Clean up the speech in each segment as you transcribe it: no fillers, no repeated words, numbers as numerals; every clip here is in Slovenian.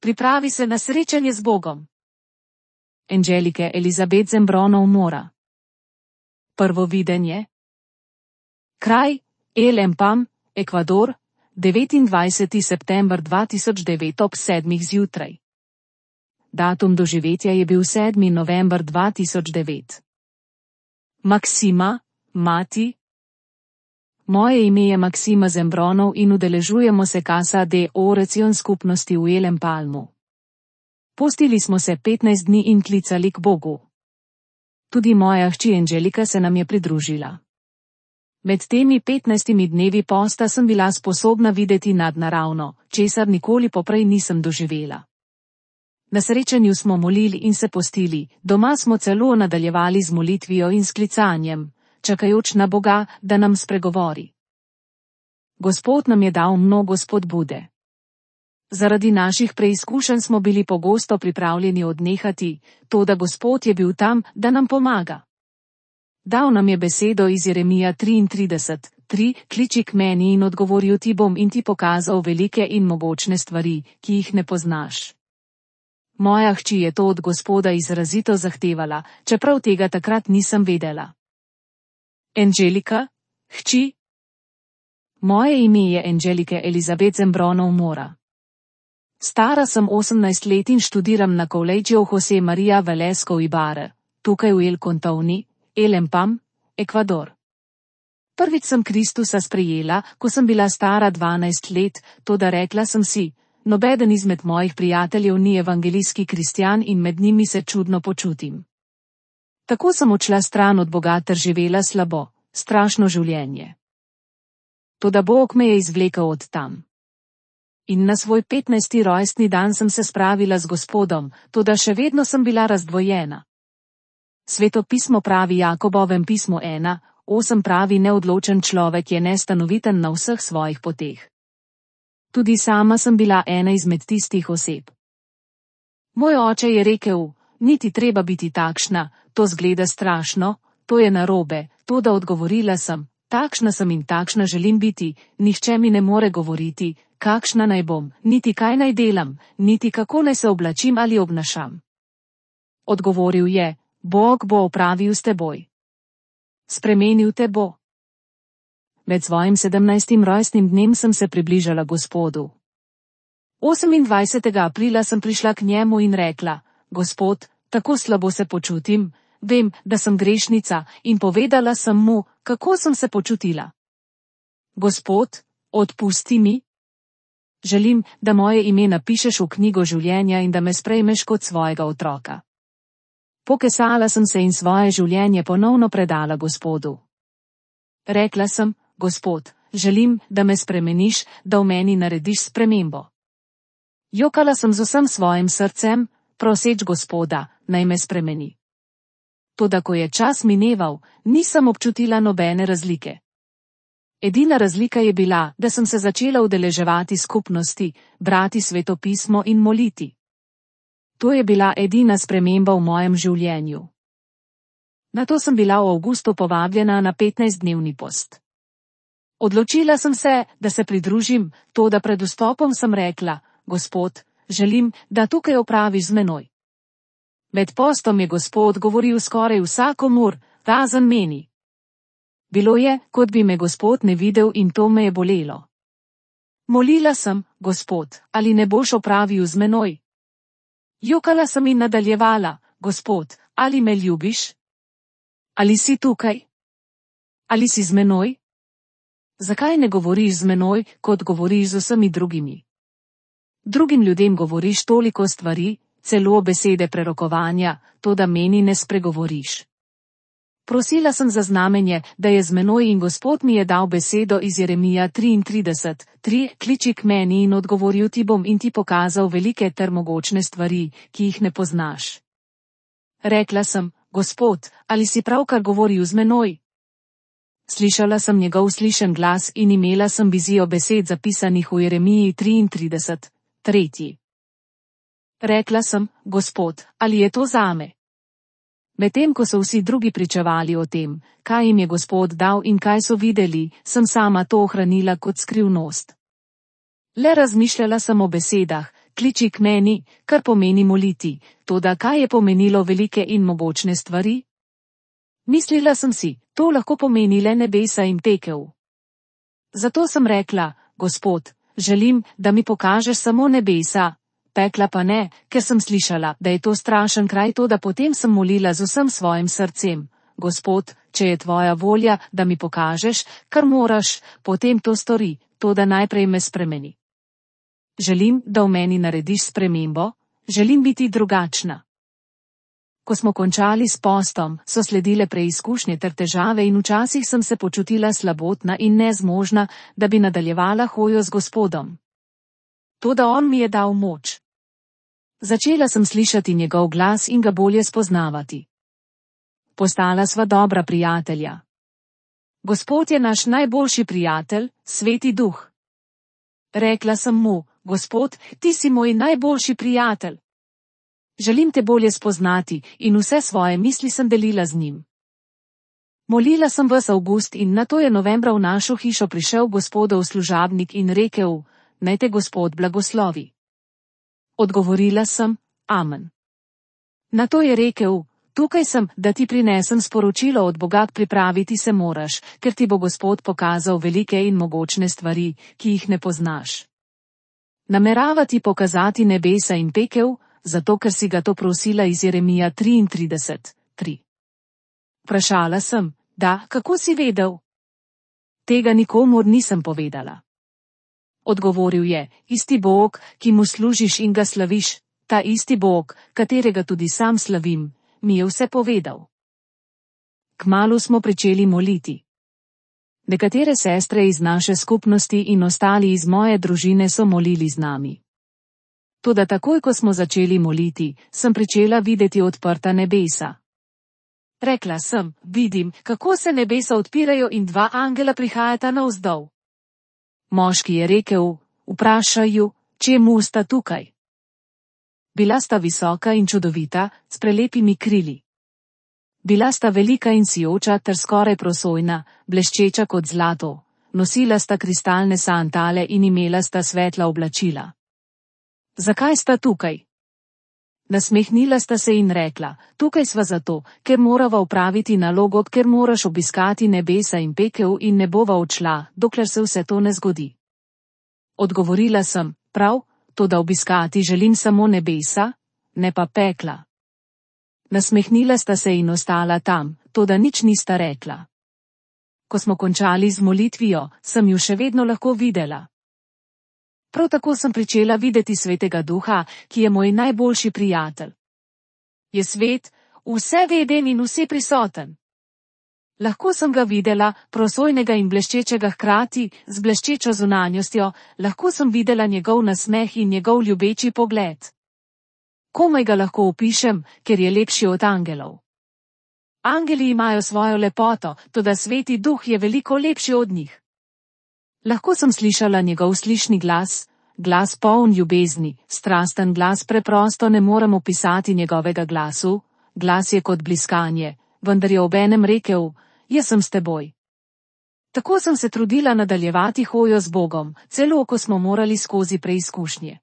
Pripravi se na srečanje z Bogom. Angelike Elizabeth Zembronov mora. Prvo videnje. Kraj, El Empam, Ekvador, 29. september 2009 ob 7. zjutraj. Datum doživetja je bil 7. november 2009. Maksima, mati. Moje ime je Maksima Zembronov in udeležujemo se Casa de Oración skupnosti v El Empalmu. Postili smo se 15 dni in klicali k Bogu. Tudi moja hči Angelika se nam je pridružila. Med temi 15 dnevi posta sem bila sposobna videti nadnaravno, česar nikoli poprej nisem doživela. Na srečanju smo molili in se postili, doma smo celo nadaljevali z molitvijo in sklicanjem, čakajoč na Boga, da nam spregovori. Gospod nam je dal mnogo spodbude. Zaradi naših preizkušenj smo bili pogosto pripravljeni odnehati, toda Gospod je bil tam, da nam pomaga. Dal nam je besedo iz Jeremija 33:3, kliči k meni in odgovoril ti bom in ti pokazal velike in mogočne stvari, ki jih ne poznaš. Moja hči je to od Gospoda izrazito zahtevala, čeprav tega takrat nisem vedela. Angelika, hči. Moje ime je Angelike Elizabeth Zembronov mora. Stara sem 18 let in študiram na Colegio José María Velasco Ibarra, tukaj v El Contoni, El Empam, Ekvador. Prvič sem Kristusa sprejela, ko sem bila stara 12 let, toda rekla sem si, nobeden izmed mojih prijateljev ni evangelijski kristjan in med njimi se čudno počutim. Tako sem odšla stran od Boga ter živela slabo, strašno življenje. Toda Bog me je izvlekel od tam. In na svoj 15. rojstni dan sem se spravila z Gospodom, toda še vedno sem bila razdvojena. Sveto pismo pravi Jakobovem pismu 1:8 pravi neodločen človek je nestanoviten na vseh svojih poteh. Tudi sama sem bila ena izmed tistih oseb. Moj oče je rekel, niti treba biti takšna, to zgleda strašno, to je narobe, toda odgovorila sem, takšna sem in takšna želim biti, nihče mi ne more govoriti, kakšna naj bom, niti kaj naj delam, niti kako naj se oblačim ali obnašam. Odgovoril je, Bog bo opravil s teboj. Spremenil te bo. Med svojim 17. rojstnim dnem sem se približala Gospodu. 28. aprila sem prišla k njemu in rekla, Gospod, tako slabo se počutim, vem, da sem grešnica, in povedala sem mu, kako sem se počutila. Gospod, odpusti mi. Želim, da moje ime napišeš v knjigo življenja in da me sprejmeš kot svojega otroka. Pokesala sem se in svoje življenje ponovno predala Gospodu. Rekla sem, Gospod, želim, da me spremeniš, da v meni narediš spremembo. Jokala sem z vsem svojim srcem, proseč Gospoda, naj me spremeni. Toda ko je čas mineval, nisem občutila nobene razlike. Edina razlika je bila, da sem se začela udeleževati skupnosti, brati Sveto pismo in moliti. To je bila edina sprememba v mojem življenju. Nato sem bila v avgustu povabljena na 15-dnevni post. Odločila sem se, da se pridružim, toda pred vstopom sem rekla, Gospod, želim, da tukaj opraviš z menoj. Med postom je Gospod govoril skoraj vsakomur, razen meni. Bilo je, kot bi me Gospod ne videl in to me je bolelo. Molila sem, Gospod, ali ne boš opravil z menoj? Jokala sem in nadaljevala, Gospod, ali me ljubiš? Ali si tukaj? Ali si z menoj? Zakaj ne govoriš z menoj, kot govoriš z vsemi drugimi? Drugim ljudem govoriš toliko stvari, celo besede prerokovanja, toda meni ne spregovoriš. Prosila sem za znamenje, da je z menoj in Gospod mi je dal besedo iz Jeremija 33:3, kliči k meni in odgovoril ti bom in ti pokazal velike ter mogočne stvari, ki jih ne poznaš. Rekla sem, Gospod, ali si pravkar govoril z menoj? Slišala sem njegov slišen glas in imela sem vizijo besed zapisanih v Jeremiji 33:3. Rekla sem, Gospod, ali je to zame? Medtem ko so vsi drugi pričevali o tem, kaj jim je Gospod dal in kaj so videli, sem sama to ohranila kot skrivnost. Le razmišljala sem o besedah, kliči k meni, kar pomeni moliti, toda kaj je pomenilo velike in mogočne stvari? Mislila sem si, to lahko pomeni le nebesa in pekel. Zato sem rekla, Gospod, želim, da mi pokažeš samo nebesa, pekla pa ne, ker sem slišala, da je to strašen kraj, toda potem sem molila z vsem svojim srcem. Gospod, če je tvoja volja, da mi pokažeš, kar moraš, potem to stori, toda najprej me spremeni. Želim, da v meni narediš spremembo, želim biti drugačna. Ko smo končali s postom, so sledile preizkušnje ter težave in včasih sem se počutila slabotna in nezmožna, da bi nadaljevala hojo z Gospodom. Toda on mi je dal moč. Začela sem slišati njegov glas in ga bolje spoznavati. Postala sva dobra prijatelja. Gospod je naš najboljši prijatelj, Sveti Duh. Rekla sem mu, Gospod, ti si moj najboljši prijatelj. Želim te bolje spoznati in vse svoje misli sem delila z njim. Molila sem ves avgust in nato je novembra v našo hišo prišel Gospodov služabnik in rekel, naj te Gospod blagoslovi. Odgovorila sem, amen. Nato je rekel, tukaj sem, da ti prinesem sporočilo od Boga, pripraviti se moraš, ker ti bo Gospod pokazal velike in mogočne stvari, ki jih ne poznaš. Namerava ti pokazati nebesa in pekel, zato ker si ga to prosila iz Jeremija 33:3. Vprašala sem, da, kako si vedel? Tega nikomur nisem povedala. Odgovoril je, isti Bog, ki mu služiš in ga slaviš, ta isti Bog, katerega tudi sam slavim, mi je vse povedal. Kmalu smo pričeli moliti. Nekatere sestre iz naše skupnosti in ostali iz moje družine so molili z nami. Toda takoj, ko smo začeli moliti, sem pričela videti odprta nebesa. Rekla sem, vidim, kako se nebesa odpirajo in dva angela prihajata navzdol. Moški je rekel, vprašaj ju, čemu sta tukaj. Bila sta visoka in čudovita, s prelepimi krili. Bila sta velika in sijoča ter skoraj prosojna, bleščeča kot zlato, nosila sta kristalne sandale in imela sta svetla oblačila. Zakaj sta tukaj? Nasmehnila sta se in rekla, tukaj sva zato, ker morava opraviti nalogo, ker moraš obiskati nebesa in pekel in ne bova odšla, dokler se vse to ne zgodi. Odgovorila sem, prav, toda obiskati želim samo nebesa, ne pa pekla. Nasmehnila sta se in ostala tam, toda nič nista rekla. Ko smo končali z molitvijo, sem ju še vedno lahko videla. Prav tako sem pričela videti Svetega Duha, ki je moj najboljši prijatelj. Je svet, vseveden in vseprisoten. Lahko sem ga videla, prosojnega in bleščečega hkrati, z bleščečo zunanjostjo, lahko sem videla njegov nasmeh in njegov ljubeči pogled. Komaj ga lahko opišem, ker je lepši od angelov. Angeli imajo svojo lepoto, toda Sveti Duh je veliko lepši od njih. Lahko sem slišala njegov slišni glas, glas poln ljubezni, strasten glas, preprosto ne morem opisati njegovega glasu, glas je kot bliskanje, vendar je obenem rekel, jaz sem s teboj. Tako sem se trudila nadaljevati hojo z Bogom, celo ko smo morali skozi preizkušnje.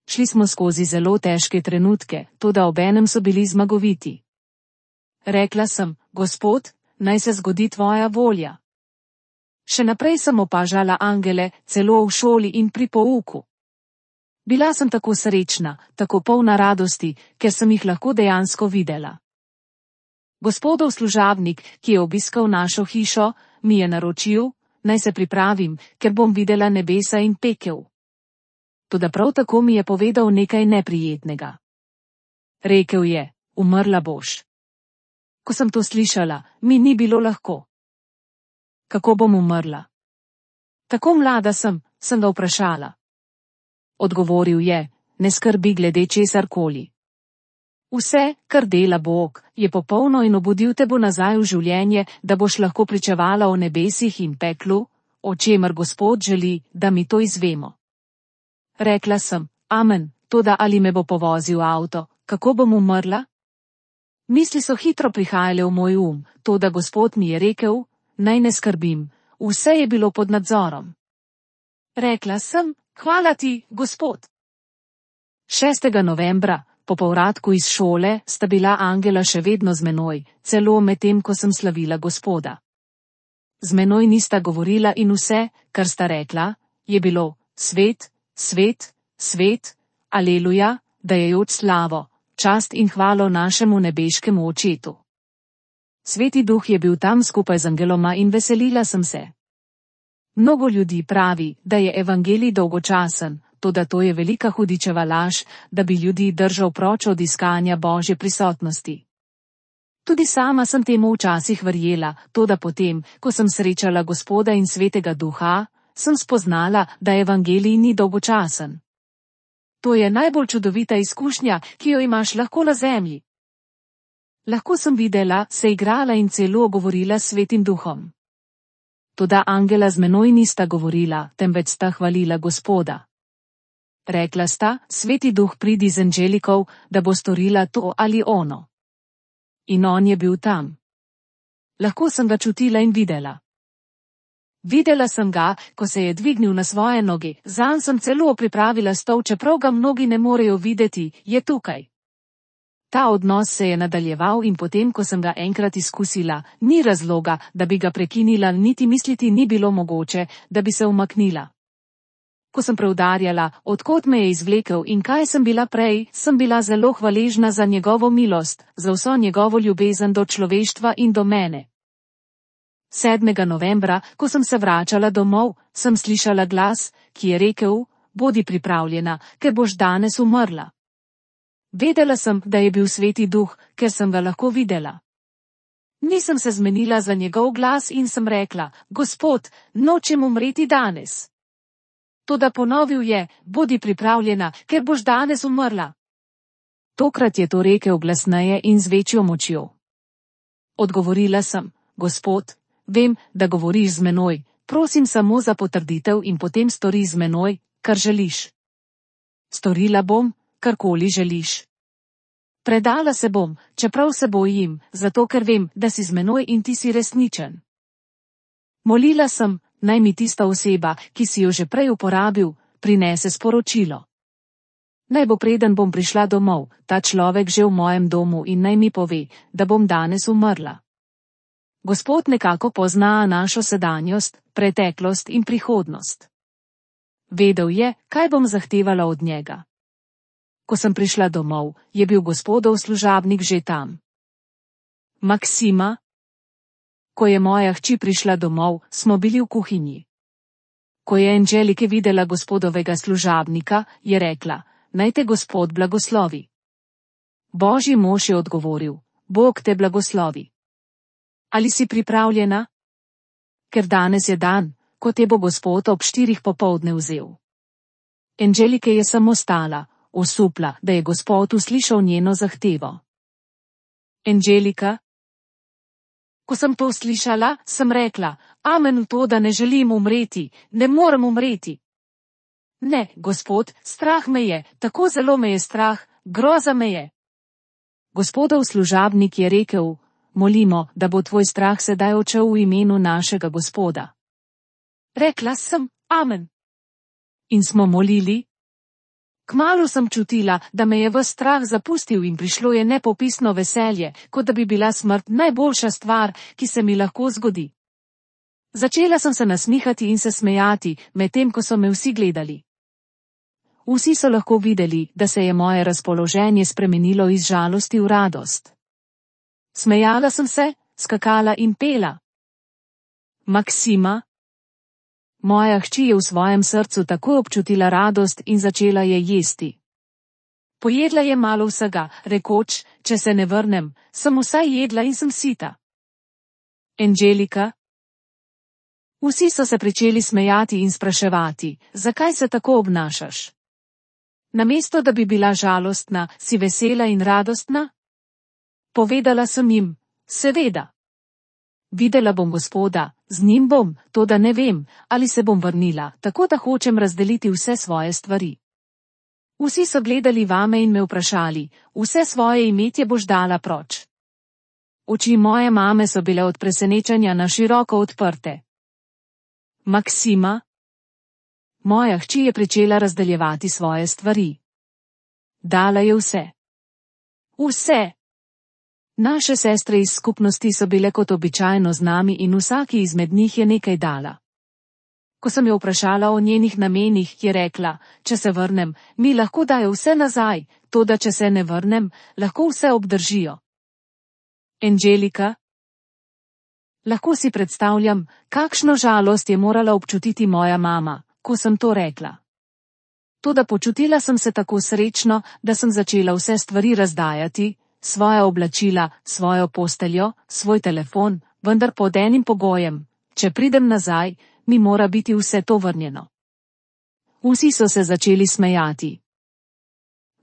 Šli smo skozi zelo težke trenutke, toda obenem so bili zmagoviti. Rekla sem, Gospod, naj se zgodi tvoja volja. Še naprej sem opažala angele, celo v šoli in pri pouku. Bila sem tako srečna, tako polna radosti, ker sem jih lahko dejansko videla. Gospodov služabnik, ki je obiskal našo hišo, mi je naročil, naj se pripravim, ker bom videla nebesa in pekel. Toda prav tako mi je povedal nekaj neprijetnega. Rekel je, umrla boš. Ko sem to slišala, mi ni bilo lahko. Kako bom umrla? Tako mlada sem ga vprašala. Odgovoril je, ne skrbi glede česarkoli. Vse, kar dela Bog, je popolno in obudil te bo nazaj v življenje, da boš lahko pričevala o nebesih in peklu, o čemer Gospod želi, da mi to izvemo. Rekla sem, amen, toda ali me bo povozil avto, kako bom umrla? Misli so hitro prihajale v moj toda Gospod mi je rekel, naj ne skrbim, vse je bilo pod nadzorom. Rekla sem, hvala ti, Gospod. 6. novembra, po povratku iz šole, sta bila angela še vedno z menoj, celo medtem, ko sem slavila Gospoda. Z menoj nista govorila in vse, kar sta rekla, je bilo: svet, svet, svet, aleluja, dajajoč slavo, čast in hvalo našemu nebeškemu Očetu. Sveti Duh je bil tam skupaj z angeloma in veselila sem se. Mnogo ljudi pravi, da je evangelij dolgočasen, toda to je velika hudičeva laž, da bi ljudi držal proč od iskanja Božje prisotnosti. Tudi sama sem temu včasih verjela, toda potem, ko sem srečala Gospoda in Svetega Duha, sem spoznala, da evangelij ni dolgočasen. To je najbolj čudovita izkušnja, ki jo imaš lahko na zemlji. Lahko sem videla, se igrala in celo govorila s Svetim Duhom. Toda angela z menoj nista govorila, temveč sta hvalila Gospoda. Rekla sta: Sveti Duh, pridi z angelikov, da bo storila to ali ono. In on je bil tam. Lahko sem ga čutila in videla. Videla sem ga, ko se je dvignil na svoje noge, zanj sem celo pripravila stol, čeprav ga mnogi ne morejo videti, je tukaj. Ta odnos se je nadaljeval in potem, ko sem ga enkrat izkusila, ni razloga, da bi ga prekinila, niti misliti ni bilo mogoče, da bi se umaknila. Ko sem preudarjala, odkot me je izvlekel in kaj sem bila prej, sem bila zelo hvaležna za njegovo milost, za vso njegovo ljubezen do človeštva in do mene. 7. novembra, ko sem se vračala domov, sem slišala glas, ki je rekel: bodi pripravljena, ker boš danes umrla. Vedela sem, da je bil Sveti Duh, ker sem ga lahko videla. Nisem se zmenila za njegov glas in sem rekla: Gospod, nočem umreti danes. Toda ponovil je: bodi pripravljena, ker boš danes umrla. Tokrat je to rekel glasneje in z večjo močjo. Odgovorila sem: Gospod, vem, da govoriš z menoj, prosim samo za potrditev in potem stori z menoj, kar želiš. Storila bom, karkoli želiš. Predala se bom, čeprav se bojim, zato ker vem, da si z menoj in ti si resničen. Molila sem, naj mi tista oseba, ki si jo že prej uporabil, prinese sporočilo. Naj bo, preden bom prišla domov, ta človek že v mojem domu in naj mi pove, da bom danes umrla. Gospod nekako pozna našo sedanjost, preteklost in prihodnost. Vedel je, kaj bom zahtevala od njega. Ko sem prišla domov, je bil Gospodov služabnik že tam. Maksima. Ko je moja hči prišla domov, smo bili v kuhinji. Ko je Angelike videla Gospodovega služabnika, je rekla: naj te Gospod blagoslovi. Božji mož je odgovoril: Bog te blagoslovi. Ali si pripravljena? Ker danes je dan, ko te bo Gospod ob 4 popoldne vzel. Angelike je samo stala, osupla, da je Gospod uslišal njeno zahtevo. Angelika. Ko sem to slišala, sem rekla: amen v to, da ne želim umreti, ne morem umreti. Ne, Gospod, strah me je, tako zelo me je strah, groza me je. Gospodov služabnik je rekel: molimo, da bo tvoj strah sedaj odšel v imenu našega Gospoda. Rekla sem: amen. In smo molili. Kmalu sem čutila, da me je ves strah zapustil in prišlo je nepopisno veselje, kot da bi bila smrt najboljša stvar, ki se mi lahko zgodi. Začela sem se nasmihati in se smejati, medtem ko so me vsi gledali. Vsi so lahko videli, da se je moje razpoloženje spremenilo iz žalosti v radost. Smejala sem se, skakala in pela. Maksima. Moja hči je v svojem srcu takoj občutila radost in začela je jesti. Pojedla je malo vsega, rekoč: če se ne vrnem, sem vsaj jedla in sem sita. Angelika. Vsi so se pričeli smejati in spraševati: zakaj se tako obnašaš? Namesto da bi bila žalostna, si vesela in radostna? Povedala sem jim: seveda. Videla bom Gospoda, z njim bom, toda ne vem, ali se bom vrnila, tako da hočem razdeliti vse svoje stvari. Vsi so gledali vame in me vprašali: vse svoje imetje boš dala proč? Oči moje mame so bile od presenečenja na široko odprte. Maksima. Moja hči je pričela razdeljevati svoje stvari. Dala je vse. Vse. Naše sestre iz skupnosti so bile kot običajno z nami in vsaki izmed njih je nekaj dala. Ko sem jo vprašala o njenih namenih, je rekla, če se vrnem, mi lahko dajo vse nazaj, toda če se ne vrnem, lahko vse obdržijo. Angelika? Lahko si predstavljam, kakšno žalost je morala občutiti moja mama, ko sem to rekla. Toda počutila sem se tako srečno, da sem začela vse stvari razdajati, svoja oblačila, svojo posteljo, svoj telefon, vendar pod enim pogojem, če pridem nazaj, mi mora biti vse to vrnjeno. Vsi so se začeli smejati.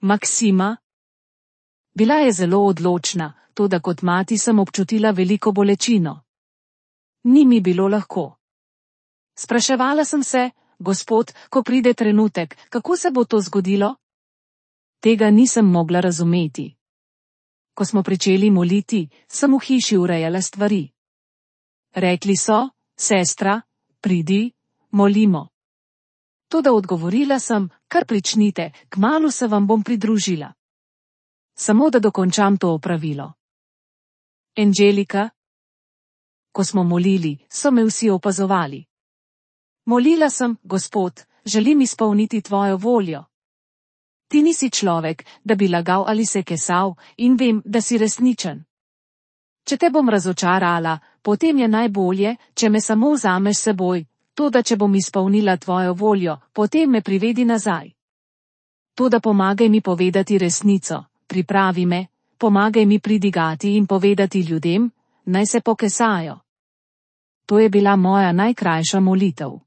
Maksima? Bila je zelo odločna, toda kot mati sem občutila veliko bolečino. Ni mi bilo lahko. Spraševala sem se, Gospod, ko pride trenutek, kako se bo to zgodilo? Tega nisem mogla razumeti. Ko smo pričeli moliti, sem v hiši urejala stvari. Rekli so, sestra, pridi, molimo. Toda odgovorila sem, kar pričnite, kmalu se vam bom pridružila. Samo da dokončam to opravilo. Angelika? Ko smo molili, so me vsi opazovali. Molila sem, Gospod, želim izpolniti tvojo voljo. Ti nisi človek, da bi lagal ali se kesal, in vem, da si resničen. Če te bom razočarala, potem je najbolje, če me samo vzameš seboj, toda če bom izpolnila tvojo voljo, potem me privedi nazaj. Toda pomagaj mi povedati resnico, pripravi me, pomagaj mi pridigati in povedati ljudem, naj se pokesajo. To je bila moja najkrajša molitev.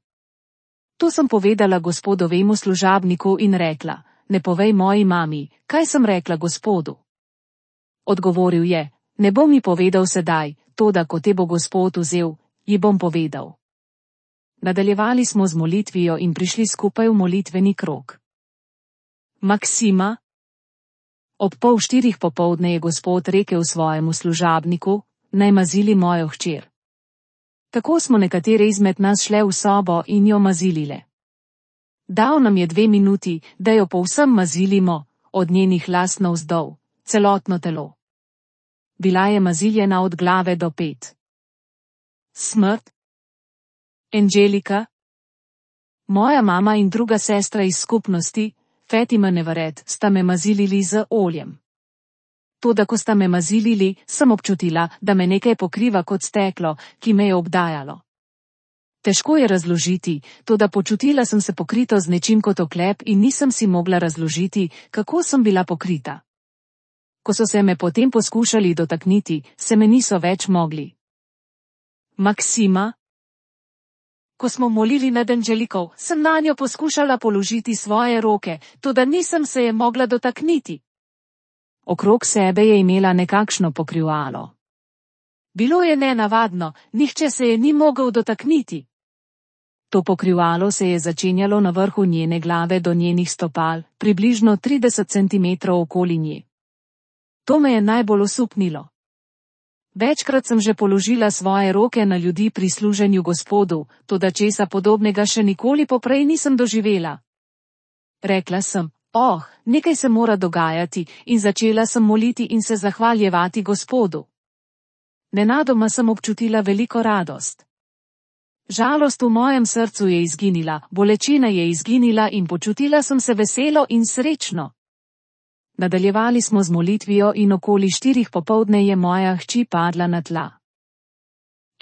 To sem povedala gospodovemu služabniku in rekla, ne povej moji mami, kaj sem rekla Gospodu. Odgovoril je, ne bom mi povedal sedaj, toda ko te bo Gospod vzel, ji bom povedal. Nadaljevali smo z molitvijo in prišli skupaj v molitveni krog. Maksima? Ob 3:30 popoldne je Gospod rekel svojemu služabniku, naj mazili mojo hčer. Tako smo nekatere izmed nas šle v sobo in jo mazilile. Dal nam je 2 minuti, da jo povsem mazilimo, od njenih las navzdol, celotno telo. Bila je maziljena od glave do pet. Smrt? Angelika? Moja mama in druga sestra iz skupnosti, Fatima Nevaret, sta me mazilili z oljem. Toda ko sta me mazilili, sem občutila, da me nekaj pokriva kot steklo, ki me je obdajalo. Težko je razložiti, toda počutila sem se pokrito z nečim kot oklep in nisem si mogla razložiti, kako sem bila pokrita. Ko so se me potem poskušali dotakniti, se me niso več mogli. Maksima? Ko smo molili nad Angeliko, sem nanjo poskušala položiti svoje roke, toda nisem se je mogla dotakniti. Okrog sebe je imela nekakšno pokrivalo. Bilo je nenavadno, nihče se je ni mogel dotakniti. To pokrivalo se je začenjalo na vrhu njene glave do njenih stopal, približno 30 cm okoli nje. To me je najbolj osupnilo. Večkrat sem že položila svoje roke na ljudi pri služenju Gospodu, toda česa podobnega še nikoli poprej nisem doživela. Rekla sem, nekaj se mora dogajati, in začela sem moliti in se zahvaljevati Gospodu. Nenadoma sem občutila veliko radost. Žalost v mojem srcu je izginila, bolečina je izginila in počutila sem se veselo in srečno. Nadaljevali smo z molitvijo in okoli 4 popoldne je moja hči padla na tla.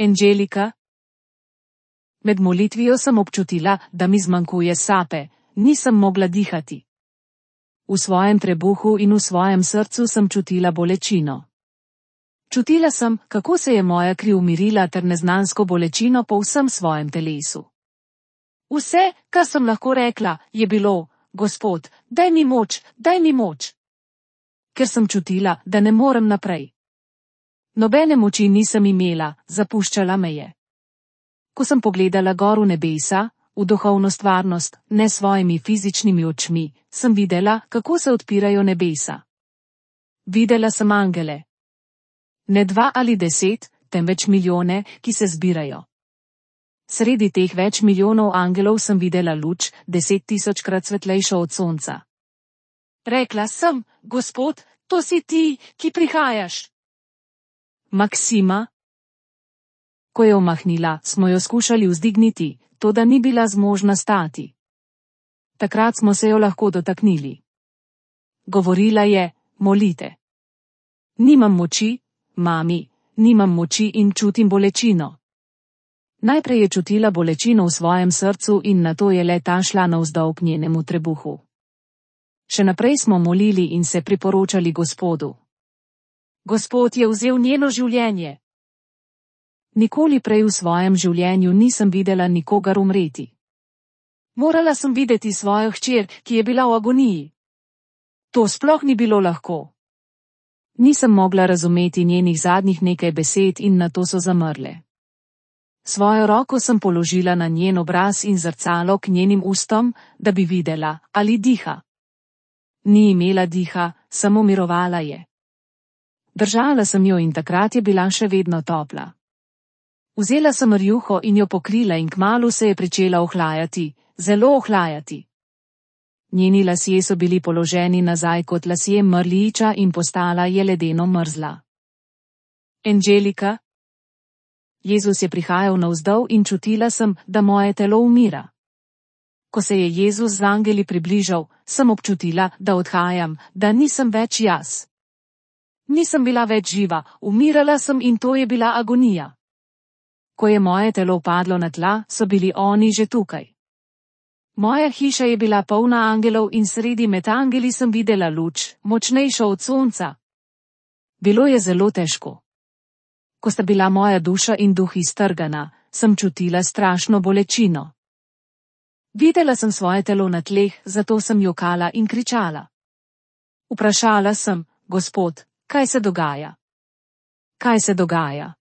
Angelika? Med molitvijo sem občutila, da mi zmanjkuje sape, nisem mogla dihati. V svojem trebuhu in v svojem srcu sem čutila bolečino. Čutila sem, kako se je moja kri umirila ter neznansko bolečino po vsem svojem telesu. Vse, kar sem lahko rekla, je bilo, Gospod, daj mi moč, daj mi moč. Ker sem čutila, da ne morem naprej. Nobene moči nisem imela, zapuščala me je. Ko sem pogledala gor v nebesa, v duhovno stvarnost, ne svojimi fizičnimi očmi, sem videla, kako se odpirajo nebesa. Videla sem angele. Ne 2 ali 10, temveč milijone, ki se zbirajo. Sredi teh več milijonov angelov sem videla luč, 10 000-krat svetlejšo od sonca. Rekla sem, Gospod, to si ti, ki prihajaš. Maksima. Ko je omahnila, smo jo skušali vzdigniti, toda ni bila zmožna stati. Takrat smo se jo lahko dotaknili. Govorila je, molite. Nimam moči, mami, nimam moči in čutim bolečino. Najprej je čutila bolečino v svojem srcu in nato je le ta šla navzdol k njenemu trebuhu. Še naprej smo molili in se priporočali Gospodu. Gospod je vzel njeno življenje. Nikoli prej v svojem življenju nisem videla nikogar umreti. Morala sem videti svojo hčer, ki je bila v agoniji. To sploh ni bilo lahko. Nisem mogla razumeti njenih zadnjih nekaj besed in nato so zamrle. Svojo roko sem položila na njen obraz in zrcalo k njenim ustom, da bi videla, ali diha. Ni imela diha, samo mirovala je. Držala sem jo in takrat je bila še vedno topla. Vzela sem rjuho in jo pokrila in kmalu se je pričela ohlajati, zelo ohlajati. Njeni lasje so bili položeni nazaj kot lasje mrliča in postala je ledeno mrzla. Angelika. Jezus je prihajal navzdol in čutila sem, da moje telo umira. Ko se je Jezus z angeli približal, sem občutila, da odhajam, da nisem več jaz. Nisem bila več živa, umirala sem in to je bila agonija. Ko je moje telo padlo na tla, so bili oni že tukaj. Moja hiša je bila polna angelov in sredi med angeli sem videla luč, močnejšo od sonca. Bilo je zelo težko. Ko sta bila moja duša in duh iztrgana, sem čutila strašno bolečino. Videla sem svoje telo na tleh, zato sem jokala in kričala. Vprašala sem, Gospod, kaj se dogaja? Kaj se dogaja?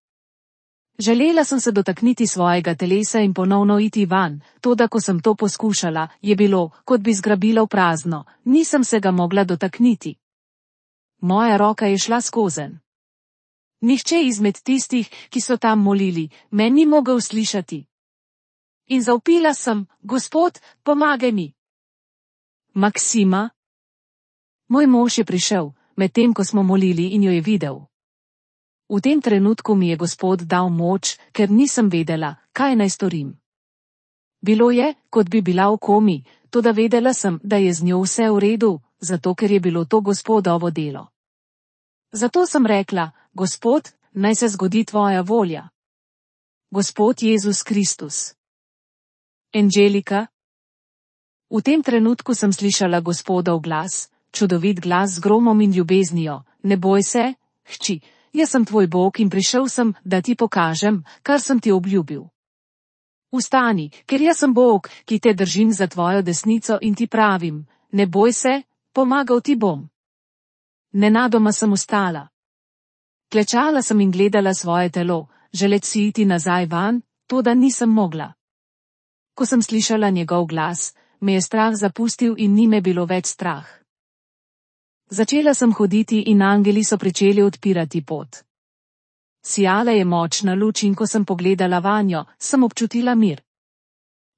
Želela sem se dotakniti svojega telesa in ponovno iti van, toda ko sem to poskušala, je bilo, kot bi zgrabila v prazno, nisem se ga mogla dotakniti. Moja roka je šla skozenj. Nihče izmed tistih, ki so tam molili, me ni mogel slišati. In zavpila sem, Gospod, pomagaj mi. Maksima. Moj mož je prišel, medtem ko smo molili in jo je videl. V tem trenutku mi je Gospod dal moč, ker nisem vedela, kaj naj storim. Bilo je, kot bi bila v komi, toda vedela sem, da je z njo vse v redu, zato ker je bilo to Gospodovo delo. Zato sem rekla, Gospod, naj se zgodi tvoja volja. Gospod Jezus Kristus. Angelika. V tem trenutku sem slišala Gospodov glas, čudovit glas z gromom in ljubeznijo, ne boj se, hči, jaz sem tvoj Bog in prišel sem, da ti pokažem, kar sem ti obljubil. Vstani, ker jaz sem Bog, ki te držim za tvojo desnico in ti pravim, ne boj se, pomagal ti bom. Nenadoma sem vstala. Klečala sem in gledala svoje telo, želeti si iti nazaj van, toda nisem mogla. Ko sem slišala njegov glas, me je strah zapustil in ni me bilo več strah. Začela sem hoditi in angeli so pričeli odpirati pot. Sijala je močna luč in ko sem pogledala vanjo, sem občutila mir.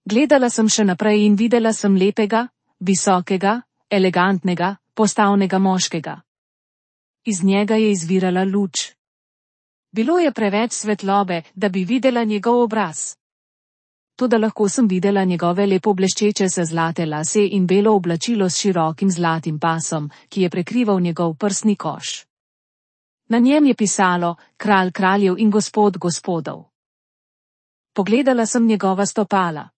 Gledala sem še naprej in videla sem lepega, visokega, elegantnega, postavnega moškega. Iz njega je izvirala luč. Bilo je preveč svetlobe, da bi videla njegov obraz. Toda lahko sem videla njegove lepo bleščeče se zlate lase in belo oblačilo s širokim zlatim pasom, ki je prekrival njegov prsni koš. Na njem je pisalo, Kralj kraljev in Gospod gospodov. Pogledala sem njegova stopala.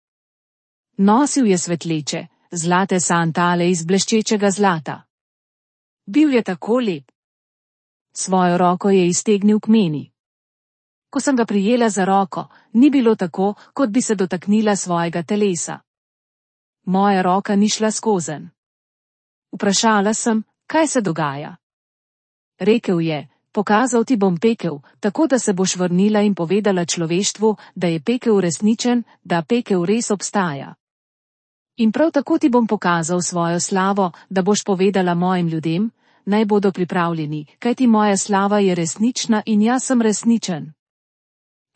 Nosil je svetleče, zlate sandale iz bleščečega zlata. Bil je tako lep. Svojo roko je iztegnil k meni. Ko sem ga prijela za roko, ni bilo tako, kot bi se dotaknila svojega telesa. Moja roka ni šla skozenj. Vprašala sem, kaj se dogaja. Rekel je, pokazal ti bom pekel, tako da se boš vrnila in povedala človeštvu, da je pekel resničen, da pekel res obstaja. In prav tako ti bom pokazal svojo slavo, da boš povedala mojim ljudem, naj bodo pripravljeni, kajti moja slava je resnična in jaz sem resničen.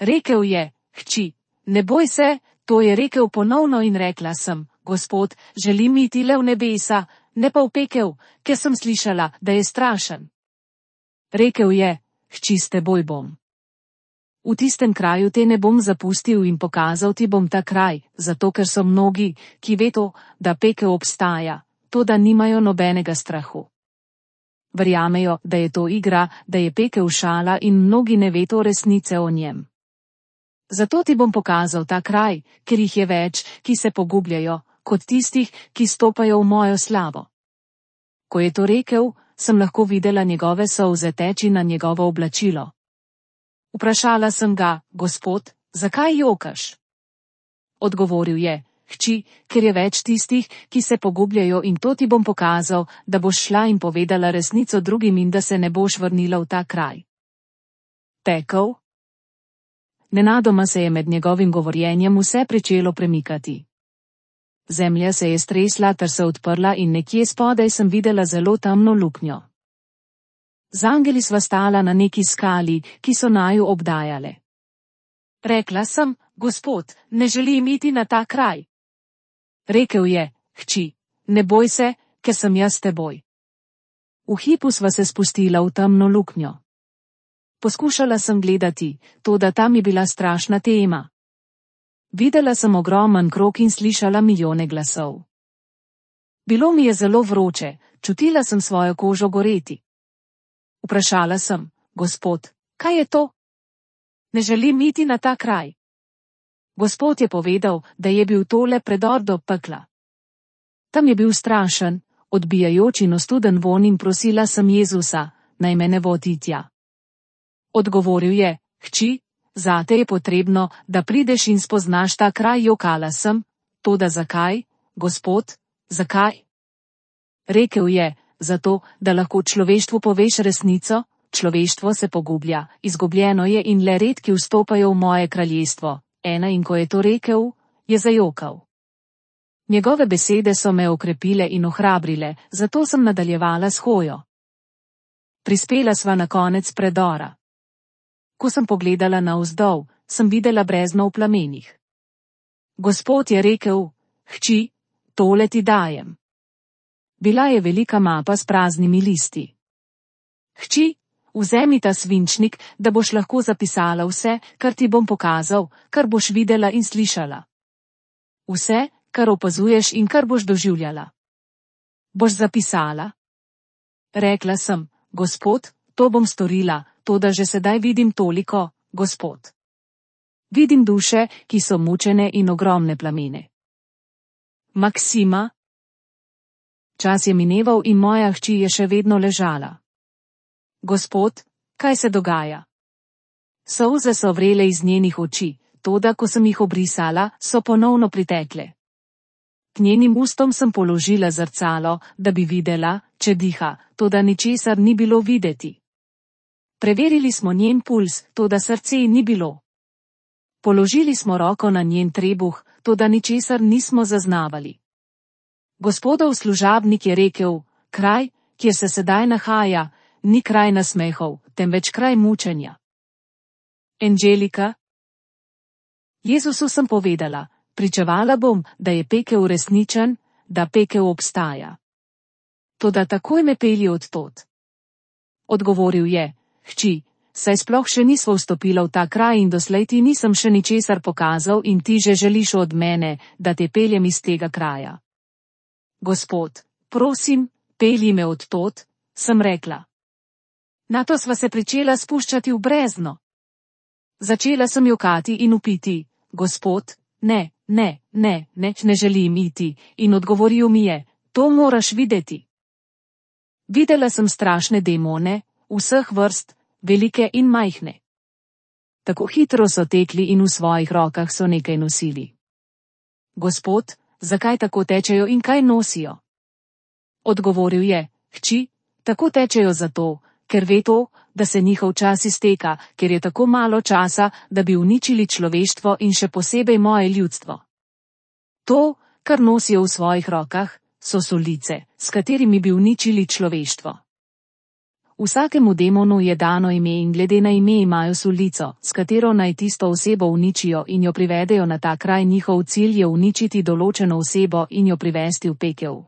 Rekel je, hči, ne boj se, to je rekel ponovno in rekla sem, Gospod, želim iti le v nebesa, ne pa v pekel, ker sem slišala, da je strašen. Rekel je, hči, s teboj bom. V tistem kraju te ne bom zapustil in pokazal ti bom ta kraj, zato ker so mnogi, ki vedo, da pekel obstaja, to da nimajo nobenega strahu. Verjamejo, da je to igra, da je pekel šala in mnogi ne vedo resnice o njem. Zato ti bom pokazal ta kraj, ker jih je več, ki se pogubljajo, kot tistih, ki stopajo v mojo slavo. Ko je to rekel, sem lahko videla njegove solze teči na njegovo oblačilo. Vprašala sem ga, Gospod, zakaj jokaš? Odgovoril je, hči, ker je več tistih, ki se pogubljajo in to ti bom pokazal, da boš šla in povedala resnico drugim in da se ne boš vrnila v ta kraj. Pekel? Nenadoma se je med njegovim govorjenjem vse pričelo premikati. Zemlja se je stresla ter se odprla in nekje spodaj sem videla zelo temno luknjo. Z angeli sva stala na neki skali, ki so naju obdajale. Rekla sem, Gospod, ne želim iti na ta kraj. Rekel je, hči, ne boj se, ker sem jaz s teboj. V hipu sva se spustila v temno luknjo. Poskušala sem gledati, toda tam je bila strašna tema. Videla sem ogromen krog in slišala milijone glasov. Bilo mi je zelo vroče, čutila sem svojo kožo goreti. Vprašala sem, Gospod, kaj je to? Ne želim iti na ta kraj. Gospod je povedal, da je bil tole predor do pekla. Tam je bil strašen, odbijajoč in ostuden vonj in prosila sem Jezusa, naj me ne vodi tja. Odgovoril je, hči, zate je potrebno, da prideš in spoznaš ta kraj, jokala sem, toda zakaj, Gospod, zakaj? Rekel je, zato, da lahko človeštvu poveš resnico, človeštvo se pogublja, izgubljeno je in le redki vstopajo v moje kraljestvo. In ko je to rekel, je zajokal. Njegove besede so me okrepile in ohrabrile, zato sem nadaljevala s hojo. Prispela sva na konec predora. Ko sem pogledala navzdol, sem videla brezno v plamenih. Gospod je rekel, hči, tole ti dajem. Bila je velika mapa s praznimi listi. Hči, vzemi ta svinčnik, da boš lahko zapisala vse, kar ti bom pokazal, kar boš videla in slišala. Vse, kar opazuješ in kar boš doživljala. Boš zapisala? Rekla sem, Gospod, to bom storila, toda že sedaj vidim toliko, Gospod. Vidim duše, ki so mučene in ogromne plamene. Maksima? Čas je mineval in moja hči je še vedno ležala. Gospod, kaj se dogaja? Solze so vrele iz njenih oči, toda ko sem jih obrisala, so ponovno pritekle. K njenim ustom sem položila zrcalo, da bi videla, če diha, toda ničesar ni bilo videti. Preverili smo njen puls, toda srce ji ni bilo. Položili smo roko na njen trebuh, toda ničesar nismo zaznavali. Gospodov služabnik je rekel, kraj, kjer se sedaj nahaja, ni kraj nasmehov, temveč kraj mučenja. Angelika? Jezusu sem povedala, pričevala bom, da je pekel resničen, da pekel obstaja. Toda takoj me pelji odtod. Odgovoril je, hči, saj sploh še nisva vstopila v ta kraj in doslej ti nisem še ničesar pokazal in ti že želiš od mene, da te peljem iz tega kraja. Gospod, prosim, pelji me odtod, sem rekla. Nato sva se pričela spuščati v brezno. Začela sem jokati in vpiti, Gospod, ne želim iti, in odgovoril mi je, to moraš videti. Videla sem strašne demone, vseh vrst, velike in majhne. Tako hitro so tekli in v svojih rokah so nekaj nosili. Gospod, zakaj tako tečejo in kaj nosijo? Odgovoril je, hči, tako tečejo zato, ker ve to, da se njihov čas izteka, ker je tako malo časa, da bi uničili človeštvo in še posebej moje ljudstvo. To, kar nosijo v svojih rokah, so solice, s katerimi bi uničili človeštvo. Vsakemu demonu je dano ime in glede na ime imajo solico, s katero naj tisto osebo uničijo in jo privedejo na ta kraj. Njihov cilj je uničiti določeno osebo in jo privesti v pekel.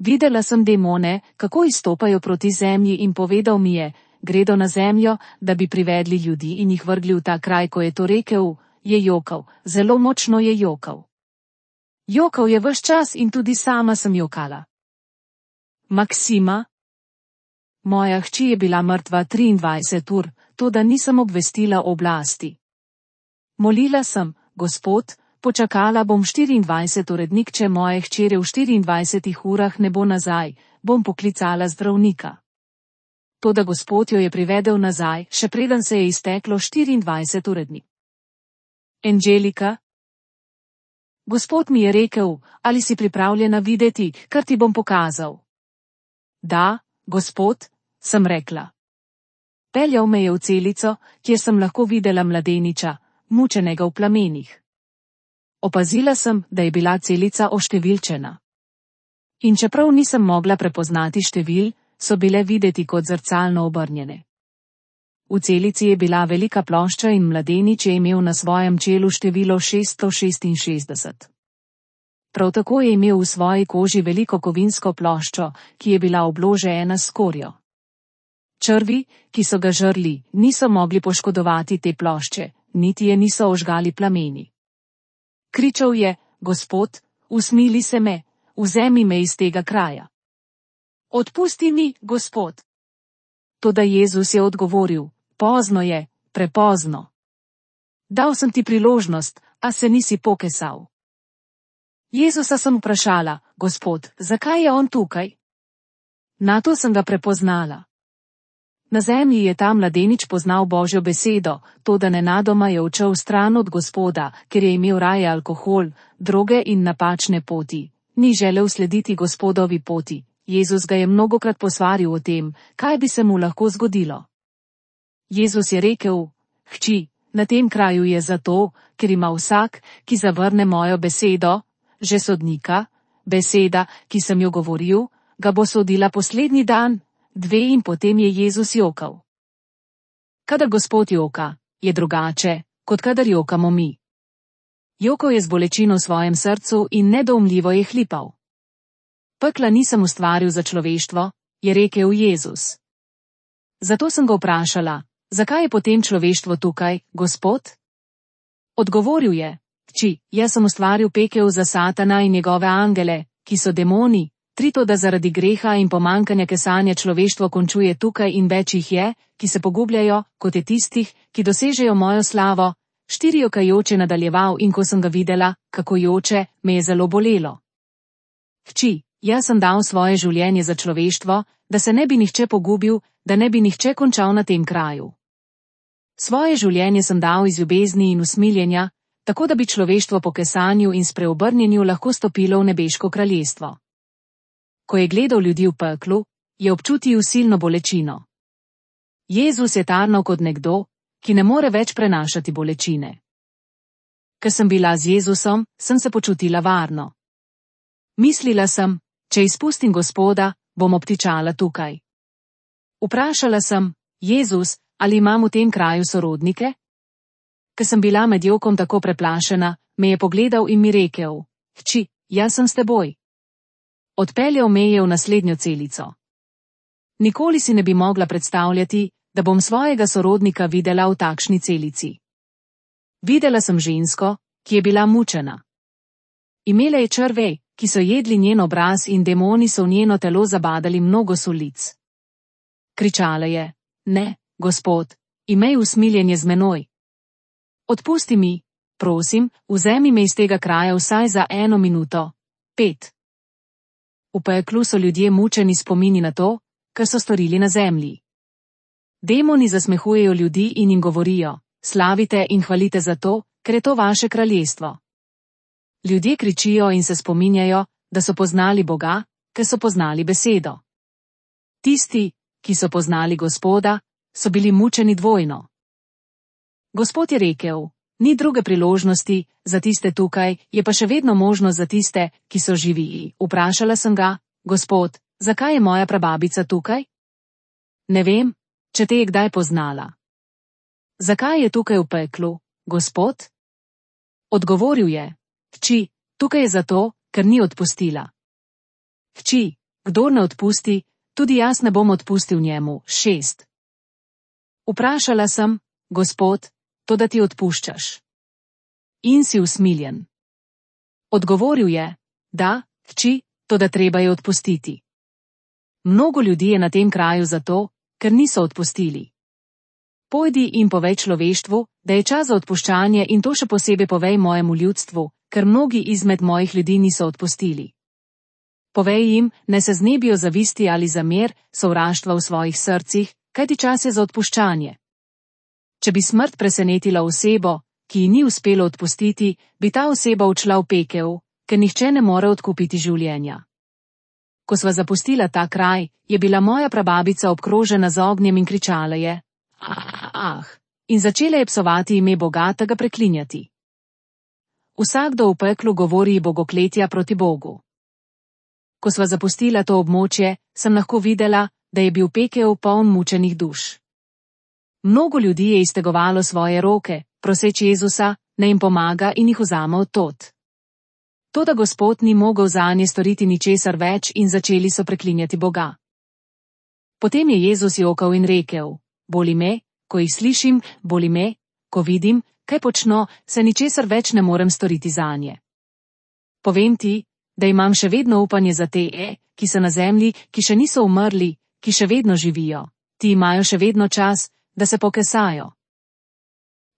Videla sem demone, kako izstopajo proti zemlji in povedal mi je, gredo na zemljo, da bi privedli ljudi in jih vrgli v ta kraj, ko je to rekel, je jokal, zelo močno je jokal. Jokal je ves čas in tudi sama sem jokala. Maksima? Moja hči je bila mrtva 23 ur, toda nisem obvestila oblasti. Molila sem, Gospod, počakala bom 24 urednik, če moje hčere v 24 urah ne bo nazaj, bom poklicala zdravnika. Toda Gospod jo je privedel nazaj, še preden se je izteklo 24 urednik. Angelika? Gospod mi je rekel, ali si pripravljena videti, kar ti bom pokazal. Da, Gospod, sem rekla. Peljal me je v celico, kjer sem lahko videla mladeniča, mučenega v plamenih. Opazila sem, da je bila celica oštevilčena. In čeprav nisem mogla prepoznati števil, so bile videti kot zrcalno obrnjene. V celici je bila velika plošča in mladenič je imel na svojem čelu število 666. Prav tako je imel v svoji koži veliko kovinsko ploščo, ki je bila obložena s skorjo. Črvi, ki so ga žrli, niso mogli poškodovati te plošče, niti je niso ožgali plameni. Kričal je, Gospod, usmili se me, vzemi me iz tega kraja. Odpusti mi, Gospod. Toda Jezus je odgovoril, pozno je, prepozno. Dal sem ti priložnost, a se nisi pokesal. Jezusa sem vprašala, Gospod, zakaj je on tukaj? Nato sem ga prepoznala. Na zemlji je ta mladenič poznal Božjo besedo, toda nenadoma je odšel stran od Gospoda, ker je imel raje alkohol, droge in napačne poti. Ni želel slediti Gospodovi poti. Jezus ga je mnogokrat posvaril o tem, kaj bi se mu lahko zgodilo. Jezus je rekel, hči, na tem kraju je zato, ker ima vsak, ki zavrne mojo besedo, že sodnika, beseda, ki sem jo govoril, ga bo sodila poslednji dan, 2 in potem je Jezus jokal. Kadar Gospod joka, je drugače, kot kadar jokamo mi. Jokal je z bolečino v svojem srcu in nedoumljivo je hlipal. Pekla nisem ustvaril za človeštvo, je rekel Jezus. Zato sem ga vprašala, zakaj je potem človeštvo tukaj, Gospod? Odgovoril je, hči, jaz sem ustvaril pekel za Satana in njegove angele, ki so demoni, da zaradi greha in pomankanja kesanja človeštvo končuje tukaj in več jih je, ki se pogubljajo, kot je tistih, ki dosežejo mojo slavo, 4 jokajoče nadaljeval in ko sem ga videla, kako joče, me je zelo bolelo. Hči, jaz sem dal svoje življenje za človeštvo, da se ne bi nihče pogubil, da ne bi nihče končal na tem kraju. Svoje življenje sem dal iz ljubezni in usmiljenja, tako da bi človeštvo po kesanju in spreobrnjenju lahko stopilo v nebeško kraljestvo. Ko je gledal ljudi v peklu, je občutil silno bolečino. Jezus je tarnal kot nekdo, ki ne more več prenašati bolečine. Ker sem bila z Jezusom, sem se počutila varno. Mislila sem, če izpustim Gospoda, bom obtičala tukaj. Vprašala sem, Jezus, ali imam v tem kraju sorodnike? Ker sem bila med jokom tako preplašena, me je pogledal in mi rekel, hči, jaz sem s teboj. Odpeljal me je v naslednjo celico. Nikoli si ne bi mogla predstavljati, da bom svojega sorodnika videla v takšni celici. Videla sem žensko, ki je bila mučena. Imela je črve, ki so jedli njen obraz in demoni so v njeno telo zabadali mnogo solic. Kričala je, ne, Gospod, imej usmiljenje z menoj. Odpusti mi, prosim, vzemi me iz tega kraja vsaj za 1 minuto, 5. V peklu so ljudje mučeni spomini na to, kar so storili na zemlji. Demoni zasmehujejo ljudi in jim govorijo, slavite in hvalite za to, ker je to vaše kraljestvo. Ljudje kričijo in se spominjajo, da so poznali Boga, ker so poznali besedo. Tisti, ki so poznali Gospoda, so bili mučeni dvojno. Gospod je rekel, ni druge priložnosti, za tiste tukaj, je pa še vedno možnost za tiste, ki so živi. Vprašala sem ga, Gospod, zakaj je moja prababica tukaj? Ne vem, če te je kdaj poznala. Zakaj je tukaj v peklu, Gospod? Odgovoril je, hči, tukaj je zato, ker ni odpustila. Hči, kdor ne odpusti, tudi jaz ne bom odpustil njemu. 6. Vprašala sem, Gospod, toda ti odpuščaš. In si usmiljen. Odgovoril je, da, hči, toda treba je odpustiti. Mnogo ljudi je na tem kraju zato, ker niso odpustili. Pojdi in povej človeštvu, da je čas za odpuščanje in to še posebej povej mojemu ljudstvu, ker mnogi izmed mojih ljudi niso odpustili. Povej jim, ne se znebijo zavisti ali zamer, sovraštva v svojih srcih, kajti čas je za odpuščanje. Če bi smrt presenetila osebo, ki ji ni uspelo odpustiti, bi ta oseba odšla v pekel, ker nihče ne more odkupiti življenja. Ko sva zapustila ta kraj, je bila moja prababica obkrožena z ognjem in kričala je, in začela je psovati ime Boga ter ga preklinjati. Vsakdo v peklu govori bogokletja proti Bogu. Ko sva zapustila to območje, sem lahko videla, da je bil pekel poln mučenih duš. Mnogo ljudi je iztegovalo svoje roke, proseč Jezusa, naj jim pomaga in jih vzame od tod. Toda Gospod ni mogel zanje storiti ničesar več in začeli so preklinjati Boga. Potem je Jezus jokal in rekel, boli me, ko jih slišim, boli me, ko vidim, kaj počno, se ničesar več ne morem storiti zanje. Povem ti, da imam še vedno upanje za te, ki so na zemlji, ki še niso umrli, ki še vedno živijo, ti imajo še vedno čas, da se pokesajo.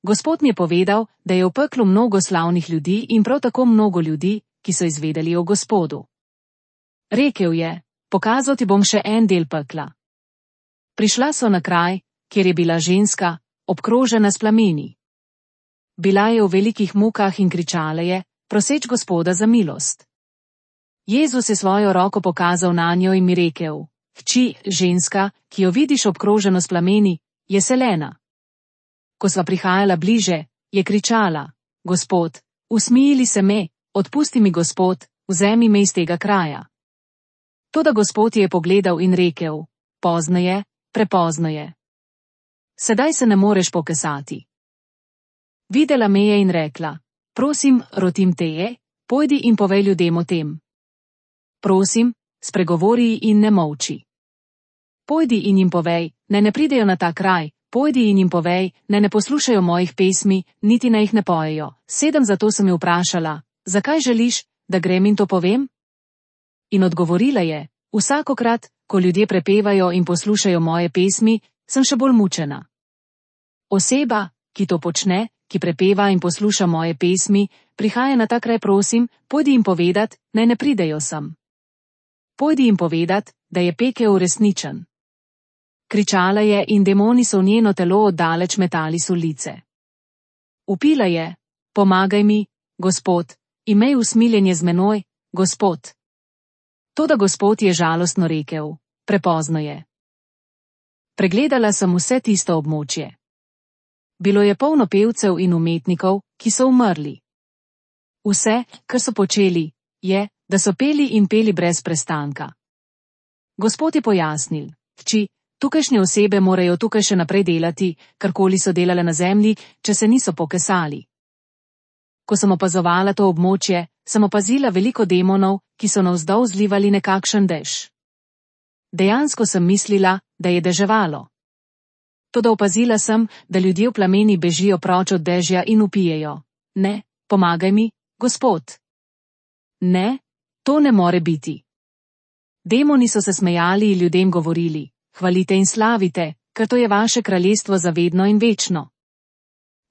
Gospod mi je povedal, da je v peklu mnogo slavnih ljudi in prav tako mnogo ljudi, ki so izvedeli o Gospodu. Rekel je, pokazal ti bom še en del pekla. Prišla so na kraj, kjer je bila ženska, obkrožena s plameni. Bila je v velikih mukah in kričala je, proseč Gospoda za milost. Jezus je svojo roko pokazal nanjo in mi rekel, hči, ženska, ki jo vidiš obkroženo s plameni, je selena. Ko sva prihajala bliže, je kričala, Gospod, usmili se me, odpusti mi Gospod, vzemi me iz tega kraja. Toda Gospod je pogledal in rekel, pozno je, prepozno je. Sedaj se ne moreš pokesati. Videla me je in rekla, prosim, rotim te je, pojdi in povej ljudem o tem. Prosim, spregovori in ne molči. Pojdi in jim povej, naj ne pridejo na ta kraj, pojdi in jim povej, naj ne poslušajo mojih pesmi, niti naj jih ne pojejo. 7 Zato sem jo vprašala, zakaj želiš, da grem in to povem? In odgovorila je, vsakokrat, ko ljudje prepevajo in poslušajo moje pesmi, sem še bolj mučena. Oseba, ki to počne, ki prepeva in posluša moje pesmi, prihaja na ta kraj, prosim, pojdi jim povedat, naj ne pridejo sem. Pojdi jim povedat, da je pekel resničen. Kričala je in demoni so v njeno telo oddaleč metali sulice. Vpila je, pomagaj mi, Gospod, imej usmiljenje z menoj, Gospod. Toda Gospod je žalostno rekel, prepozno je. Pregledala sem vse tisto območje. Bilo je polno pevcev in umetnikov, ki so umrli. Vse, kar so počeli, je, da so peli in peli brez prestanka. Gospod je pojasnil, hči, tukajšnje osebe morajo tukaj še naprej delati, karkoli so delale na zemlji, če se niso pokesali. Ko sem opazovala to območje, sem opazila veliko demonov, ki so navzdol zlivali nekakšen dež. Dejansko sem mislila, da je deževalo. Toda opazila sem, da ljudje v plameni bežijo proč od dežja in vpijejo. Ne, pomagaj mi, Gospod. Ne, to ne more biti. Demoni so se smejali in ljudem govorili, hvalite in slavite, ker to je vaše kraljestvo za vedno in večno.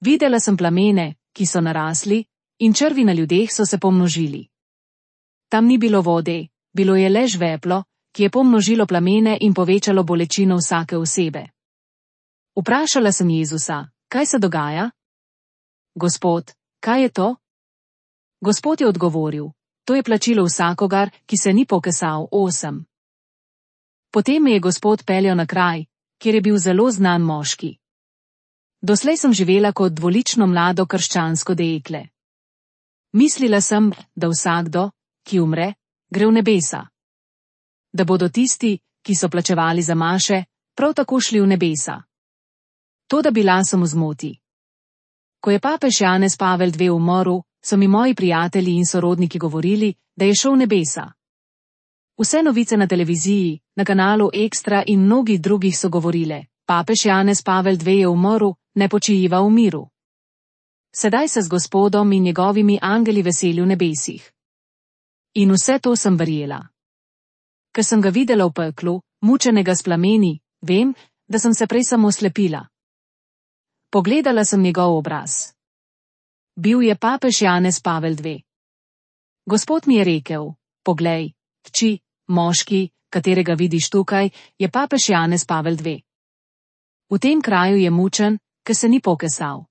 Videla sem plamene, ki so narasli, in črvi na ljudeh so se pomnožili. Tam ni bilo vode, bilo je le žveplo, ki je pomnožilo plamene in povečalo bolečino vsake osebe. Vprašala sem Jezusa, kaj se dogaja? Gospod, kaj je to? Gospod je odgovoril, to je plačilo vsakogar, ki se ni pokesal. 8. Potem me je Gospod peljal na kraj, kjer je bil zelo znan moški. Doslej sem živela kot dvolično mlado krščansko dekle. Mislila sem, da vsakdo, ki umre, gre v nebesa. Da bodo tisti, ki so plačevali za maše, prav tako šli v nebesa. Toda bila sem v zmoti. Ko je papež Janez Pavel II umrl, so mi moji prijatelji in sorodniki govorili, da je šel v nebesa. Vse novice na televiziji, na kanalu Ekstra in mnogih drugih so govorile: papež Janez Pavel II je umrl, ne počiva v miru. Sedaj se z Gospodom in njegovimi angeli veseli v nebesih. In vse to sem verjela. Ker sem ga videla v peklu, mučenega s plameni, vem, da sem se prej samo slepila. Pogledala sem njegov obraz. Bil je papež Janez Pavel II. Gospod mi je rekel: poglej, hči, moški, katerega vidiš tukaj, je papež Janez Pavel II. V tem kraju je mučen, ker se ni pokesal.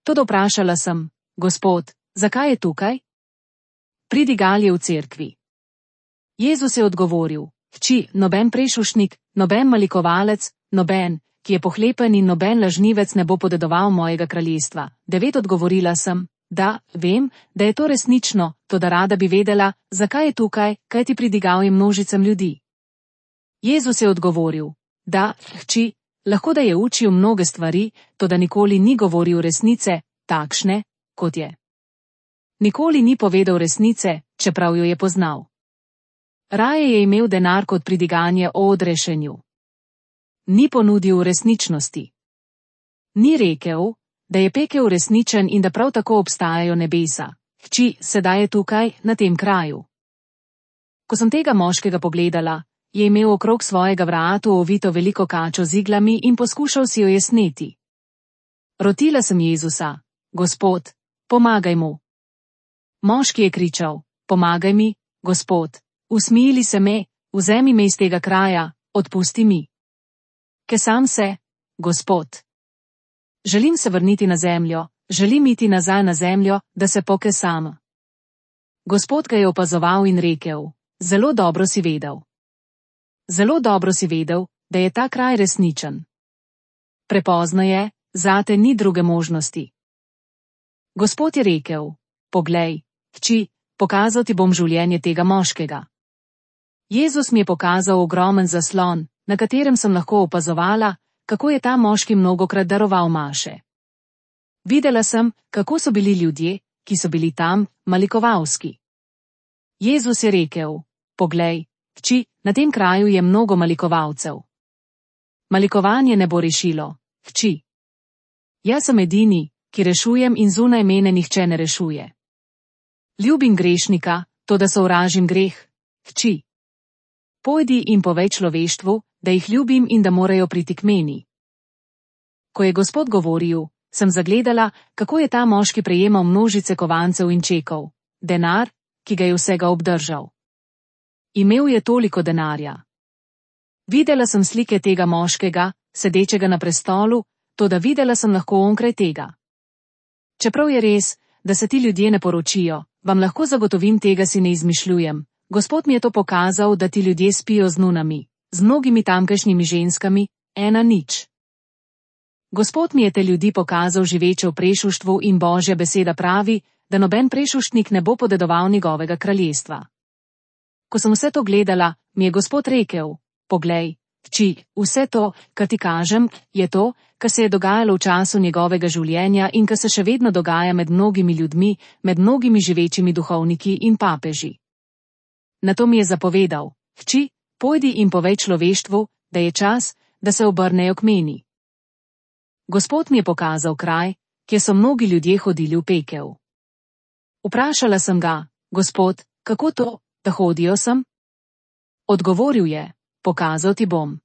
Toda vprašala sem: Gospod, zakaj je tukaj? Pridigal je v cerkvi. Jezus je odgovoril: hči, noben prešušnik, noben malikovalec, noben, ki je pohlepen in noben lažnivec ne bo podedoval mojega kraljestva. 9 Odgovorila sem: da, vem, da je to resnično, toda rada bi vedela, zakaj je tukaj, kajti pridigal je množicam ljudi. Jezus je odgovoril: da, hči, lahko da je učil mnoge stvari, toda nikoli ni govoril resnice, takšne, kot je. Nikoli ni povedal resnice, čeprav jo je poznal. Raje je imel denar kot pridiganje o odrešenju. Ni ponudil resničnosti. Ni rekel, da je pekel resničen in da prav tako obstajajo nebesa. Hči, sedaj je tukaj, na tem kraju. Ko sem tega moškega pogledala, je imel okrog svojega vratu ovito veliko kačo z iglami in poskušal si jo je sneti. Rotila sem Jezusa: Gospod, pomagaj mu. Moški je kričal: pomagaj mi, Gospod, usmili se me, vzemi me iz tega kraja, odpusti mi. Kesam se, Gospod. Želim se vrniti na zemljo, želim iti nazaj na zemljo, da se pokesam. Gospod ga je opazoval in rekel: zelo dobro si vedel. Zelo dobro si vedel, da je ta kraj resničen. Prepozno je, zate ni druge možnosti. Gospod je rekel: poglej, hči, pokazal ti bom življenje tega moškega. Jezus mi je pokazal ogromen zaslon, na katerem sem lahko opazovala, kako je ta moški mnogokrat daroval maše. Videla sem, kako so bili ljudje, ki so bili tam, malikovalski. Jezus je rekel: poglej, hči, na tem kraju je mnogo malikovalcev. Malikovanje ne bo rešilo, hči. Jaz sem edini, ki rešujem in zunaj mene nihče ne rešuje. Ljubim grešnika, toda sovražim greh, hči. Pojdi in povej človeštvu, da jih ljubim in da morajo priti k meni. Ko je Gospod govoril, sem zagledala, kako je ta moški prejemal množice kovancev in čekov, denar, ki ga je vsega obdržal. Imel je toliko denarja. Videla sem slike tega moškega, sedečega na prestolu, toda videla sem lahko onkraj tega. Čeprav je res, da se ti ljudje ne poročijo, vam lahko zagotovim, tega si ne izmišljujem. Gospod mi je to pokazal, da ti ljudje spijo z nunami, z mnogimi tamkajšnjimi ženskami, 1:0. Gospod mi je te ljudi pokazal živeče v prešuštvu in Božja beseda pravi, da noben prešuštnik ne bo podedoval njegovega kraljestva. Ko sem vse to gledala, mi je Gospod rekel: poglej, hči, vse to, kar ti kažem, je to, kar se je dogajalo v času njegovega življenja in kar se še vedno dogaja med mnogimi ljudmi, med mnogimi živečimi duhovniki in papeži. Nato mi je zapovedal: hči, pojdi in povej človeštvu, da je čas, da se obrnejo k meni. Gospod mi je pokazal kraj, kjer so mnogi ljudje hodili v pekel. Vprašala sem ga: Gospod, kako to, da hodijo sem? Odgovoril je: pokazal ti bom.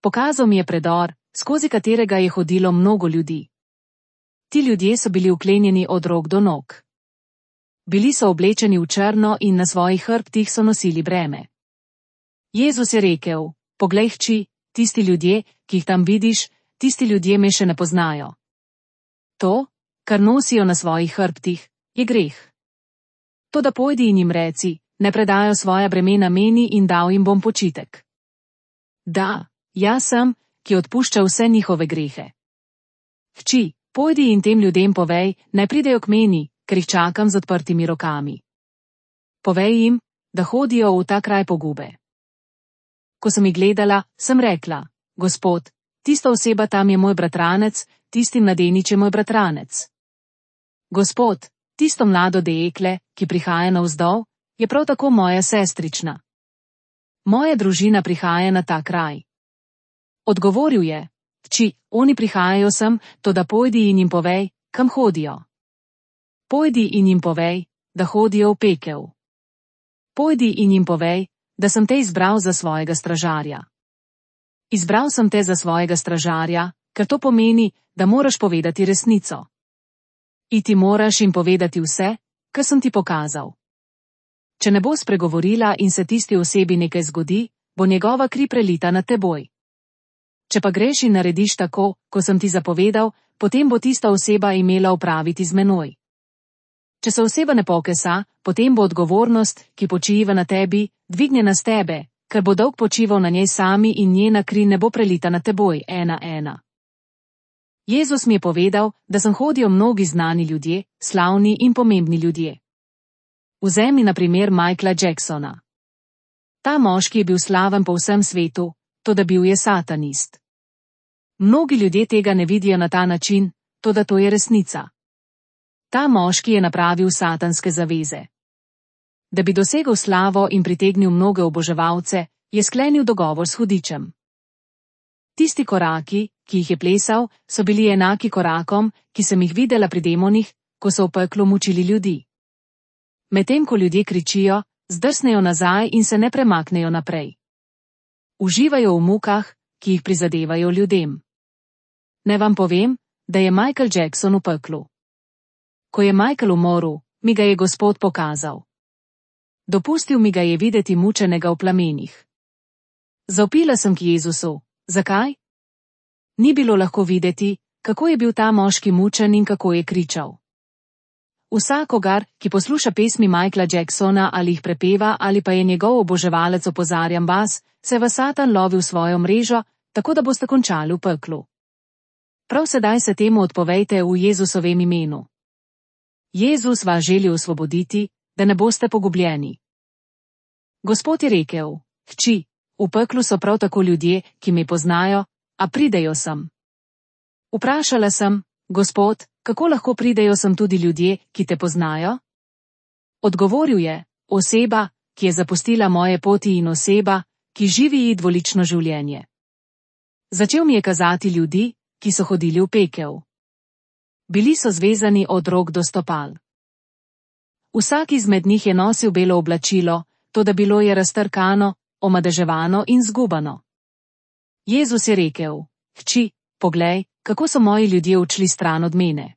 Pokazal mi je predor, skozi katerega je hodilo mnogo ljudi. Ti ljudje so bili vklenjeni od rok do nog. Bili so oblečeni v črno in na svojih hrbtih so nosili breme. Jezus je rekel: poglej, hči, tisti ljudje, ki jih tam vidiš, tisti ljudje me še ne poznajo. To, kar nosijo na svojih hrbtih, je greh. Toda pojdi in jim reci, ne predajo svoja bremena meni in dal jim bom počitek. Da, jaz sem, ki odpušča vse njihove grehe. Hči, pojdi in tem ljudem povej, naj pridejo k meni, ker jih čakam z odprtimi rokami. Povej jim, da hodijo v ta kraj pogube. Ko sem jih gledala, sem rekla: Gospod, tista oseba tam je moj bratranec, tisti mladenič je moj bratranec. Gospod, tisto mlado dekle, ki prihaja navzdol, je prav tako moja sestrična. Moja družina prihaja na ta kraj. Odgovoril je: Hči, oni prihajajo sem, toda pojdi in jim povej, kam hodijo. Pojdi in jim povej, da hodijo v pekel. Pojdi in jim povej, da sem te izbral za svojega stražarja. Izbral sem te za svojega stražarja, ker to pomeni, da moraš povedati resnico. Iti moraš in povedati vse, kar sem ti pokazal. Če ne bo spregovorila in se tisti osebi nekaj zgodi, bo njegova kri prelita na teboj. Če pa greš in narediš tako, ko sem ti zapovedal, potem bo tista oseba imela opraviti z menoj. Če se oseba ne pokesa, potem bo odgovornost, ki počiva na tebi, dvignjena s tebe, ker bo dolg počival na njej sami in njena kri ne bo prelita na teboj 1:1. Jezus mi je povedal, da sem hodijo mnogi znani ljudje, slavni in pomembni ljudje. Vzemi na primer Michaela Jacksona. Ta moški je bil slaven po vsem svetu, toda bil je satanist. Mnogi ljudje tega ne vidijo na ta način, toda to je resnica. Ta moški je napravil satanske zaveze. Da bi dosegel slavo in pritegnil mnoge oboževalce, je sklenil dogovor s hudičem. Tisti koraki, ki jih je plesal, so bili enaki korakom, ki sem jih videla pri demonih, ko so v peklu mučili ljudi. Medtem ko ljudje kričijo, zdrsnejo nazaj in se ne premaknejo naprej. Uživajo v mukah, ki jih prizadevajo ljudem. Ne vam povem, da je Michael Jackson v peklu. Ko je Michael umoril, mi ga je Gospod pokazal. Dopustil mi ga je videti mučenega v plamenih. Zavpila sem k Jezusu. Zakaj? Ni bilo lahko videti, kako je bil ta moški mučen in kako je kričal. Vsakogar, ki posluša pesmi Michaela Jacksona ali jih prepeva ali pa je njegov oboževalec, opozarjam vas, se vas Satan lovi v svojo mrežo, tako da boste končali v peklu. Prav sedaj se temu odpovejte v Jezusovem imenu. Jezus vas želi osvoboditi, da ne boste pogubljeni. Gospod je rekel: Hči, v peklu so prav tako ljudje, ki me poznajo, a pridejo sem. Vprašala sem: Gospod, kako lahko pridejo sem tudi ljudje, ki te poznajo? Odgovoril je: oseba, ki je zapustila moje poti in oseba, ki živi dvolično življenje. Začel mi je kazati ljudi, ki so hodili v pekel. Bili so zvezani od rok do stopal. Vsak izmed njih je nosil belo oblačilo, toda bilo je raztrkano, omadeževano in zgubano. Jezus je rekel: Hči, poglej, kako so moji ljudje odšli stran od mene.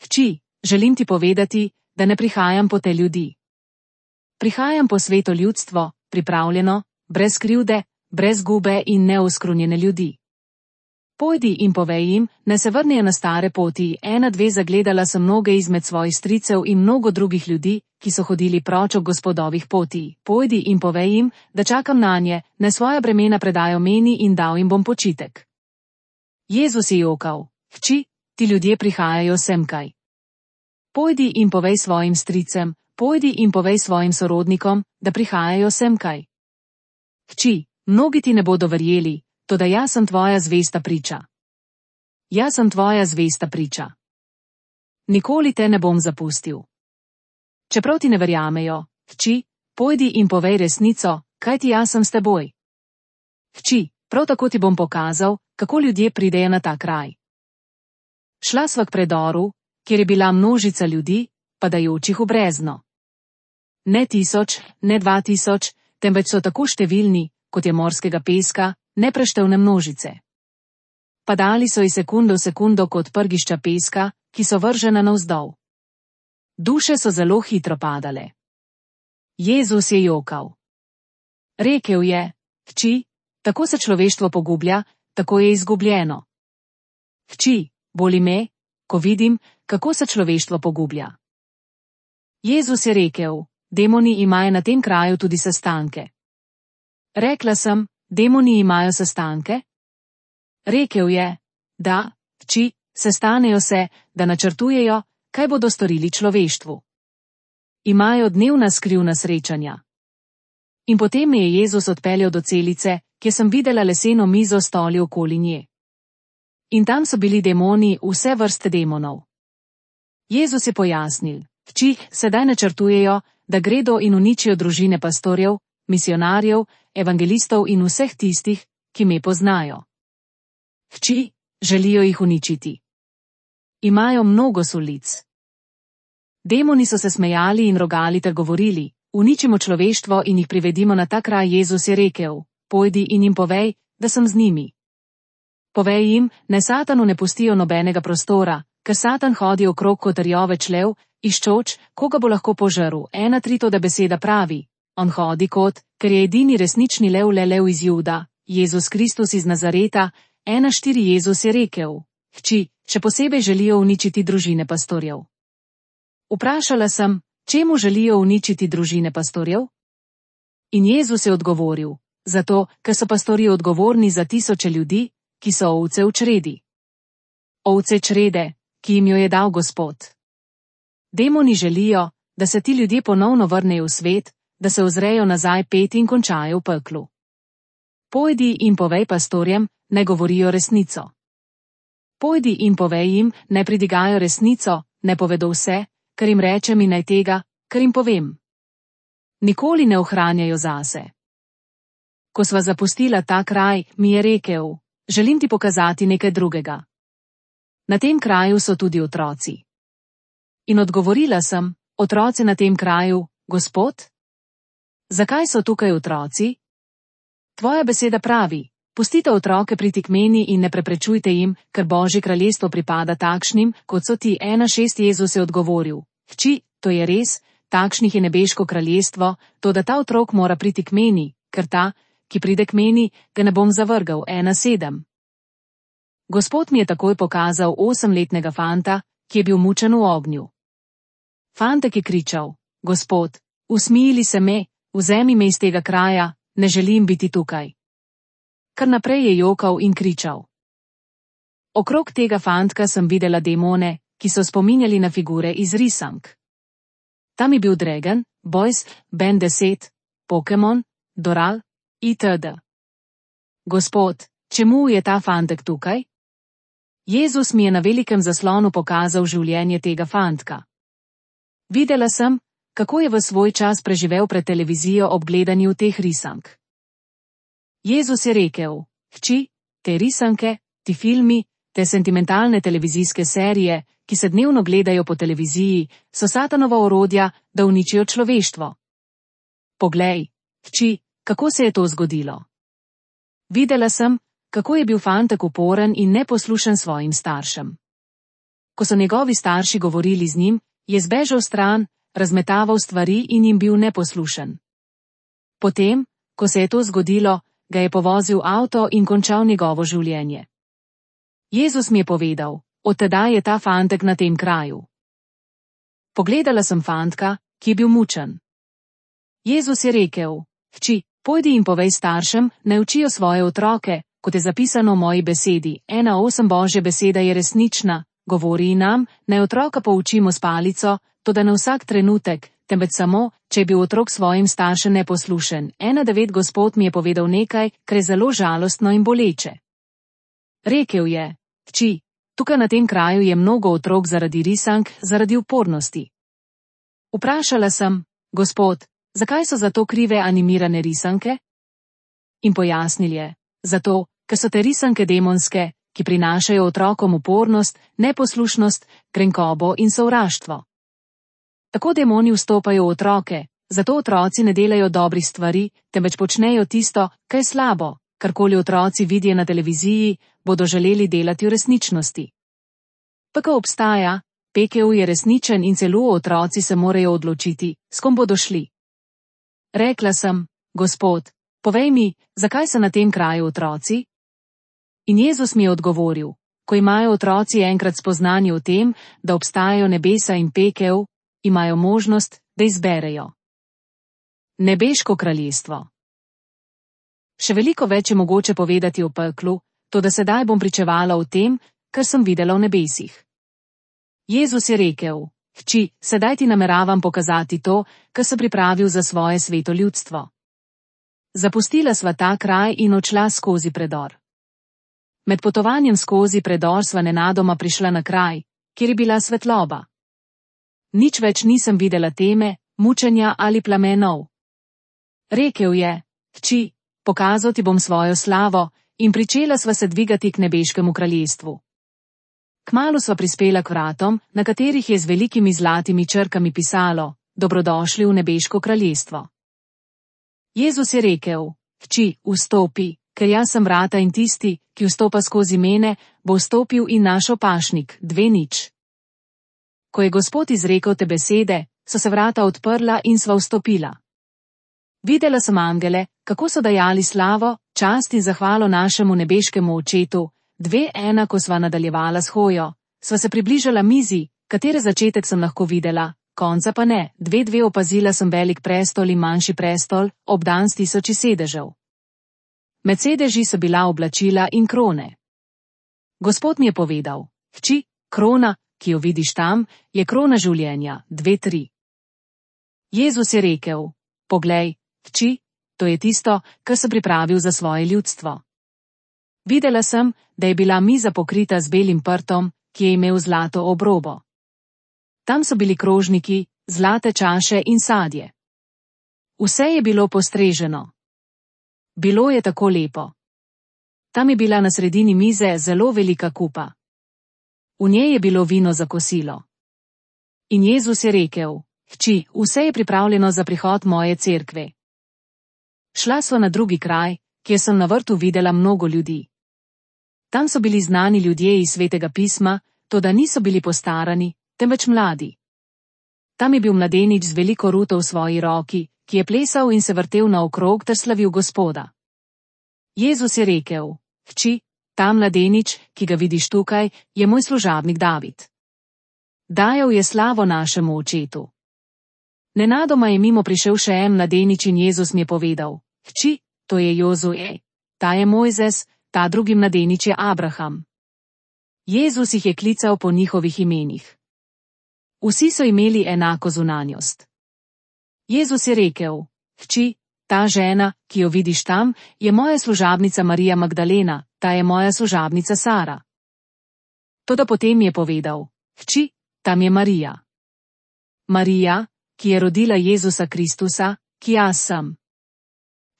Hči, želim ti povedati, da ne prihajam po te ljudi. Prihajam po sveto ljudstvo, pripravljeno, brez krivde, brez gube in neoskrunjene ljudi. Pojdi in povej jim, ne se vrnejo na stare poti. 1:2 Zagledala sem mnoge izmed svojih stricev in mnogo drugih ljudi, ki so hodili proč od Gospodovih poti. Pojdi in povej jim, da čakam nanje, naj svoja bremena predajo meni in dal jim bom počitek. Jezus je jokal: Hči, ti ljudje prihajajo semkaj. Pojdi in povej svojim stricem, pojdi in povej svojim sorodnikom, da prihajajo semkaj. Hči, mnogi ti ne bodo verjeli, toda jaz sem tvoja zvesta priča. Jaz sem tvoja zvesta priča. Nikoli te ne bom zapustil. Čeprav ti ne verjamejo, hči, pojdi in povej resnico, kajti jaz sem s teboj. Hči, prav tako ti bom pokazal, kako ljudje pridejo na ta kraj. Šla sva k predoru, kjer je bila množica ljudi, padajočih v brezno. Ne 1000, ne 2000, temveč so tako številni, kot je morskega peska, nepreštevne množice. Padali so iz sekunde v sekundo kot prgišča peska, ki so vržena navzdol. Duše so zelo hitro padale. Jezus je jokal. Rekel je: Hči, tako se človeštvo pogublja, tako je izgubljeno. Hči, boli me, ko vidim, kako se človeštvo pogublja. Jezus je rekel: demoni imajo na tem kraju tudi sestanke. Rekla sem: demoni imajo sestanke? Rekel je: da, hči, sestanejo se, da načrtujejo, kaj bodo storili človeštvu. Imajo dnevna skrivna srečanja. In potem me je Jezus odpeljal do celice, kjer sem videla leseno mizo s stoli okoli nje. In tam so bili demoni, vse vrste demonov. Jezus je pojasnil: hči, sedaj načrtujejo, da gredo in uničijo družine pastorjev, misionarjev, evangelistov in vseh tistih, ki me poznajo. Hči, želijo jih uničiti. Imajo mnogo sulic. Demoni so se smejali in rogali ter govorili: uničimo človeštvo in jih privedimo na ta kraj. Jezus je rekel: pojdi in jim povej, da sem z njimi. Povej jim, naj Satanu ne pustijo nobenega prostora, ker Satan hodi okrog kot rjove člev, iščoč, koga bo lahko požrl. 1:3 Toda beseda pravi: on hodi kot, ker je edini resnični lev, lev iz Juda, Jezus Kristus iz Nazareta. 1:4 Jezus je rekel: hči, še posebej želijo uničiti družine pastorjev. Vprašala sem, čemu želijo uničiti družine pastorjev? In Jezus je odgovoril: zato, ker so pastorji odgovorni za tisoče ljudi, ki so ovce v čredi. Ovce črede, ki jim jo je dal Gospod. Demoni želijo, da se ti ljudje ponovno vrnejo v svet, da se ozrejo nazaj pet in končajo v peklu. Pojdi in povej pastorjem, naj govorijo resnico. Pojdi in povej jim, naj pridigajo resnico, ne povedo vse, kar jim rečem in naj tega, kar jim povem. Nikoli ne ohranjajo zase. Ko sva zapustila ta kraj, mi je rekel: želim ti pokazati nekaj drugega. Na tem kraju so tudi otroci. In odgovorila sem: otroci na tem kraju, Gospod? Zakaj so tukaj otroci? Tvoja beseda pravi: pustite otroke priti k meni in ne preprečujte jim, ker Božje kraljestvo pripada takšnim, kot so ti. 1:6 Jezus je odgovoril: hči, to je res, takšnih je nebeško kraljestvo, toda ta otrok mora priti k meni, ker ta, ki pride k meni, ga ne bom zavrgel. 1:7 Gospod mi je takoj pokazal 8-letnega fanta, ki je bil mučen v ognju. Fantek je kričal: Gospod, usmili se me, vzemi me iz tega kraja, ne želim biti tukaj. Kar naprej je jokal in kričal. Okrog tega fantka sem videla demone, ki so spominjali na figure iz risank. Tam je bil Dragon, Boys, Ben 10, Pokemon, Doral, itd. Gospod, čemu je ta fantek tukaj? Jezus mi je na velikem zaslonu pokazal življenje tega fantka. Videla sem, kako je v svoj čas preživel pred televizijo ob gledanju teh risank. Jezus je rekel: hči, te risanke, ti filmi, te sentimentalne televizijske serije, ki se dnevno gledajo po televiziji, so Satanova orodja, da uničijo človeštvo. Poglej, hči, kako se je to zgodilo. Videla sem, kako je bil fantek uporen in neposlušen svojim staršem. Ko so njegovi starši govorili z njim, je zbežal stran, razmetaval stvari in jim bil neposlušen. Potem, ko se je to zgodilo, ga je povozil avto in končal njegovo življenje. Jezus mi je povedal: od tedaj je ta fantek na tem kraju. Pogledala sem fantka, ki je bil mučen. Jezus je rekel: hči, pojdi in povej staršem, naj učijo svoje otroke, kot je zapisano v moji besedi. 1:8 Božja beseda je resnična, govori nam, naj otroka poučimo s palico, toda ne vsak trenutek, temveč samo, če je bil otrok svojim staršem neposlušen. 1:9 Gospod mi je povedal nekaj, kar je zelo žalostno in boleče. Rekel je: hči, tukaj na tem kraju je mnogo otrok zaradi risank, zaradi upornosti. Vprašala sem: Gospod, zakaj so za to krive animirane risanke? In pojasnil je: zato, ker so te risanke demonske, ki prinašajo otrokom upornost, neposlušnost, grenkobo in sovraštvo. Tako demoni vstopajo v otroke, zato otroci ne delajo dobrih stvari, temveč počnejo tisto, kar je slabo. Karkoli otroci vidijo na televiziji, bodo želeli delati v resničnosti. Pekel obstaja, pekel je resničen in celo otroci se morajo odločiti, s kom bodo šli. Rekla sem: Gospod, povej mi, zakaj so na tem kraju otroci? In Jezus mi je odgovoril: ko imajo otroci enkrat spoznanje o tem, da obstajajo nebesa in pekel, imajo možnost, da izberejo nebeško kraljestvo. Še veliko več je mogoče povedati o peklu, toda sedaj bom pričevala o tem, kar sem videla v nebesih. Jezus je rekel: hči, sedaj ti nameravam pokazati to, kar sem pripravil za svoje sveto ljudstvo. Zapustila sva ta kraj in odšla skozi predor. Med potovanjem skozi predor sva nenadoma prišla na kraj, kjer je bila svetloba. Nič več nisem videla teme, mučenja ali plamenov. Rekel je: Hči, pokazal ti bom svojo slavo, in pričela sva se dvigati k nebeškemu kraljestvu. Kmalu sva prispela k vratom, na katerih je z velikimi zlatimi črkami pisalo: Dobrodošli v nebeško kraljestvo. Jezus je rekel: Hči, vstopi, ker jaz sem vrata in tisti, ki vstopa skozi mene, bo vstopil in našel pašnik. 2:0. Ko je Gospod izrekel te besede, so se vrata odprla in sva vstopila. Videla sem angele, kako so dajali slavo, čast in zahvalo našemu nebeškemu Očetu. 2:1. Ko sva nadaljevala s hojo, sva se približala mizi, katere začetek sem lahko videla, konca pa ne. 2:2. Opazila sem velik prestol in manjši prestol, obdan s 1000 sedežev. Med sedeži so bila oblačila in krone. Gospod mi je povedal: Hči, krona, ki jo vidiš tam, je krona življenja. 2:3. Jezus je rekel: Poglej, hči, to je tisto, kar sem pripravil za svoje ljudstvo. Videla sem, da je bila miza pokrita z belim prtom, ki je imel zlato obrobo. Tam so bili krožniki, zlate čaše in sadje. Vse je bilo postreženo. Bilo je tako lepo. Tam je bila na sredini mize zelo velika kupa. V njej je bilo vino za kosilo. In Jezus je rekel: Hči, vse je pripravljeno za prihod moje cerkve. Šla sva na drugi kraj, kjer sem na vrtu videla mnogo ljudi. Tam so bili znani ljudje iz Svetega pisma, toda niso bili postarani, temveč mladi. Tam je bil mladenič z veliko ruto v svoji roki, ki je plesal in se vrtel naokrog ter slavil Gospoda. Jezus je rekel: Hči, ta mladenič, ki ga vidiš tukaj, je moj služabnik David. Dajal je slavo našemu Očetu. Nenadoma je mimo prišel še en mladenič in Jezus mi je povedal: Hči, to je Jozue, ta je Mojzes, ta drugi mladenič je Abraham. Jezus jih je klical po njihovih imenih. Vsi so imeli enako zunanjost. Jezus je rekel: Hči, ta žena, ki jo vidiš tam, je moja služabnica Marija Magdalena, ta je moja služabnica Sara. Toda potem je povedal: Hči, tam je Marija. Marija, ki je rodila Jezusa Kristusa, ki jaz sem.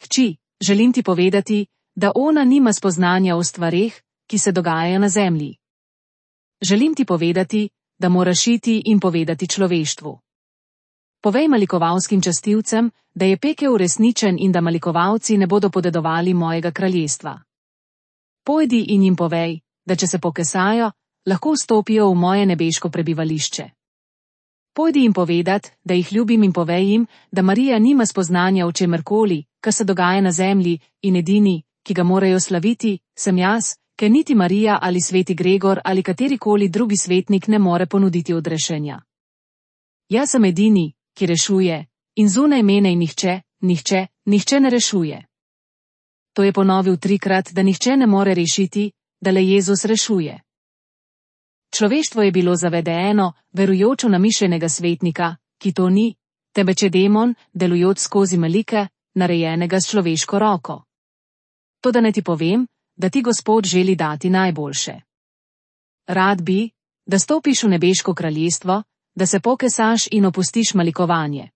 Hči, želim ti povedati, da ona nima spoznanja o stvareh, ki se dogajajo na zemlji. Želim ti povedati, da moraš iti in povedati človeštvu. Povej malikovalskim častilcem, da je pekel resničen in da malikovalci ne bodo podedovali mojega kraljestva. Pojdi in jim povej, da če se pokesajo, lahko vstopijo v moje nebeško prebivališče. Pojdi jim povedat, da jih ljubim in povej jim, da Marija nima spoznanja o čemerkoli, kar se dogaja na zemlji, in edini, ki ga morajo slaviti, sem jaz, ker niti Marija ali sveti Gregor ali katerikoli drugi svetnik ne more ponuditi odrešenja. Jaz sem edini, ki rešuje, in zunaj mene in nihče ne rešuje. To je ponovil 3-krat, da nihče ne more rešiti, da le Jezus rešuje. Človeštvo je bilo zavedeno, verujoč v namišljenega svetnika, ki to ni, temveč je demon, delujoč skozi malike, narejenega s človeško roko. Toda ne ti povem, da ti Gospod želi dati najboljše. Rad bi, da stopiš v nebeško kraljestvo, da se pokesaš in opustiš malikovanje.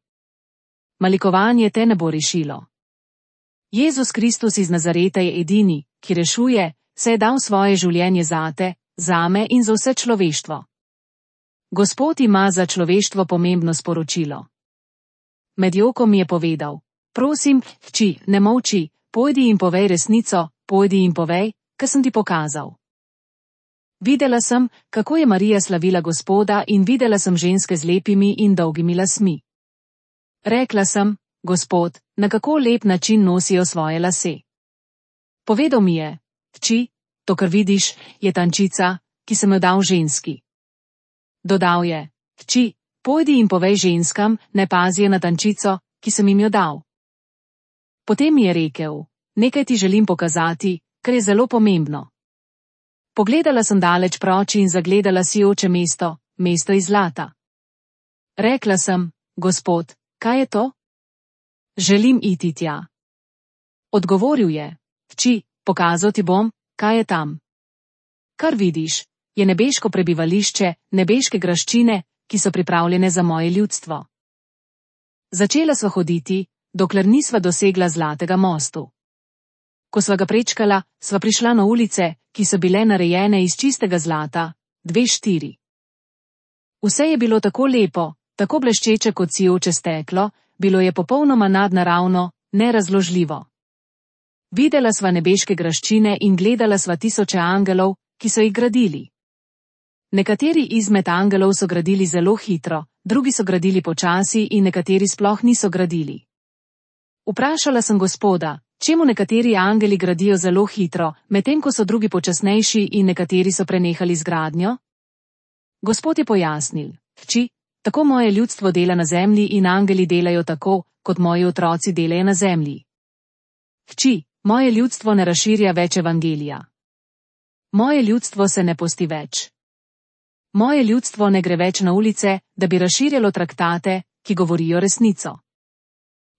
Malikovanje te ne bo rešilo. Jezus Kristus iz Nazareta je edini, ki rešuje, se je dal svoje življenje zate, zame in za vse človeštvo. Gospod ima za človeštvo pomembno sporočilo. Med jokom mi je povedal: Prosim, hči, ne molči, pojdi in povej resnico, pojdi in povej, kar sem ti pokazal. Videla sem, kako je Marija slavila Gospoda in videla sem ženske z lepimi in dolgimi lasmi. Rekla sem: Gospod, na kako lep način nosijo svoje lase. Povedal mi je: Hči, to, kar vidiš, je tančica, ki sem jo dal ženski. Dodal je: Hči, pojdi in povej ženskam, ne pazijo na tančico, ki sem jim jo dal. Potem mi je rekel: Nekaj ti želim pokazati, kar je zelo pomembno. Pogledala sem daleč proči in zagledala sijoče mesto, mesto iz zlata. Rekla sem: Gospod, kaj je to? Želim iti tja. Odgovoril je: Hči, pokazal ti bom, kaj je tam. Kar vidiš, je nebeško prebivališče, nebeške graščine, ki so pripravljene za moje ljudstvo. Začela sva hoditi, dokler nisva dosegla Zlatega mostu. Ko sva ga prečkala, sva prišla na ulice, ki so bile narejene iz čistega zlata, 2:4. Vse je bilo tako lepo, tako bleščeče kot sijoče steklo, bilo je popolnoma nadnaravno, nerazložljivo. Videla sva nebeške graščine in gledala sva tisoče angelov, ki so jih gradili. Nekateri izmed angelov so gradili zelo hitro, drugi so gradili počasi in nekateri sploh niso gradili. Vprašala sem Gospoda, čemu nekateri angeli gradijo zelo hitro, medtem ko so drugi počasnejši in nekateri so prenehali z gradnjo? Gospod je pojasnil, hči, tako moje ljudstvo dela na zemlji in angeli delajo tako, kot moji otroci delajo na zemlji. Hči, moje ljudstvo ne razširja več evangelija. Moje ljudstvo se ne posti več. Moje ljudstvo ne gre več na ulice, da bi razširjalo traktate, ki govorijo resnico.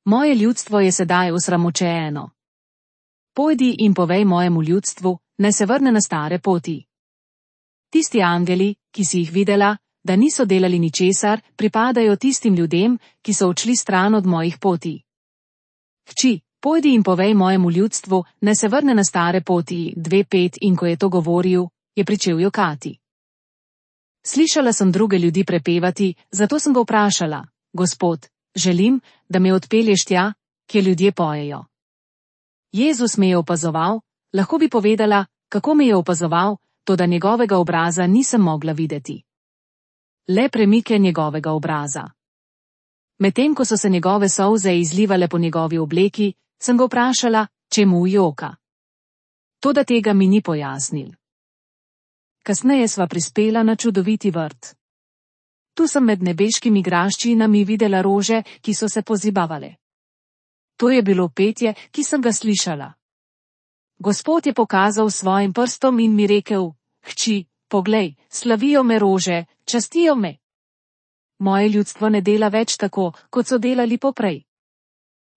Moje ljudstvo je sedaj osramočeno. Pojdi in povej mojemu ljudstvu, naj se vrne na stare poti. Tisti angeli, ki si jih videla, da niso delali ničesar, pripadajo tistim ljudem, ki so odšli stran od mojih poti. Hči, pojdi in povej mojemu ljudstvu, naj se vrne na stare poti, 2:5, in ko je to govoril, je pričel jokati. Slišala sem druge ljudi prepevati, zato sem ga vprašala, Gospod, želim, da me odpelješ tja, kjer ljudje pojejo. Jezus me je opazoval, lahko bi povedala, kako me je opazoval, toda njegovega obraza nisem mogla videti. Le premike njegovega obraza. Medtem ko so se njegove solze izlivale po njegovi obleki, sem ga vprašala, čemu joka. Toda tega mi ni pojasnil. Kasneje sva prispela na čudoviti vrt. Tu sem med nebeškimi graščinami videla rože, ki so se pozibavale. To je bilo petje, ki sem ga slišala. Gospod je pokazal svojim prstom in mi rekel, hči, poglej, slavijo me rože, častijo me. Moje ljudstvo ne dela več tako, kot so delali poprej.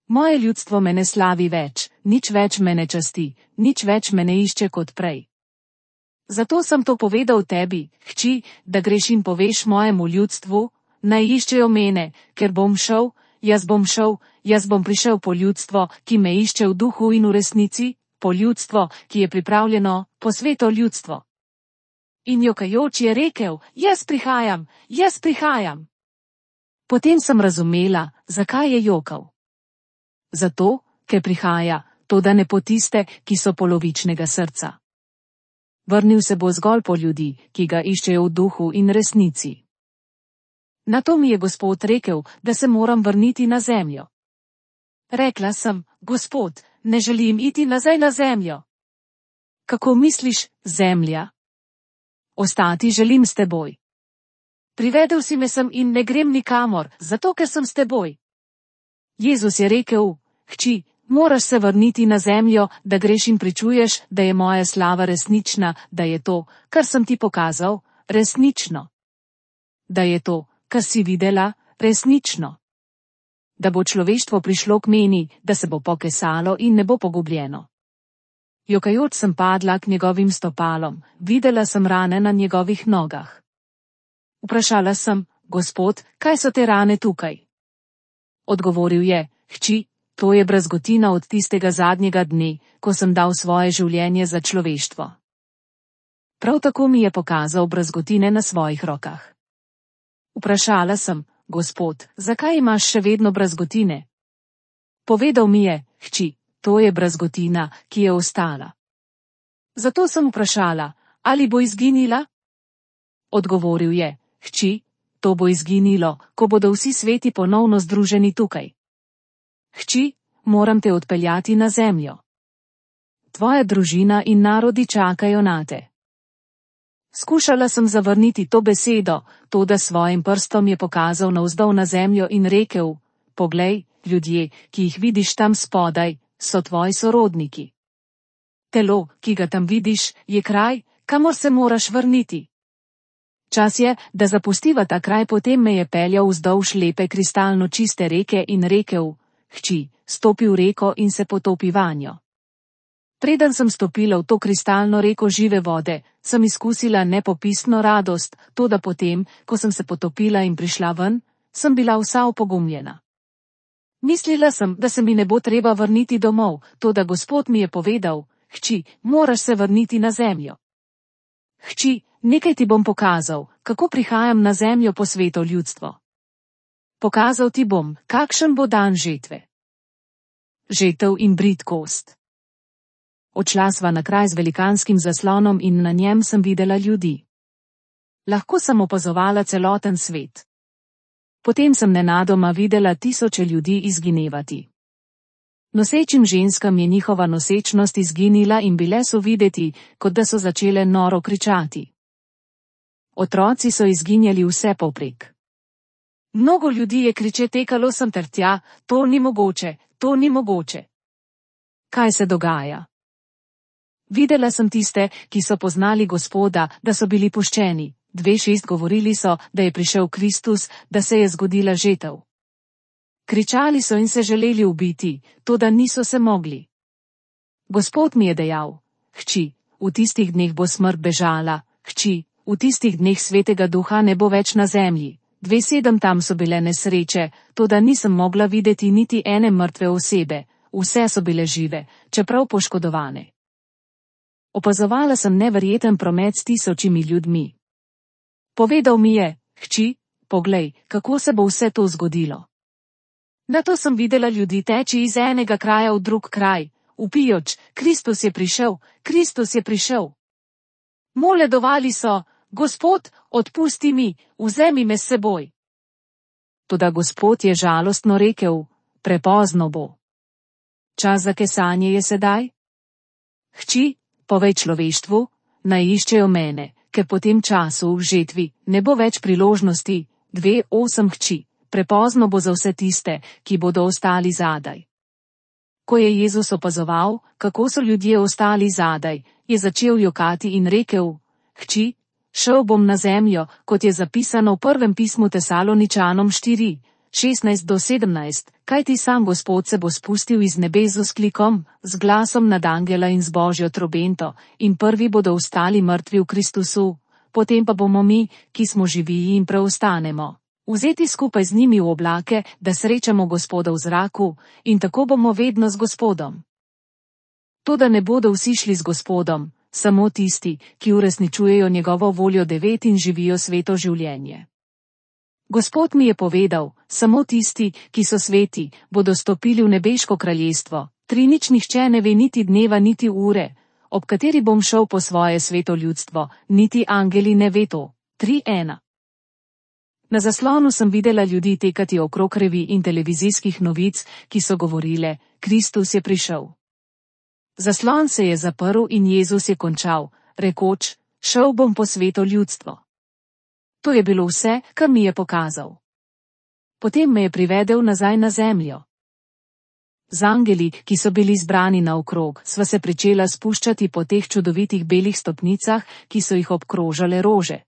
Moje ljudstvo me ne slavi več, nič več me ne časti, nič več me ne išče kot prej. Zato sem to povedal tebi, hči, da greš in poveš mojemu ljudstvu, naj iščejo mene, ker bom šel, jaz bom prišel po ljudstvo, ki me išče v duhu in v resnici, po ljudstvo, ki je pripravljeno, po sveto ljudstvo. In jokajoč je rekel, jaz prihajam. Potem sem razumela, zakaj je jokal. Zato, ker prihaja, toda ne po tiste, ki so polovičnega srca. Vrnil se bo zgolj po ljudi, ki ga iščejo v duhu in resnici. Nato mi je Gospod rekel, da se moram vrniti na zemljo. Rekla sem, Gospod, ne želim iti nazaj na zemljo. Kako misliš, zemlja? Ostati želim s teboj. Privedel si me sem in ne grem nikamor, zato ker sem s teboj. Jezus je rekel, hči, moraš se vrniti na zemljo, da greš in pričuješ, da je moja slava resnična, da je to, kar sem ti pokazal, resnično. Da je to, kar si videla, resnično. Da bo človeštvo prišlo k meni, da se bo pokesalo in ne bo pogubljeno. Jokajoč sem padla k njegovim stopalom, videla sem rane na njegovih nogah. Vprašala sem, Gospod, kaj so te rane tukaj? Odgovoril je, hči, to je brazgotina od tistega zadnjega dne, ko sem dal svoje življenje za človeštvo. Prav tako mi je pokazal brazgotine na svojih rokah. Vprašala sem, Gospod, zakaj imaš še vedno brazgotine? Povedal mi je, hči, to je brazgotina, ki je ostala. Zato sem vprašala, ali bo izginila? Odgovoril je, hči, to bo izginilo, ko bodo vsi sveti ponovno združeni tukaj. Hči, moram te odpeljati na zemljo. Tvoja družina in narodi čakajo nate. Skušala sem zavrniti to besedo, toda svojim prstom je pokazal navzdol na zemljo in rekel, poglej, ljudje, ki jih vidiš tam spodaj, so tvoji sorodniki. Telo, ki ga tam vidiš, je kraj, kamor se moraš vrniti. Čas je, da zapustiva ta kraj, potem me je peljal vzdolž lepe kristalno čiste reke in rekel, hči, stopi v reko in se potopi vanjo. Preden sem stopila v to kristalno reko žive vode, sem izkusila nepopisno radost, toda potem, ko sem se potopila in prišla ven, sem bila vsa opogumljena. Mislila sem, da se mi ne bo treba vrniti domov, toda Gospod mi je povedal: hči, moraš se vrniti na zemljo. Hči, nekaj ti bom pokazal, kako prihajam na zemljo po sveto ljudstvo. Pokazal ti bom, kakšen bo dan žetve. Žetev in bridkost. Odšla sva na kraj z velikanskim zaslonom in na njem sem videla ljudi. Lahko sem opazovala celoten svet. Potem sem nenadoma videla tisoče ljudi izginevati. Nosečim ženskam je njihova nosečnost izginila in bile so videti, kot da so začele noro kričati. Otroci so izginjali vse povprek. Mnogo ljudi je kriče tekalo sem ter tja: to ni mogoče, to ni mogoče. Kaj se dogaja? Videla sem tiste, ki so poznali Gospoda, da so bili puščeni. 2:6 govorili so, da je prišel Kristus, da se je zgodila žetev. Kričali so in se želeli ubiti, toda niso se mogli. Gospod mi je dejal: hči, v tistih dneh bo smrt bežala, hči, v tistih dneh svetega duha ne bo več na zemlji. 2:7 tam so bile nesreče, toda nisem mogla videti niti ene mrtve osebe, vse so bile žive, čeprav poškodovane. Opazovala sem neverjeten promet s tisočimi ljudmi. Povedal mi je: hči, poglej, kako se bo vse to zgodilo. Nato sem videla ljudi teči iz enega kraja v drug kraj, vpijoč: Kristus je prišel, Kristus je prišel. Moledovali so: Gospod, odpusti mi, vzemi me s seboj. Toda Gospod je žalostno rekel: prepozno bo. Čas za kesanje je sedaj. Hči, povej človeštvu, naj iščejo mene, ker po tem času v žetvi ne bo več priložnosti. 2:8 hči, prepozno bo za vse tiste, ki bodo ostali zadaj. Ko je Jezus opazoval, kako so ljudje ostali zadaj, je začel jokati in rekel: hči, šel bom na zemljo, kot je zapisano v prvem pismu Tesaloničanom 4:16-17, kajti sam Gospod se bo spustil iz nebes z vzklikom, z glasom nad angela in z božjo trobento, in prvi bodo vstali mrtvi v Kristusu, potem pa bomo mi, ki smo živi in preostanemo, vzeti skupaj z njimi v oblake, da srečamo Gospoda v zraku, in tako bomo vedno z Gospodom. Toda ne bodo vsi šli z Gospodom, samo tisti, ki uresničujejo njegovo voljo 9 in živijo sveto življenje. Gospod mi je povedal: samo tisti, ki so sveti, bodo stopili v nebeško kraljestvo. 3 Nič nihče ne ve niti dneva niti ure, ob kateri bom šel po svoje sveto ljudstvo, niti angeli ne ve to. 3:1. Na zaslonu sem videla ljudi tekati okrog revij in televizijskih novic, ki so govorile: Kristus je prišel. Zaslon se je zaprl in Jezus je končal, rekoč: šel bom po sveto ljudstvo. To je bilo vse, kar mi je pokazal. Potem me je privedel nazaj na zemljo. Z angeli, ki so bili zbrani naokrog, sva se pričela spuščati po teh čudovitih belih stopnicah, ki so jih obkrožale rože.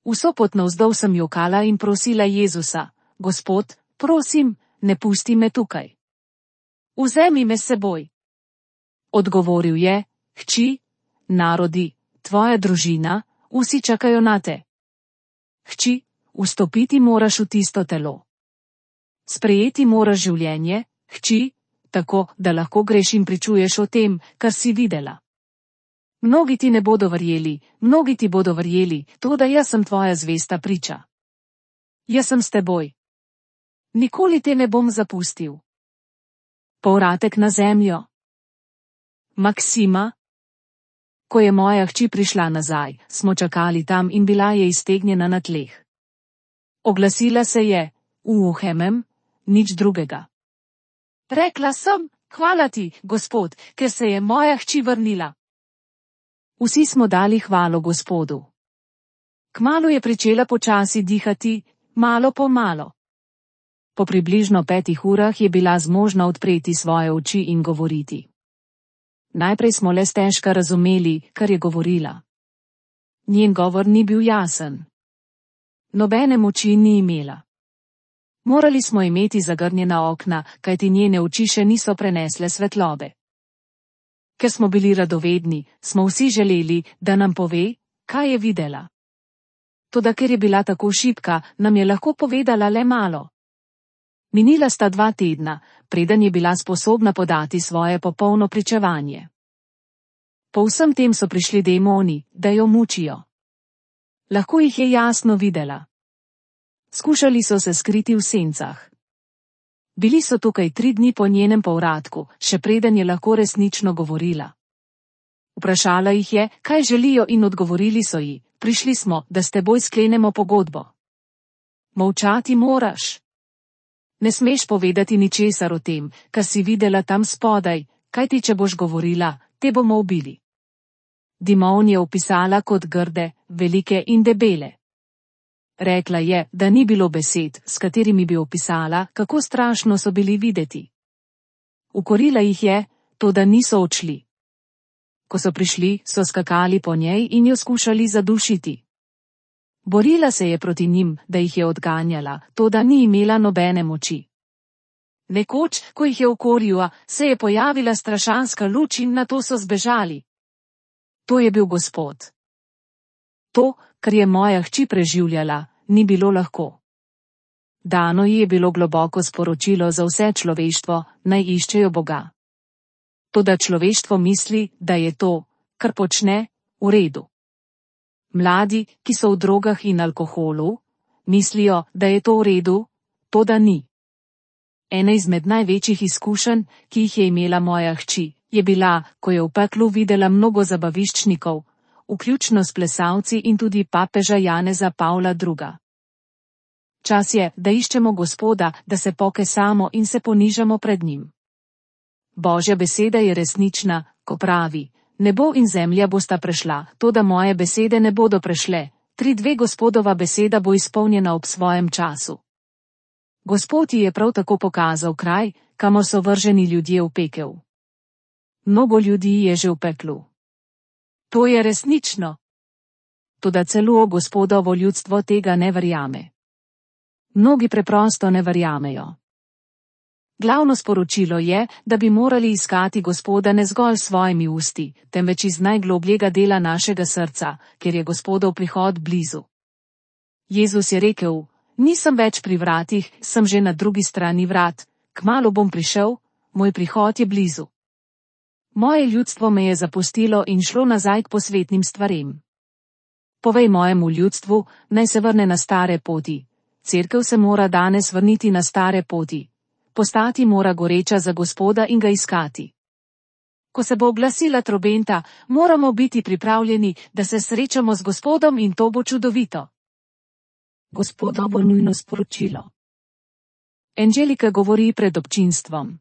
Vso pot navzdol sem jokala in prosila Jezusa: Gospod, prosim, ne pusti me tukaj. Vzemi me s seboj. Odgovoril je: hči, narodi, tvoja družina, vsi čakajo nate. Hči, vstopiti moraš v tisto telo. Sprejeti moraš življenje, hči, tako, da lahko greš in pričuješ o tem, kar si videla. Mnogi ti ne bodo verjeli, mnogi ti bodo verjeli, toda jaz sem tvoja zvesta priča. Jaz sem s teboj. Nikoli te ne bom zapustil. Povratek na zemljo. Maksima. Ko je moja hči prišla nazaj, smo čakali tam in bila je iztegnjena na tleh. Oglasila se je: Uhemem, nič drugega. Rekla sem: hvala ti, Gospod, ker se je moja hči vrnila. Vsi smo dali hvalo Gospodu. Kmalu je pričela počasi dihati, malo po malo. Po približno 5 urah je bila zmožna odpreti svoje oči in govoriti. Najprej smo le stežka razumeli, kar je govorila. Njen govor ni bil jasen. Nobene moči ni imela. Morali smo imeti zagrnjena okna, kajti njene oči še niso prenesle svetlobe. Ker smo bili radovedni, smo vsi želeli, da nam pove, kaj je videla. Toda ker je bila tako šibka, nam je lahko povedala le malo. Minila sta 2 tedna, preden je bila sposobna podati svoje popolno pričevanje. Po vsem tem so prišli demoni, da jo mučijo. Lahko jih je jasno videla. Skušali so se skriti v sencah. Bili so tukaj 3 dni po njenem povratku, še preden je lahko resnično govorila. Vprašala jih je, kaj želijo, in odgovorili so ji: prišli smo, da s teboj sklenemo pogodbo. Molčati moraš. Ne smeš povedati ničesar o tem, kar si videla tam spodaj, kajti če boš govorila, te bomo ubili. Dimon je opisala kot grde, velike in debele. Rekla je, da ni bilo besed, s katerimi bi opisala, kako strašno so bili videti. Ukorila jih je, toda niso odšli. Ko so prišli, so skakali po njej in jo skušali zadušiti. Borila se je proti njim, da jih je odganjala, toda ni imela nobene moči. Nekoč, ko jih je ukorila, se je pojavila strašanska luč in nato so zbežali. To je bil Gospod. To, kar je moja hči preživljala, ni bilo lahko. Dano ji je bilo globoko sporočilo za vse človeštvo, naj iščejo Boga. Toda človeštvo misli, da je to, kar počne, v redu. Mladi, ki so v drogah in alkoholu, mislijo, da je to v redu, toda ni. Ena izmed največjih izkušenj, ki jih je imela moja hči, je bila, ko je v peklu videla mnogo zabaviščnikov, vključno s plesalci in tudi papeža Janeza Pavla II. Čas je, da iščemo Gospoda, da se pokesamo in se ponižamo pred njim. Božja beseda je resnična, ko pravi: nebo in zemlja bosta prešla, toda moje besede ne bodo prešle. 3:2 Gospodova beseda bo izpolnjena ob svojem času. Gospod ji je prav tako pokazal kraj, kamor so vrženi ljudje v pekel. Mnogo ljudi je že v peklu. To je resnično. Toda celo Gospodovo ljudstvo tega ne verjame. Mnogi preprosto ne verjamejo. Glavno sporočilo je, da bi morali iskati Gospoda ne zgolj s svojimi usti, temveč iz najglobljega dela našega srca, ker je Gospodov prihod blizu. Jezus je rekel: nisem več pri vratih, sem že na drugi strani vrat, kmalu bom prišel, moj prihod je blizu. Moje ljudstvo me je zapustilo in šlo nazaj k posvetnim stvarem. Povej mojemu ljudstvu, naj se vrne na stare poti. Cerkev se mora danes vrniti na stare poti. Postati mora goreča za Gospoda in ga iskati. Ko se bo oglasila trobenta, moramo biti pripravljeni, da se srečamo z Gospodom, in to bo čudovito. Gospodovo nujno sporočilo. Angelika govori pred občinstvom.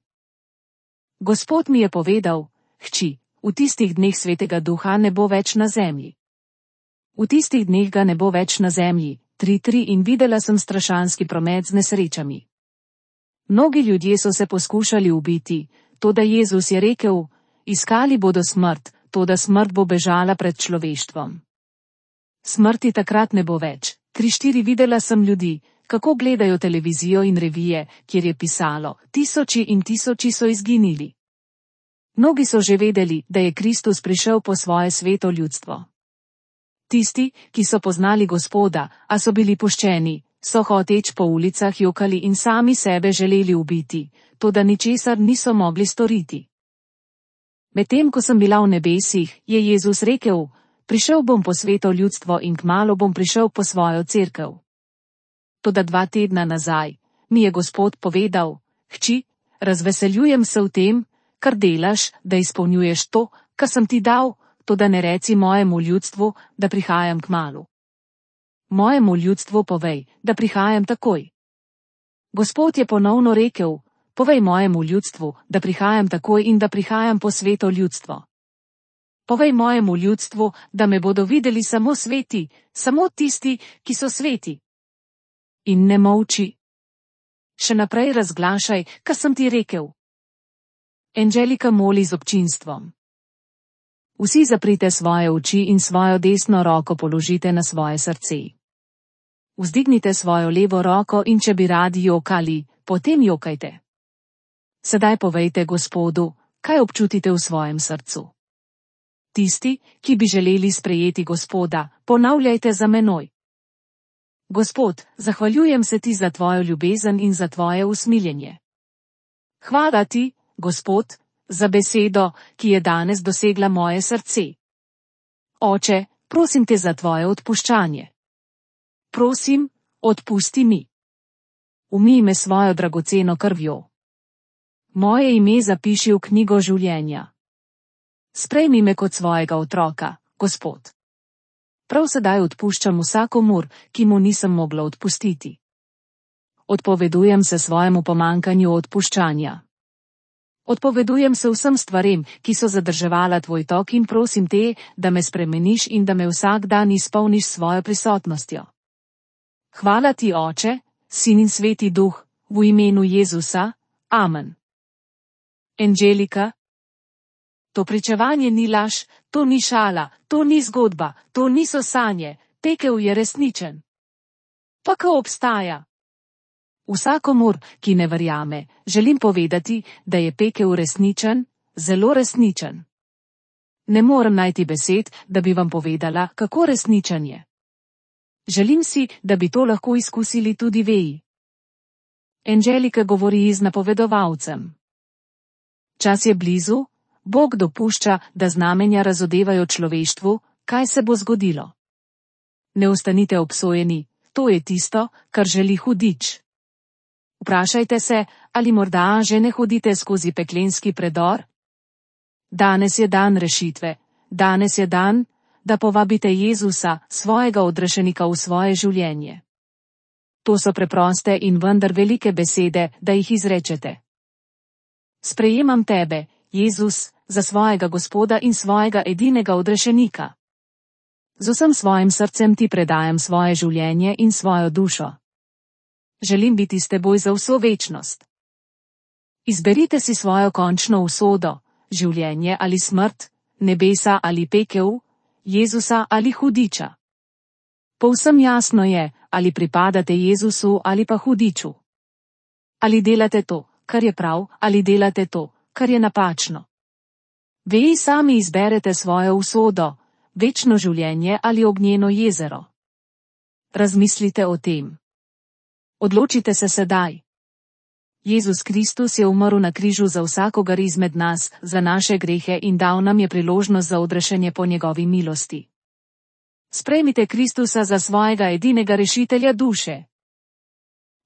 Gospod mi je povedal: hči, v tistih dneh Svetega Duha ne bo več na zemlji. V tistih dneh ga ne bo več na zemlji. 3:3 In videla sem strašanski promet z nesrečami. Mnogi ljudje so se poskušali ubiti, toda Jezus je rekel: iskali bodo smrt, toda smrt bo bežala pred človeštvom. Smrti takrat ne bo več. 3:4 Videla sem ljudi, kako gledajo televizijo in revije, kjer je pisalo: tisoči in tisoči so izginili. Mnogi so že vedeli, da je Kristus prišel po svoje sveto ljudstvo. Tisti, ki so poznali Gospoda, a so bili puščeni, so hoteč po ulicah jokali in sami sebe želeli ubiti, toda ničesar niso mogli storiti. Medtem ko sem bila v nebesih, je Jezus rekel: prišel bom po sveto ljudstvo in kmalu bom prišel po svojo cerkev. Toda 2 tedna nazaj mi je Gospod povedal: hči, razveseljujem se v tem, kar delaš, da izpolnjuješ to, kar sem ti dal, toda ne reci mojemu ljudstvu, da prihajam kmalu. Mojemu ljudstvu povej, da prihajam takoj. Gospod je ponovno rekel: povej mojemu ljudstvu, da prihajam takoj in da prihajam po sveto ljudstvo. Povej mojemu ljudstvu, da me bodo videli samo sveti, samo tisti, ki so sveti. In ne molči. Še naprej razglašaj, kar sem ti rekel. Angelika moli z občinstvom. Vsi zaprite svoje oči in svojo desno roko položite na svoje srce. Vzdignite svojo levo roko in če bi radi jokali, potem jokajte. Sedaj povejte Gospodu, kaj občutite v svojem srcu. Tisti, ki bi želeli sprejeti Gospoda, ponavljajte za menoj. Gospod, zahvaljujem se ti za tvojo ljubezen in za tvoje usmiljenje. Hvala ti, Gospod, za besedo, ki je danes dosegla moje srce. Oče, prosim te za tvoje odpuščanje. Prosim, odpusti mi. Umij me svojo dragoceno krvjo. Moje ime zapiši v knjigo življenja. Sprejmi me kot svojega otroka, Gospod. Prav sedaj odpuščam vsakomur, ki mu nisem mogla odpustiti. Odpovedujem se svojemu pomanjkanju odpuščanja. Odpovedujem se vsem stvarem, ki so zadrževala tvoj tok in prosim te, da me spremeniš in da me vsak dan izpolniš svojo prisotnostjo. Hvala ti, Oče, Sin in Sveti Duh, v imenu Jezusa, amen. Angelika. To pričevanje ni laž, to ni šala, to ni zgodba, to niso sanje, pekel je resničen. Pa ko obstaja? Vsakomur, ki ne verjame, želim povedati, da je pekel resničen, zelo resničen. Ne morem najti besed, da bi vam povedala, kako resničen je. Želim si, da bi to lahko izkusili tudi veji. Angelika govori z napovedovalcem. Čas je blizu, Bog dopušča, da znamenja razodevajo človeštvu, kaj se bo zgodilo. Ne ostanite obsojeni, to je tisto, kar želi hudič. Vprašajte se, ali morda že ne hodite skozi peklenski predor? Danes je dan rešitve, danes je dan, da povabite Jezusa, svojega odrešenika v svoje življenje. To so preproste in vendar velike besede, da jih izrečete. Sprejemam tebe, Jezus, za svojega Gospoda in svojega edinega odrešenika. Z vsem svojim srcem ti predajam svoje življenje in svojo dušo. Želim biti s teboj za vso večnost. Izberite si svojo končno usodo, življenje ali smrt, nebesa ali pekel, Jezusa ali hudiča. Povsem jasno je, ali pripadate Jezusu ali pa hudiču. Ali delate to, kar je prav, ali delate to, kar je napačno. Vi sami izberete svojo usodo, večno življenje ali ognjeno jezero. Razmislite o tem. Odločite se sedaj. Jezus Kristus je umrl na križu za vsakogar izmed nas, za naše grehe in dal nam je priložnost za odrešenje po njegovi milosti. Sprejmite Kristusa za svojega edinega rešitelja duše.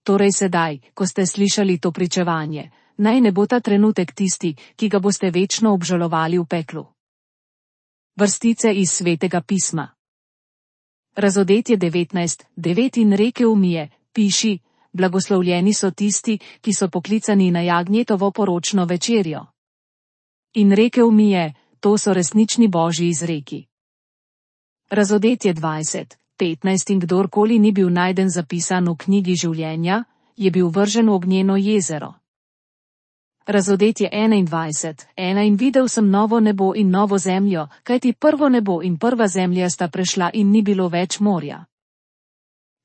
Torej sedaj, ko ste slišali to pričevanje, naj ne bo ta trenutek tisti, ki ga boste večno obžalovali v peklu. Vrstice iz Svetega pisma. Razodetje 19:9 in rekel mi je, piši, blagoslovljeni so tisti, ki so poklicani na jagnjetovo poročno večerjo. In rekel mi je, to so resnični Božji izreki. Razodetje 20:15 in kdorkoli ni bil najden zapisan v knjigi življenja, je bil vržen v ognjeno jezero. Razodetje 21:1 in videl sem novo nebo in novo zemljo, kajti prvo nebo in prva zemlja sta prešla in ni bilo več morja.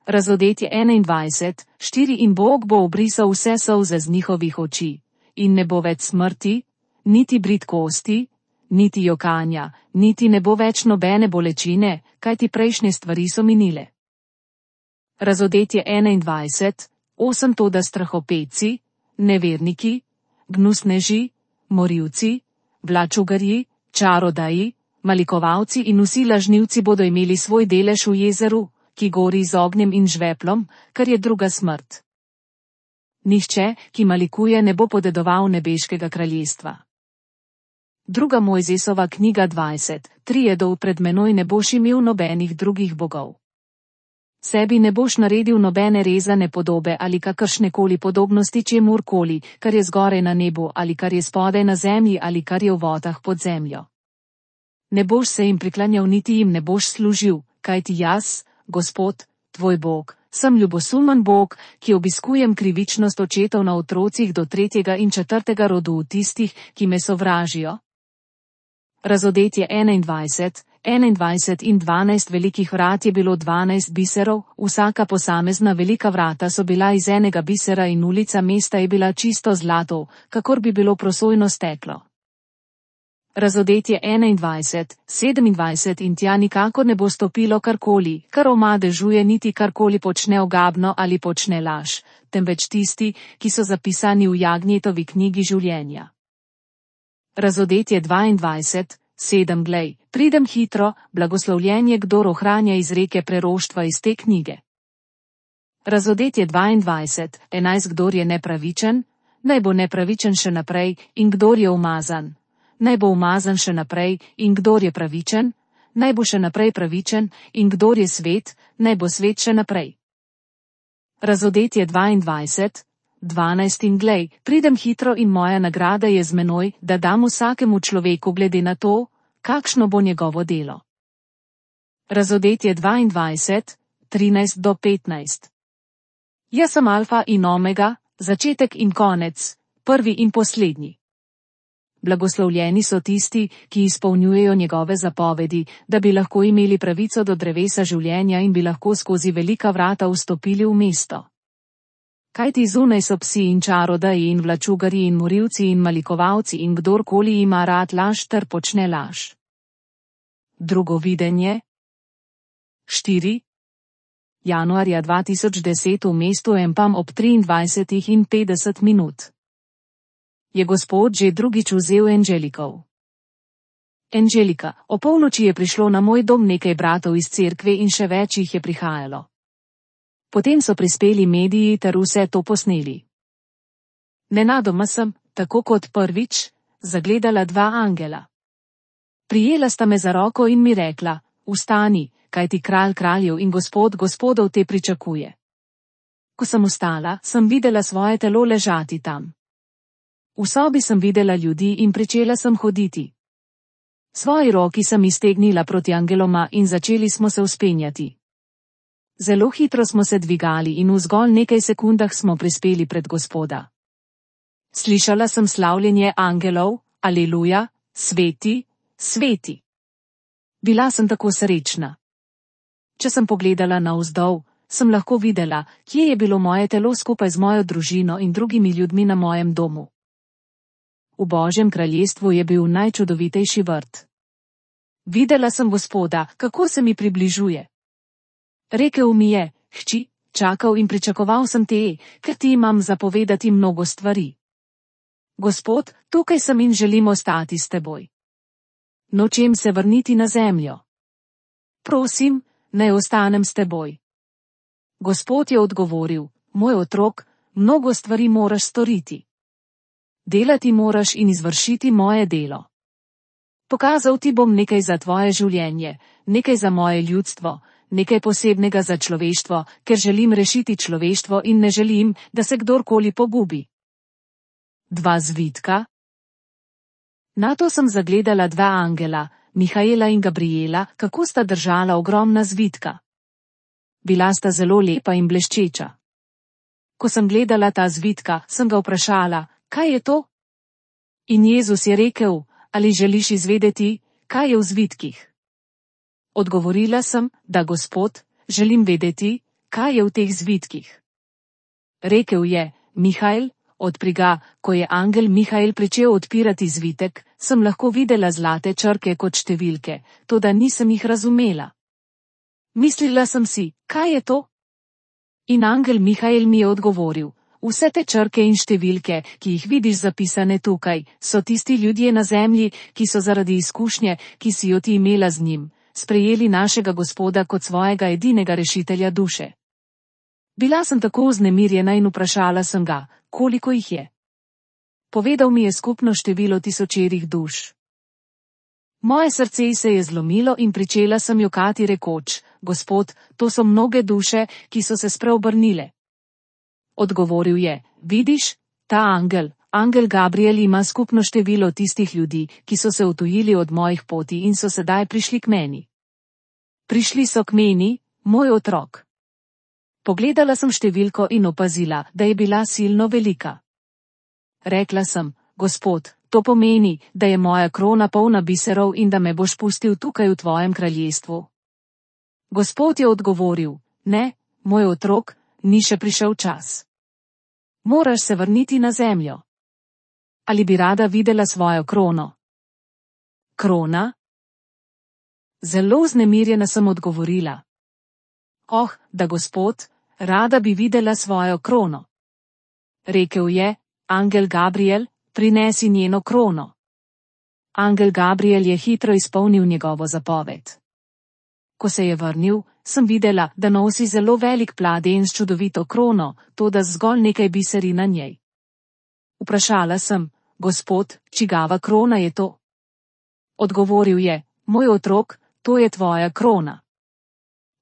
Razodetje 21:4 in Bog bo obrisal vse solze z njihovih oči, in ne bo več smrti, niti bridkosti, niti jokanja, niti ne bo več nobene bolečine, kajti prejšnje stvari so minile. Razodetje 21:8 toda strahopetci, neverniki, gnusneži, morilci, vlačugarji, čarodaji, malikovalci in vsi lažnivci bodo imeli svoj delež v jezeru, ki gori z ognjem in žveplom, kar je druga smrt. Nihče, ki malikuje, ne bo podedoval nebeškega kraljestva. Druga Mojzesova knjiga 20:3 dol pred menoj ne boš imel nobenih drugih bogov. Sebi ne boš naredil nobene rezane podobe ali kakršnekoli podobnosti čemurkoli, kar je zgoraj na nebu ali kar je spodaj na zemlji ali kar je v vodah pod zemljo. Ne boš se jim priklanjal niti jim ne boš služil, kajti jaz, Gospod, tvoj Bog, sem ljubosumen Bog, ki obiskujem krivičnost očetov na otrocih do 3. in 4. rodu v tistih, ki me sovražijo. Razodetje 21 in 12 velikih vrat je bilo 12 biserov, vsaka posamezna velika vrata so bila iz enega bisera in ulica mesta je bila čisto zlato, kakor bi bilo prosojno steklo. Razodetje 21:27 in tja nikakor ne bo stopilo karkoli, kar omadežuje niti karkoli počne ogabno ali počne laž, temveč tisti, ki so zapisani v Jagnjetovi knjigi življenja. Razodetje 22:7 Glej, pridem hitro, blagoslovljen je, kdor ohranja izreke preroštva iz te knjige. Razodetje 22:11 Kdor je nepravičen, naj bo nepravičen še naprej, in kdor je umazan, naj bo umazan še naprej, in kdor je pravičen, naj bo še naprej pravičen, in kdor je svet, naj bo svet še naprej. Razodetje 22:12 In glej, pridem hitro in moja nagrada je z menoj, da dam vsakemu človeku glede na to, kakšno bo njegovo delo. Razodetje 22:13-15 Jaz sem alfa in omega, začetek in konec, prvi in poslednji. Blagoslovljeni so tisti, ki izpolnjujejo njegove zapovedi, da bi lahko imeli pravico do drevesa življenja in bi lahko skozi velika vrata vstopili v mesto. Kajti zunaj so psi in čarodeji in vlačugarji in morilci in malikovalci in kdorkoli ima rad laž ter počne laž. Drugo videnje. 4. Januarja 2010 v mestu Empam ob 23:50 Je Gospod že drugič vzel Angelikov. Angelika, o polnoči je prišlo na moj dom nekaj bratov iz cerkve in še več jih je prihajalo. Potem so prispeli mediji ter vse to posneli. Nenadoma sem, tako kot prvič, zagledala dva angela. Prijela sta me za roko in mi rekla: "Vstani, kajti kralj kraljev in gospod gospodov te pričakuje." Ko sem vstala, sem videla svoje telo ležati tam. V sobi sem videla ljudi in pričela sem hoditi. Svoji roki sem iztegnila proti angeloma in začeli smo se vzpenjati. Zelo hitro smo se dvigali in v zgolj nekaj sekundah smo prispeli pred Gospoda. Slišala sem slavljenje angelov: "Aleluja, sveti, sveti." Bila sem tako srečna. Če sem pogledala navzdol, sem lahko videla, kje je bilo moje telo skupaj z mojo družino in drugimi ljudmi na mojem domu. V Božjem kraljestvu je bil najčudovitejši vrt. Videla sem Gospoda, kako se mi približuje. Rekel mi je: "Hči, čakal in pričakoval sem te, ker ti imam zapovedati mnogo stvari. Gospod, tukaj sem in želim ostati s teboj. Nočem se vrniti na zemljo. Prosim, naj ostanem s teboj." Gospod je odgovoril: "Moj otrok, mnogo stvari moraš storiti. Delati moraš in izvršiti moje delo. Pokazal ti bom nekaj za tvoje življenje, nekaj za moje ljudstvo, nekaj posebnega za človeštvo, ker želim rešiti človeštvo in ne želim, da se kdorkoli pogubi." Dva zvitka. Nato sem zagledala dva angela, Mihaela in Gabriela, kako sta držala ogromna zvitka. Bila sta zelo lepa in bleščeča. Ko sem gledala ta zvitka, sem ga vprašala: "Kaj je to?" In Jezus je rekel: "Ali želiš izvedeti, kaj je v zvitkih?" Odgovorila sem: "Da, Gospod, želim vedeti, kaj je v teh zvitkih." Rekel je: "Mihael, odpri ga." Ko je angel Mihael pričel odpirati zvitek, sem lahko videla zlate črke kot številke, toda nisem jih razumela. Mislila sem si: "Kaj je to?" In angel Mihael mi je odgovoril: "Vse te črke in številke, ki jih vidiš zapisane tukaj, so tisti ljudje na zemlji, ki so zaradi izkušnje, ki si jo ti imela z njim, sprejeli našega Gospoda kot svojega edinega rešitelja duše." Bila sem tako vznemirjena in vprašala sem ga, koliko jih je. Povedal mi je skupno število tisočerih duš. Moje srce se je zlomilo in pričela sem jokati rekoč: "Gospod, to so mnoge duše, ki so se spreobrnile." Odgovoril je: "Vidiš, ta angel Gabriel ima skupno število tistih ljudi, ki so se odtujili od mojih poti in so sedaj prišli k meni. Prišli so k meni, moj otrok." Pogledala sem številko in opazila, da je bila silno velika. Rekla sem: "Gospod, to pomeni, da je moja krona polna biserov in da me boš pustil tukaj v tvojem kraljestvu." Gospod je odgovoril: "Ne, moj otrok, ni še prišel čas. Moraš se vrniti na zemljo. Ali bi rada videla svojo krono?" Krona? Zelo vznemirjena sem odgovorila. Oh, da Gospod, rada bi videla svojo krono. Rekel je, angel Gabriel, prinesi njeno krono. Angel Gabriel je hitro izpolnil njegovo zapoved. Ko se je vrnil, sem videla, da nosi zelo velik pladenj s čudovito krono, toda zgolj nekaj biseri na njej. Vprašala sem, Gospod, čigava krona je to? Odgovoril je, moj otrok, to je tvoja krona.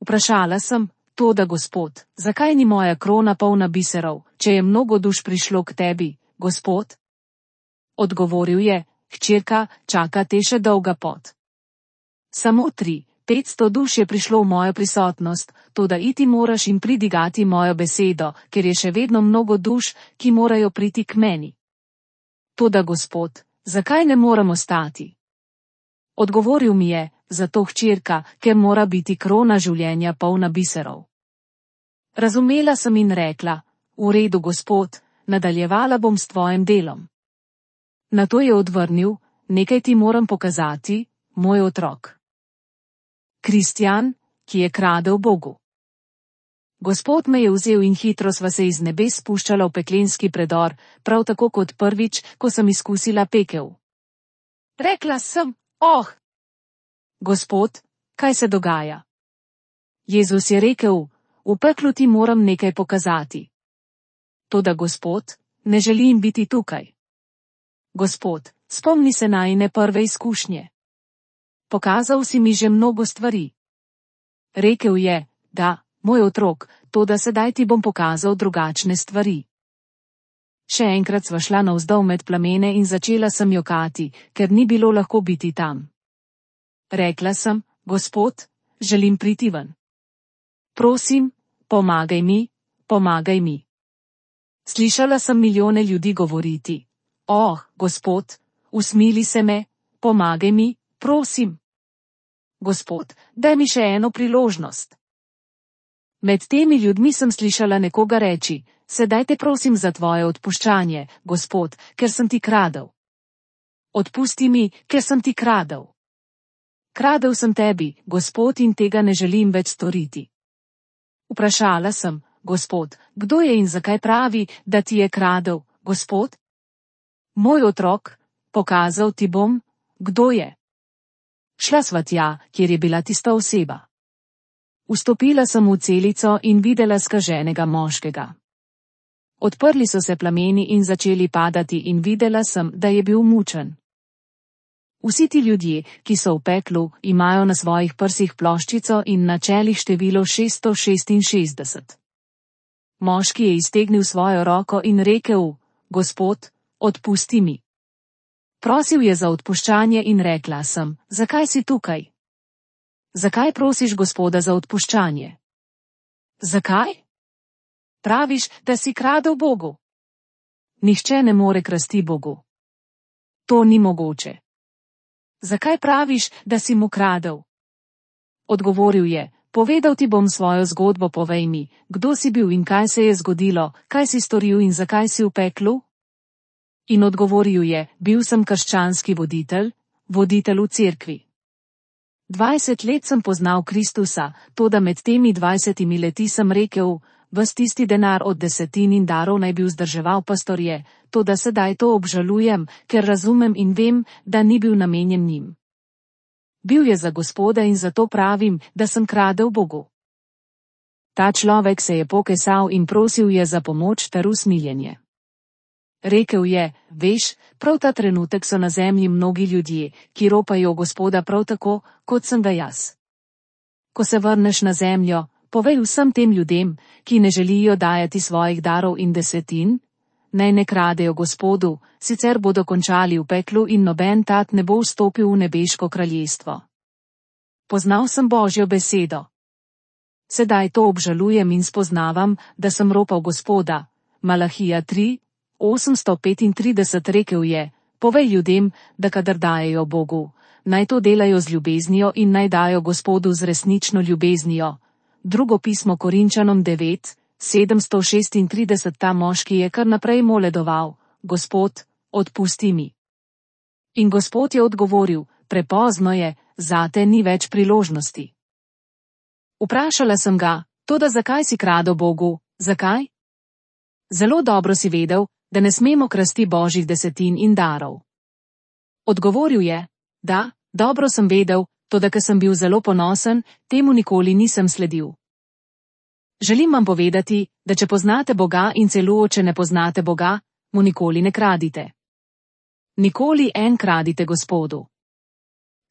Vprašala sem, toda Gospod, zakaj ni moja krona polna biserov, če je mnogo duš prišlo k tebi, Gospod? Odgovoril je, hčerka, čaka te še dolga pot. Samo 300-500 duš je prišlo v mojo prisotnost, toda iti moraš in pridigati mojo besedo, ker je še vedno mnogo duš, ki morajo priti k meni. Toda Gospod, zakaj ne moram ostati? Odgovoril mi je, zato hčerka, ker mora biti krona življenja polna biserov. Razumela sem in rekla, v redu, Gospod, nadaljevala bom s tvojim delom. Nato je odvrnil, nekaj ti moram pokazati, moj otrok. Kristjan, ki je kradel Bogu. Gospod me je vzel in hitro sva se iz nebes spuščala v peklenski predor, prav tako kot prvič, ko sem izkusila pekel. Rekla sem, oh! Gospod, kaj se dogaja? Jezus je rekel, v peklu ti moram nekaj pokazati. Toda Gospod, ne želim biti tukaj. Gospod, spomni se najine prve izkušnje. Pokazal si mi že mnogo stvari. Rekel je, da, moj otrok, toda sedaj ti bom pokazal drugačne stvari. Še enkrat sva šla navzdol med plamene in začela sem jokati, ker ni bilo lahko biti tam. Rekla sem, Gospod, želim priti ven. Prosim, pomagaj mi, pomagaj mi. Slišala sem milijone ljudi govoriti. Oh, Gospod, usmili se me, pomagaj mi, prosim. Gospod, daj mi še eno priložnost. Med temi ljudmi sem slišala nekoga reči, sedaj te prosim za tvoje odpuščanje, Gospod, ker sem ti kradel. Odpusti mi, ker sem ti kradel. Kradel sem tebi, Gospod, in tega ne želim več storiti. Vprašala sem, Gospod, kdo je in zakaj pravi, da ti je kradel, Gospod? Moj otrok, pokazal ti bom, kdo je. Šla sva tja, kjer je bila tista oseba. Vstopila sem v celico in videla skaženega moškega. Odprli so se plameni in začeli padati in videla sem, da je bil mučen. Vsi ti ljudje, ki so v peklu, imajo na svojih prsih ploščico in na čelih število 666. Moški je iztegnil svojo roko in rekel, Gospod, odpusti mi. Prosil je za odpuščanje in rekla sem, zakaj si tukaj? Zakaj prosiš Gospoda za odpuščanje? Zakaj? Praviš, da si kradel Bogu. Nihče ne more krasti Bogu. To ni mogoče. Zakaj praviš, da si mu kradel? Odgovoril je, povedal ti bom svojo zgodbo, povej mi, kdo si bil in kaj se je zgodilo, kaj si storil in zakaj si v peklu? In odgovoril je, bil sem krščanski voditelj v cerkvi. 20 let sem poznal Kristusa, toda med temi 20 leti sem rekel, ves tisti denar od desetin in darov naj bi vzdrževal pastorje, toda sedaj to obžalujem, ker razumem in vem, da ni bil namenjen njim. Bil je za Gospoda in zato pravim, da sem kradel Bogu. Ta človek se je pokesal in prosil je za pomoč ter usmiljenje. Rekel je, veš, prav ta trenutek so na zemlji mnogi ljudje, ki ropajo Gospoda prav tako, kot sem ga jaz. Ko se vrneš na zemljo, povej vsem tem ljudem, ki ne želijo dajati svojih darov in desetin, naj ne kradejo Gospodu, sicer bodo končali v peklu in noben tat ne bo vstopil v nebeško kraljestvo. Poznal sem Božjo besedo. Sedaj to obžalujem in spoznavam, da sem ropal Gospoda. Malahija 3:835 rekel je, povej ljudem, da kadar dajejo Bogu, naj to delajo z ljubeznijo in naj dajo Gospodu z resnično ljubeznijo. Drugo pismo Korinčanom 9:736. Ta moški je kar naprej moledoval, Gospod, odpusti mi. In Gospod je odgovoril, prepozno je, zate ni več priložnosti. Vprašala sem ga, toda zakaj si kradel Bogu, zakaj? Zelo dobro si vedel, da ne smemo krasti božjih desetin in darov. Odgovoril je, da, dobro sem vedel, toda ker sem bil zelo ponosen, temu nikoli nisem sledil. Želim vam povedati, da če poznate Boga in celo če ne poznate Boga, mu nikoli ne kradite. Nikoli en kradite Gospodu.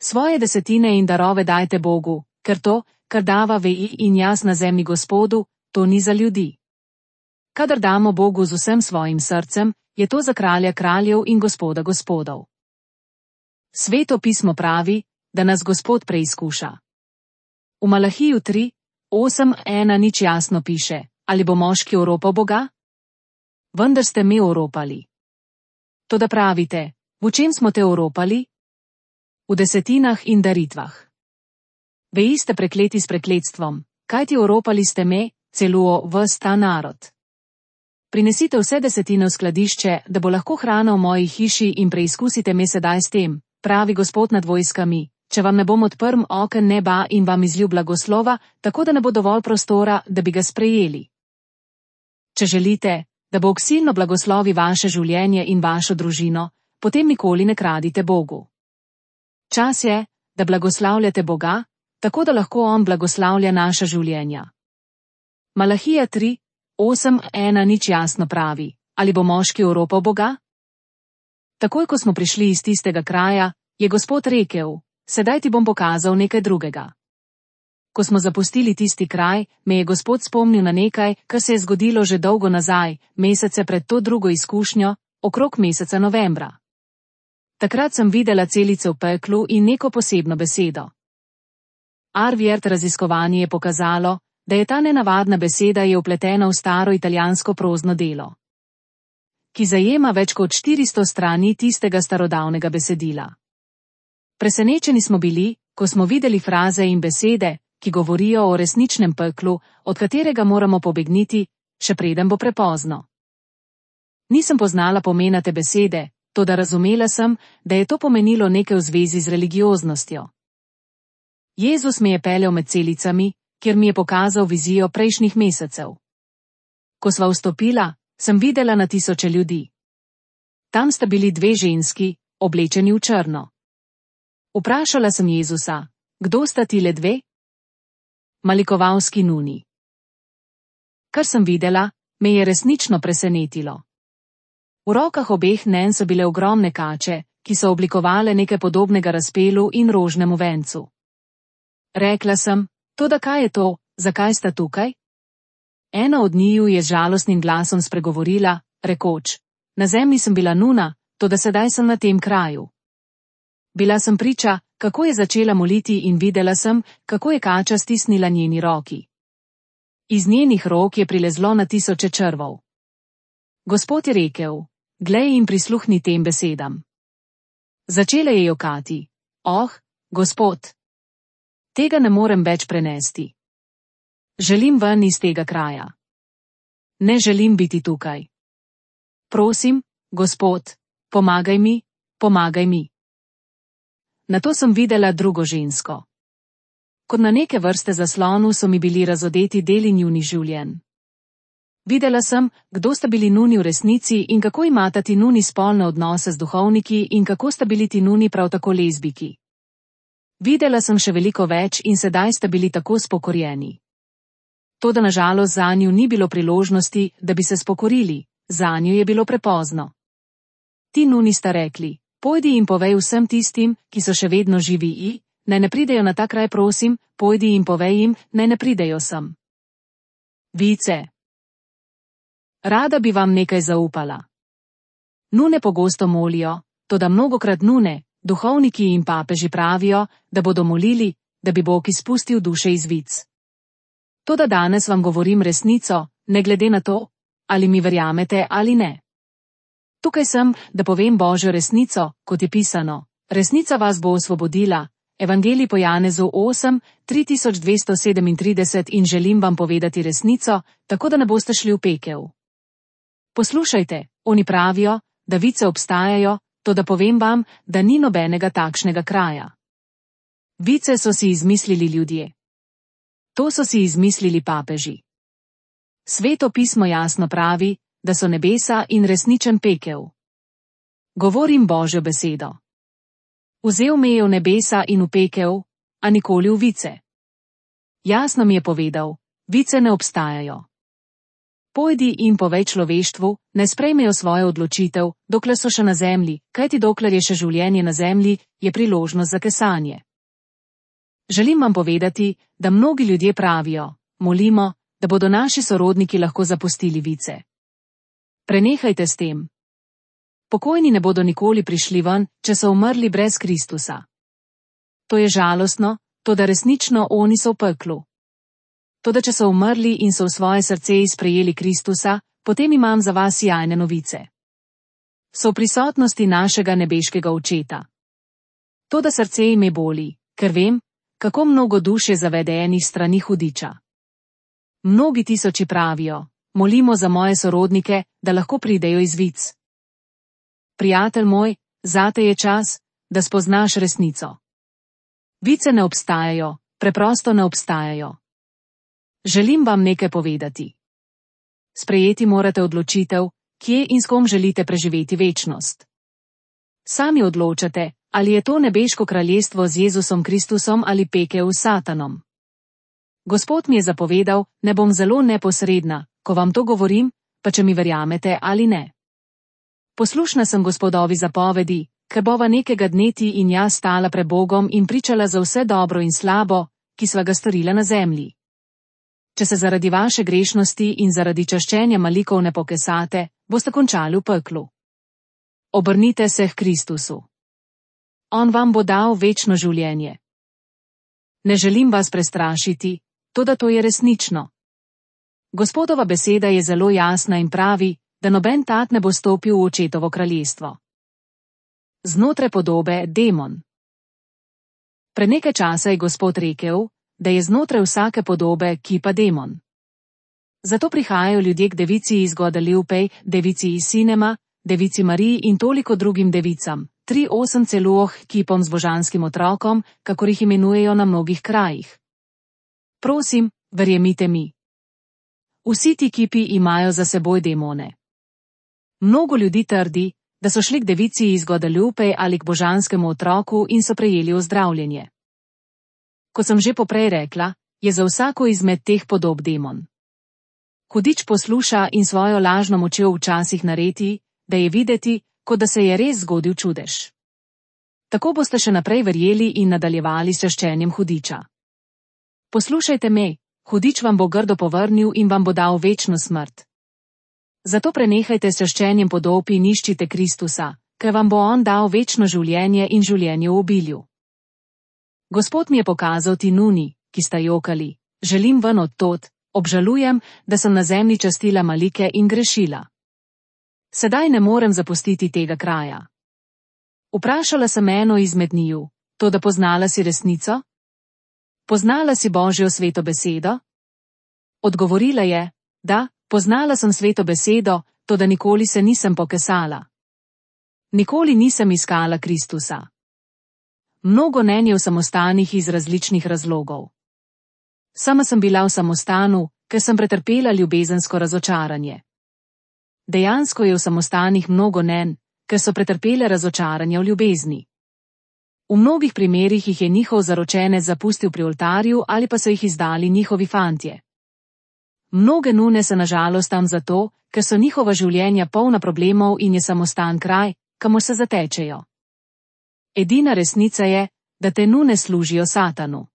Svoje desetine in darove dajte Bogu, ker to, kar dava vi in jaz na zemlji Gospodu, to ni za ljudi. Kadar damo Bogu z vsem svojim srcem, je to za kralja kraljev in Gospoda gospodov. Sveto pismo pravi, da nas Gospod preizkuša. V Malahiju 3:8:1 nič jasno piše, ali bo moški oropal Boga? Vendar ste me oropali. Toda pravite, v čem smo te oropali? V desetinah in daritvah. Veji ste prekleti s prekletstvom, kajti oropali ste me, celo ves ta narod. Prinesite vse desetine v skladišče, da bo lahko hrana v moji hiši in preizkusite me sedaj s tem, pravi Gospod nad vojskami, če vam ne bom odprl oken neba in vam izlil blagoslova, tako da ne bo dovolj prostora, da bi ga sprejeli. Če želite, da Bog silno blagoslovi vaše življenje in vašo družino, potem nikoli ne kradite Bogu. Čas je, da blagoslavljate Boga, tako da lahko On blagoslavlja naša življenja. Malahija 3:8:1 nič jasno pravi, ali bo moški oropal Boga? Takoj, ko smo prišli iz tistega kraja, je Gospod rekel, sedaj ti bom pokazal nekaj drugega. Ko smo zapustili tisti kraj, me je Gospod spomnil na nekaj, kar se je zgodilo že dolgo nazaj, mesece pred to drugo izkušnjo, okrog meseca novembra. Takrat sem videla celice v peklu in neko posebno besedo. Arviert raziskovanje je pokazalo, da je ta nenavadna beseda je vpletena v staro italijansko prozno delo, ki zajema več kot 400 strani tistega starodavnega besedila. Presenečeni smo bili, ko smo videli fraze in besede, ki govorijo o resničnem peklu, od katerega moramo pobegniti, še preden bo prepozno. Nisem poznala pomena te besede, toda razumela sem, da je to pomenilo nekaj v zvezi z religioznostjo. Jezus me je peljal med celicami, kjer mi je pokazal vizijo prejšnjih mesecev. Ko sva vstopila, sem videla na tisoče ljudi. Tam sta bili dve ženski, oblečeni v črno. Vprašala sem Jezusa, kdo sta tile dve? Malikovalski nuni. Kar sem videla, me je resnično presenetilo. V rokah obeh nen so bile ogromne kače, ki so oblikovale nekaj podobnega razpelu in rožnemu vencu. Rekla sem, toda kaj je to, zakaj sta tukaj? Ena od njiju je z žalostnim glasom spregovorila, rekoč, na zemlji sem bila nuna, toda sedaj sem na tem kraju. Bila sem priča, kako je začela moliti in videla sem, kako je kača stisnila njeni roki. Iz njenih rok je prilezlo na tisoče črvov. Gospod je rekel, glej in prisluhni tem besedam. Začela je jokati, Gospod, tega ne morem več prenesti. Želim ven iz tega kraja. Ne želim biti tukaj. Prosim, Gospod, pomagaj mi, pomagaj mi. Nato sem videla drugo žensko. Kot na neke vrste zaslonu so mi bili razodeti deli njunih življenj. Videla sem, kdo sta bili nuni v resnici in kako imata ti nuni spolne odnose z duhovniki in kako sta bili ti nuni prav tako lezbiki. Videla sem še veliko več in sedaj sta bili tako spokorjeni. Toda nažalost zanju ni bilo priložnosti, da bi se spokorili, zanju je bilo prepozno. Ti nuni sta rekli, pojdi in povej vsem tistim, ki so še vedno živi naj ne pridejo na ta kraj prosim, pojdi in povej jim, naj ne pridejo sem. Vice. Rada bi vam nekaj zaupala. Nune pogosto molijo, toda mnogokrat nune, duhovniki in papeži pravijo, da bodo molili, da bi Bog izpustil duše iz vic. Toda danes vam govorim resnico, ne glede na to, ali mi verjamete ali ne. Tukaj sem, da povem Božjo resnico, kot je pisano, resnica vas bo osvobodila, Evangelij po Janezu 8:3237 in želim vam povedati resnico, tako da ne boste šli v pekel. Poslušajte, oni pravijo, da vice obstajajo, toda povem vam, da ni nobenega takšnega kraja. Vice so si izmislili ljudje. To so si izmislili papeži. Sveto pismo jasno pravi, da so nebesa in resničen pekel. Govorim Božjo besedo. Vzel me je v nebesa in v pekel, a nikoli v vice. Jasno mi je povedal, vice ne obstajajo. Pojdi in povej človeštvu, ne sprejmejo svojo odločitev, dokler so še na zemlji, kajti dokler je še življenje na zemlji, je priložnost za kesanje. Želim vam povedati, da mnogi ljudje pravijo, molimo, da bodo naši sorodniki lahko zapustili vice. Prenehajte s tem. Pokojni ne bodo nikoli prišli ven, če so umrli brez Kristusa. To je žalostno, toda resnično oni so v peklu. Toda če so umrli in so v svoje srce sprejeli Kristusa, potem imam za vas jajne novice. So v prisotnosti našega nebeškega Očeta. Toda srce ime boli, ker vem, kako mnogo duš je zavedenih strani hudiča. Mnogi tisoči pravijo, molimo za moje sorodnike, da lahko pridejo iz vic. Prijatelj moj, zate je čas, da spoznaš resnico. Vice ne obstajajo, preprosto ne obstajajo. Želim vam nekaj povedati. Sprejeti morate odločitev, kje in s kom želite preživeti večnost. Sami odločate, ali je to nebeško kraljestvo z Jezusom Kristusom ali pekel s Satanom. Gospod mi je zapovedal, ne bom zelo neposredna, ko vam to govorim, pa če mi verjamete ali ne. Poslušna sem Gospodovi zapovedi, ker bova nekega dne ti in jaz stala pred Bogom in pričala za vse dobro in slabo, ki sva ga storila na zemlji. Če se zaradi vaše grešnosti in zaradi čaščenja malikov ne pokesate, boste končali v peklu. Obrnite se k Kristusu. On vam bo dal večno življenje. Ne želim vas prestrašiti, toda to je resnično. Gospodova beseda je zelo jasna in pravi, da noben tat ne bo stopil v Očetovo kraljestvo. Znotraj podobe demon. Pred nekaj časa je Gospod rekel, da je znotraj vsake podobe kipa demon. Zato prihajajo ljudje k devici iz Guadalupe, devici iz Sinema, devici Mariji in toliko drugim devicam, 3-8 celuoh kipom z božanskim otrokom, kakor jih imenujejo na mnogih krajih. Prosim, verjemite mi. Vsi ti kipi imajo za seboj demone. Mnogo ljudi trdi, da so šli k devici iz Guadalupe ali k božanskemu otroku in so prejeli ozdravljenje. Kot sem že poprej rekla, je za vsako izmed teh podob demon. Hudič posluša in svojo lažno močjo včasih naredi, da je videti, kot da se je res zgodil čudež. Tako boste še naprej verjeli in nadaljevali s čaščenjem hudiča. Poslušajte me, hudič vam bo grdo povrnil in vam bo dal večno smrt. Zato prenehajte s čaščenjem podob in iščite Kristusa, ker vam bo on dal večno življenje in življenje v obilju. Gospod mi je pokazal ti nuni, ki sta jokali, želim ven od tod, obžalujem, da sem na zemlji častila malike in grešila. Sedaj ne morem zapustiti tega kraja. Vprašala sem eno izmed njiju, toda poznala si resnico? Poznala si Božjo sveto besedo? Odgovorila je, da, poznala sem sveto besedo, toda nikoli se nisem pokesala. Nikoli nisem iskala Kristusa. Mnogo nen je v samostanih iz različnih razlogov. Sama sem bila v samostanu, ker sem pretrpela ljubezensko razočaranje. Dejansko je v samostanih mnogo nen, ker so pretrpele razočaranje v ljubezni. V mnogih primerih jih je njihov zaročenec zapustil pri oltarju ali pa so jih izdali njihovi fantje. Mnoge nune se nažalost tam zato, ker so njihova življenja polna problemov in je samostan kraj, kamor se zatečejo. Edina resnica je, da te nune služijo Satanu.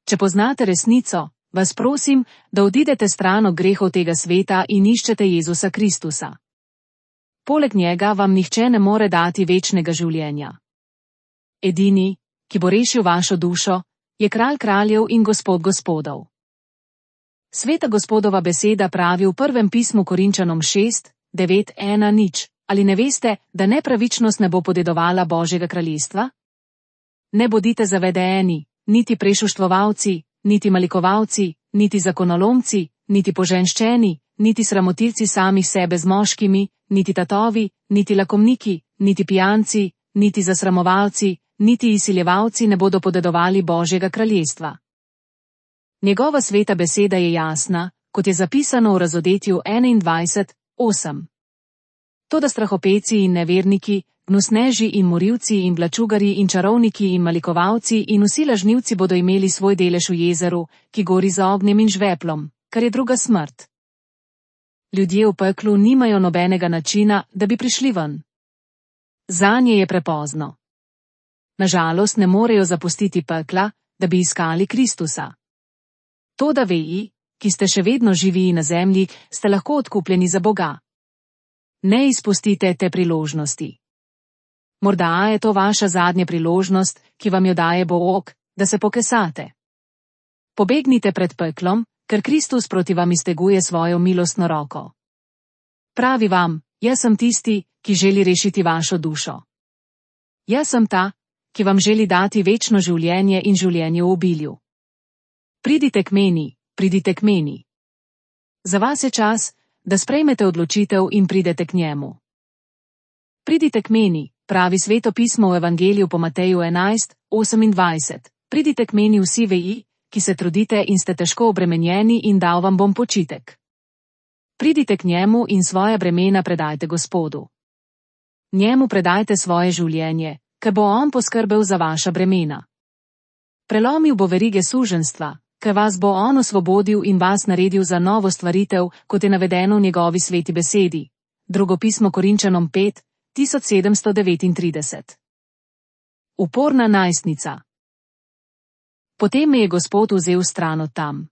Če poznate resnico, vas prosim, da odidete stran od grehov tega sveta in iščete Jezusa Kristusa. Poleg njega vam nihče ne more dati večnega življenja. Edini, ki bo rešil vašo dušo, je kralj kraljev in gospod gospodov. Sveta Gospodova beseda pravi v prvem pismu Korinčanom 6:9-1:0. Ali ne veste, da nepravičnost ne bo podedovala Božjega kraljestva? Ne bodite zavedeni, niti prešuštvovalci, niti malikovalci, niti zakonolomci, niti poženščeni, niti sramotilci samih sebe z moškimi, niti tatovi, niti lakomniki, niti pijanci, niti zasramovalci, niti izsiljevalci ne bodo podedovali Božjega kraljestva. Njegova sveta beseda je jasna, kot je zapisano v Razodetju 21:8. Toda strahopeci in neverniki, gnusneži in morilci in blačugari in čarovniki in malikovalci in vsi lažnivci bodo imeli svoj delež v jezeru, ki gori z ognjem in žveplom, kar je druga smrt. Ljudje v peklu nimajo nobenega načina, da bi prišli ven. Zanje je prepozno. Nažalost ne morejo zapustiti pekla, da bi iskali Kristusa. Toda veji, ki ste še vedno živi na zemlji, ste lahko odkupljeni za Boga. Ne izpustite te priložnosti. Morda je to vaša zadnja priložnost, ki vam jo daje Bog, da se pokesate. Pobegnite pred peklom, ker Kristus proti vam izteguje svojo milostno roko. Pravi vam, jaz sem tisti, ki želi rešiti vašo dušo. Jaz sem ta, ki vam želi dati večno življenje in življenje v obilju. Pridite k meni. Za vas je čas, da sprejmete odločitev in pridete k njemu. Pridite k meni, pravi Sveto pismo v Evangeliju po Mateju 11:28. Pridite k meni vsi veji, ki se trudite in ste težko obremenjeni, in dal vam bom počitek. Pridite k njemu in svoja bremena predajte Gospodu. Njemu predajte svoje življenje, ker bo on poskrbel za vaša bremena. Prelomil bo verige suženjstva, ker vas bo on osvobodil in vas naredil za novo stvaritev, kot je navedeno v njegovi sveti besedi. Drugo pismo Korinčanom 5:1739. Uporna najstnica. Potem me je Gospod vzel stran od tam.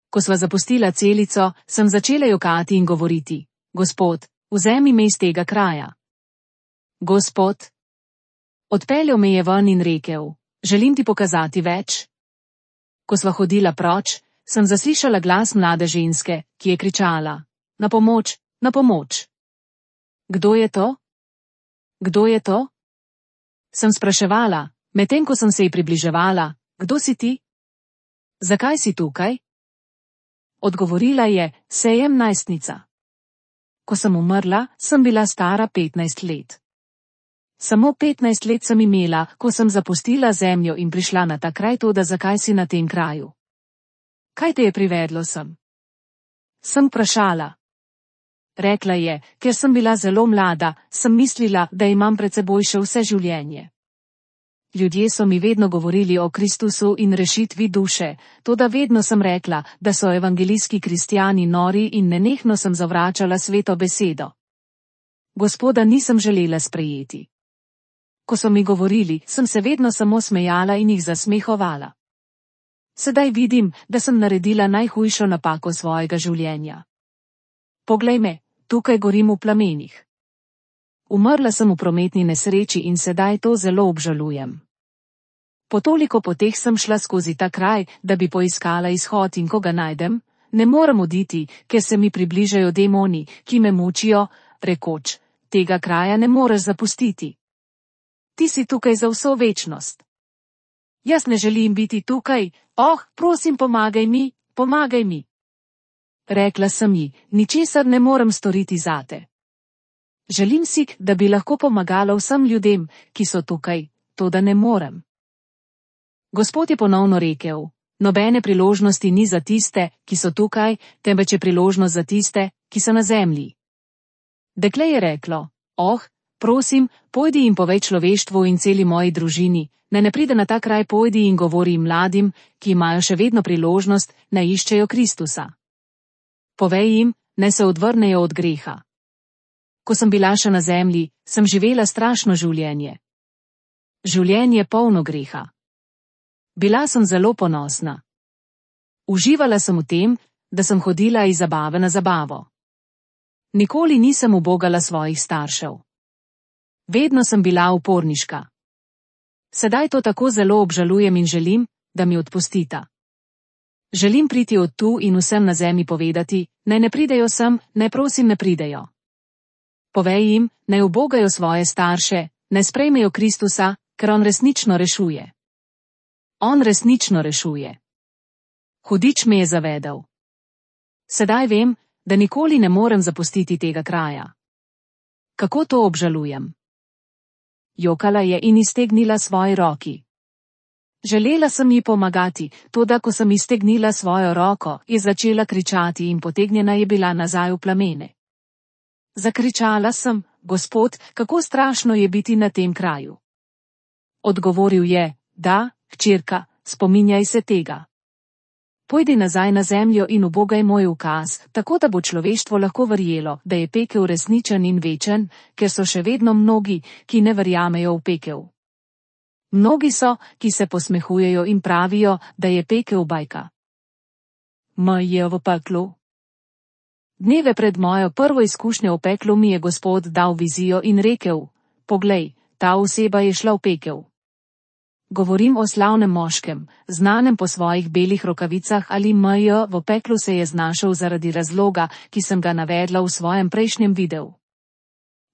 Ko sva zapustila celico, sem začela jokati in govoriti: Gospod, vzemi me iz tega kraja. Gospod. Odpeljal me je ven in rekel: želim ti pokazati več. Ko sva hodila proč, sem zaslišala glas mlade ženske, ki je kričala: na pomoč, na pomoč. Kdo je to? Kdo je to? Sem spraševala, medtem ko sem se ji približevala: kdo si ti? Zakaj si tukaj? Odgovorila je: sejem najstnica. Ko sem umrla, sem bila stara 15 let. Samo 15 let sem imela, ko sem zapustila zemljo in prišla na ta kraj, toda zakaj si na tem kraju? Kaj te je privedlo sem? Sem vprašala. Rekla je: ker sem bila zelo mlada, sem mislila, da imam pred seboj še vse življenje. Ljudje so mi vedno govorili o Kristusu in rešitvi duše, toda vedno sem rekla, da so evangelijski kristjani nori in nenehno sem zavračala sveto besedo. Gospoda nisem želela sprejeti. Ko so mi govorili, sem se vedno samo smejala in jih zasmehovala. Sedaj vidim, da sem naredila najhujšo napako svojega življenja. Poglej me, tukaj gorim v plamenih. Umrla sem v prometni nesreči in sedaj to zelo obžalujem. Po toliko poteh sem šla skozi ta kraj, da bi poiskala izhod, in ko ga najdem, ne morem oditi, ker se mi približajo demoni, ki me mučijo, rekoč: tega kraja ne moreš zapustiti. Ti si tukaj za vso večnost. Jaz ne želim biti tukaj, prosim, pomagaj mi, pomagaj mi. Rekla sem ji: ničesar ne morem storiti zate. Želim si, da bi lahko pomagala vsem ljudem, ki so tukaj, toda ne morem. Gospod je ponovno rekel: nobene priložnosti ni za tiste, ki so tukaj, temveč je priložnost za tiste, ki so na zemlji. Dekle je reklo: prosim, pojdi in povej človeštvu in celi moji družini, naj ne pride na ta kraj, pojdi in govori mladim, ki imajo še vedno priložnost, naj iščejo Kristusa. Povej jim, naj se odvrnejo od greha. Ko sem bila še na zemlji, sem živela strašno življenje. Življenje polno greha. Bila sem zelo ponosna. Uživala sem v tem, da sem hodila iz zabave na zabavo. Nikoli nisem ubogala svojih staršev. Vedno sem bila uporniška. Sedaj to tako zelo obžalujem in želim, da mi odpustita. Želim priti od tu in vsem na zemlji povedati, naj ne pridejo sem, naj prosim ne pridejo. Povej jim, naj ubogajo svoje starše, naj sprejmejo Kristusa, ker on resnično rešuje. On resnično rešuje. Hudič me je zavedel. Sedaj vem, Da nikoli ne morem zapustiti tega kraja. Kako to obžalujem? Jokala je in iztegnila svoji roki. Želela sem ji pomagati, toda ko sem iztegnila svojo roko, je začela kričati in potegnjena je bila nazaj v plamene. Zakričala sem: Gospod, kako strašno je biti na tem kraju. Odgovoril je: Da, hčerka, spominjaj se tega. Pojdi nazaj na zemljo in ubogaj moj ukaz, tako da bo človeštvo lahko verjelo, da je pekel resničen in večen, ker so še vedno mnogi, ki ne verjamejo v pekel. Mnogi so, ki se posmehujejo in pravijo, da je pekel bajka. Je v peklu. Dneve pred mojo prvo izkušnjo v peklu mi je Gospod dal vizijo in rekel: Poglej, ta oseba je šla v pekel. Govorim o slavnem moškem, znanem po svojih belih rokavicah ali v peklu se je znašel zaradi razloga, ki sem ga navedla v svojem prejšnjem videu.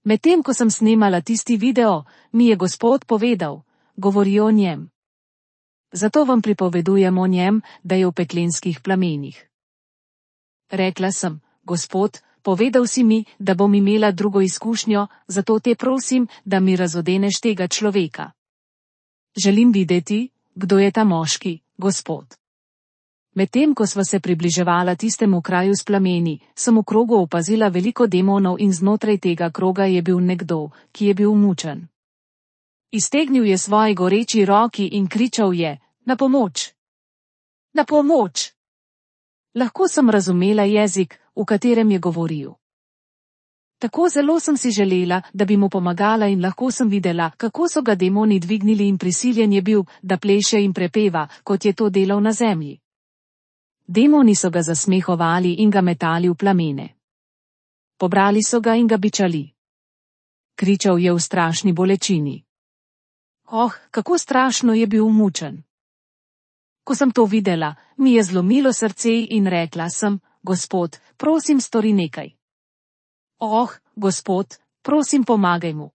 Medtem ko sem snemala tisti video, mi je Gospod povedal: Govori o njem. Zato vam pripovedujem o njem, da je v peklenskih plamenih. Rekla sem: Gospod, povedal si mi, da bom imela drugo izkušnjo, zato te prosim, da mi razodeneš tega človeka. Želim videti, kdo je ta moški, Gospod. Medtem ko sva se približevala tistemu kraju s plameni, sem v krogu opazila veliko demonov in znotraj tega kroga je bil nekdo, ki je bil mučen. Iztegnil je svoji goreči roki in kričal je: Na pomoč! Na pomoč! Lahko sem razumela jezik, v katerem je govoril. Tako zelo sem si želela, da bi mu pomagala in lahko sem videla, kako so ga demoni dvignili in prisiljen je bil, da pleše in prepeva, kot je to delal na zemlji. Demoni so ga zasmehovali in ga metali v plamene. Pobrali so ga in ga bičali. Kričal je v strašni bolečini. Kako strašno je bil mučen. Ko sem to videla, mi je zlomilo srce in rekla sem: Gospod, prosim, stori nekaj. Gospod, prosim, pomagaj mu.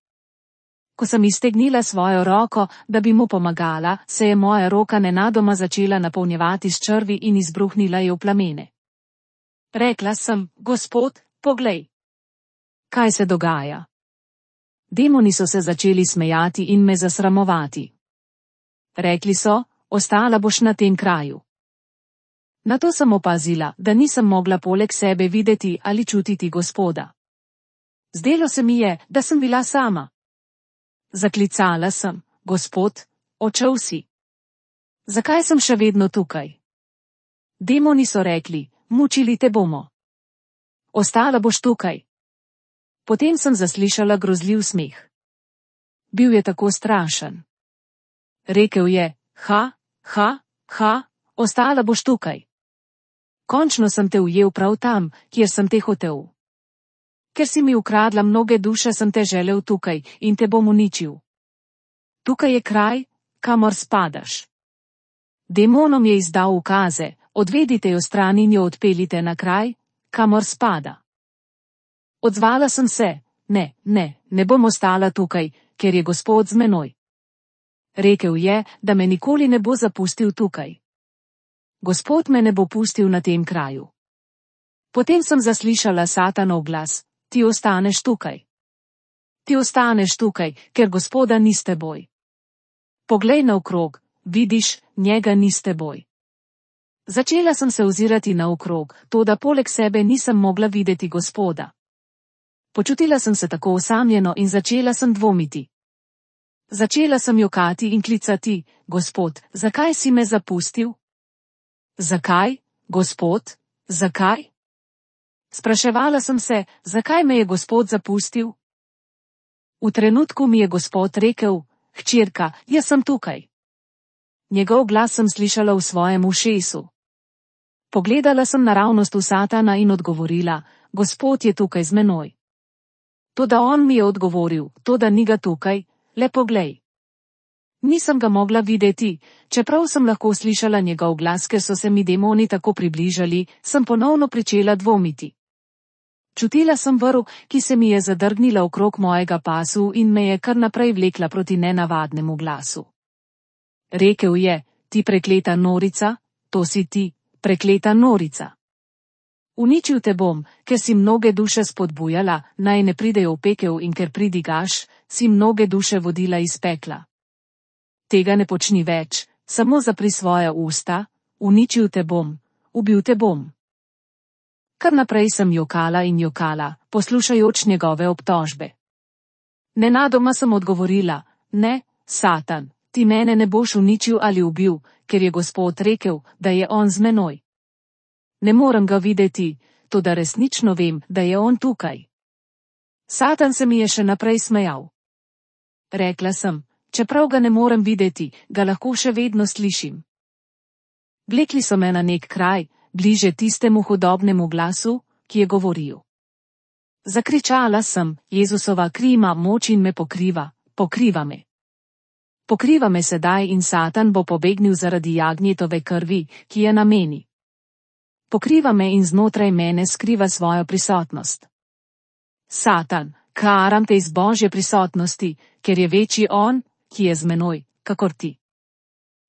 Ko sem iztegnila svojo roko, da bi mu pomagala, se je moja roka nenadoma začela napolnjevati s črvi in izbruhnila je v plamene. Rekla sem: Gospod, poglej. Kaj se dogaja? Demoni so se začeli smejati in me zasramovati. Rekli so: Ostala boš na tem kraju. Nato sem opazila, da nisem mogla poleg sebe videti ali čutiti Gospoda. Zdelo se mi je, da sem bila sama. Zaklicala sem: Gospod, odšel si. Zakaj sem še vedno tukaj? Demoni so rekli: Mučili te bomo. Ostala boš tukaj. Potem sem zaslišala grozljiv smeh. Bil je tako strašen. Rekel je: Ostala boš tukaj. Končno sem te ujel prav tam, kjer sem te hotel. Ker si mi ukradla mnoge duše, sem te želel tukaj in te bom uničil. Tukaj je kraj, kamor spadaš. Demonom je izdal ukaze: Odvedite jo stran in jo odpeljite na kraj, kamor spada. Odzvala sem se: Ne bom ostala tukaj, ker je Gospod z menoj. Rekel je, da me nikoli ne bo zapustil tukaj. Gospod me ne bo pustil na tem kraju. Potem sem zaslišala Satanov glas: Ti ostaneš tukaj. Ti ostaneš tukaj, ker Gospoda ni s teboj. Poglej naokrog, vidiš, njega ni s teboj. Začela sem se ozirati naokrog, toda poleg sebe nisem mogla videti Gospoda. Počutila sem se tako osamljeno in začela sem dvomiti. Začela sem jokati in klicati: Gospod, zakaj si me zapustil? Zakaj, Gospod, zakaj? Spraševala sem se, zakaj me je Gospod zapustil? V trenutku mi je Gospod rekel: Hčerka, jaz sem tukaj. Njegov glas sem slišala v svojem ušesu. Pogledala sem naravnost v Satana in odgovorila: Gospod je tukaj z menoj. Toda on mi je odgovoril: Toda ni ga tukaj, le poglej. Nisem ga mogla videti, čeprav sem lahko slišala njegov glas, ker so se mi demoni tako približali, sem ponovno pričela dvomiti. Čutila sem vrv, ki se mi je zadrgnila okrog mojega pasu in me je kar naprej vlekla proti nenavadnemu glasu. Rekel je: Ti prekleta norica, to si ti, prekleta norica. Uničil te bom, ker si mnoge duše spodbujala, naj ne pridejo v pekel, in ker pridigaš, si mnoge duše vodila iz pekla. Tega ne počni več, samo zapri svoja usta, uničil te bom, ubil te bom. Kar naprej sem jokala in jokala, poslušajoč njegove obtožbe. Nenadoma sem odgovorila: ne, Satan, ti mene ne boš uničil ali ubil, ker je Gospod rekel, da je on z menoj. Ne morem ga videti, toda resnično vem, da je on tukaj. Satan se mi je še naprej smejal. Rekla sem: čeprav ga ne morem videti, ga lahko še vedno slišim. Vlekli so me na nek kraj, bliže tistemu hudobnemu glasu, ki je govoril. Zakričala sem: Jezusova kri ima moč in me pokriva, pokriva me. Pokriva me sedaj in Satan bo pobegnil zaradi jagnjetove krvi, ki je na meni. Pokriva me in znotraj mene skriva svojo prisotnost. Satan, karam te iz Božje prisotnosti, ker je večji on, ki je z menoj, kakor ti.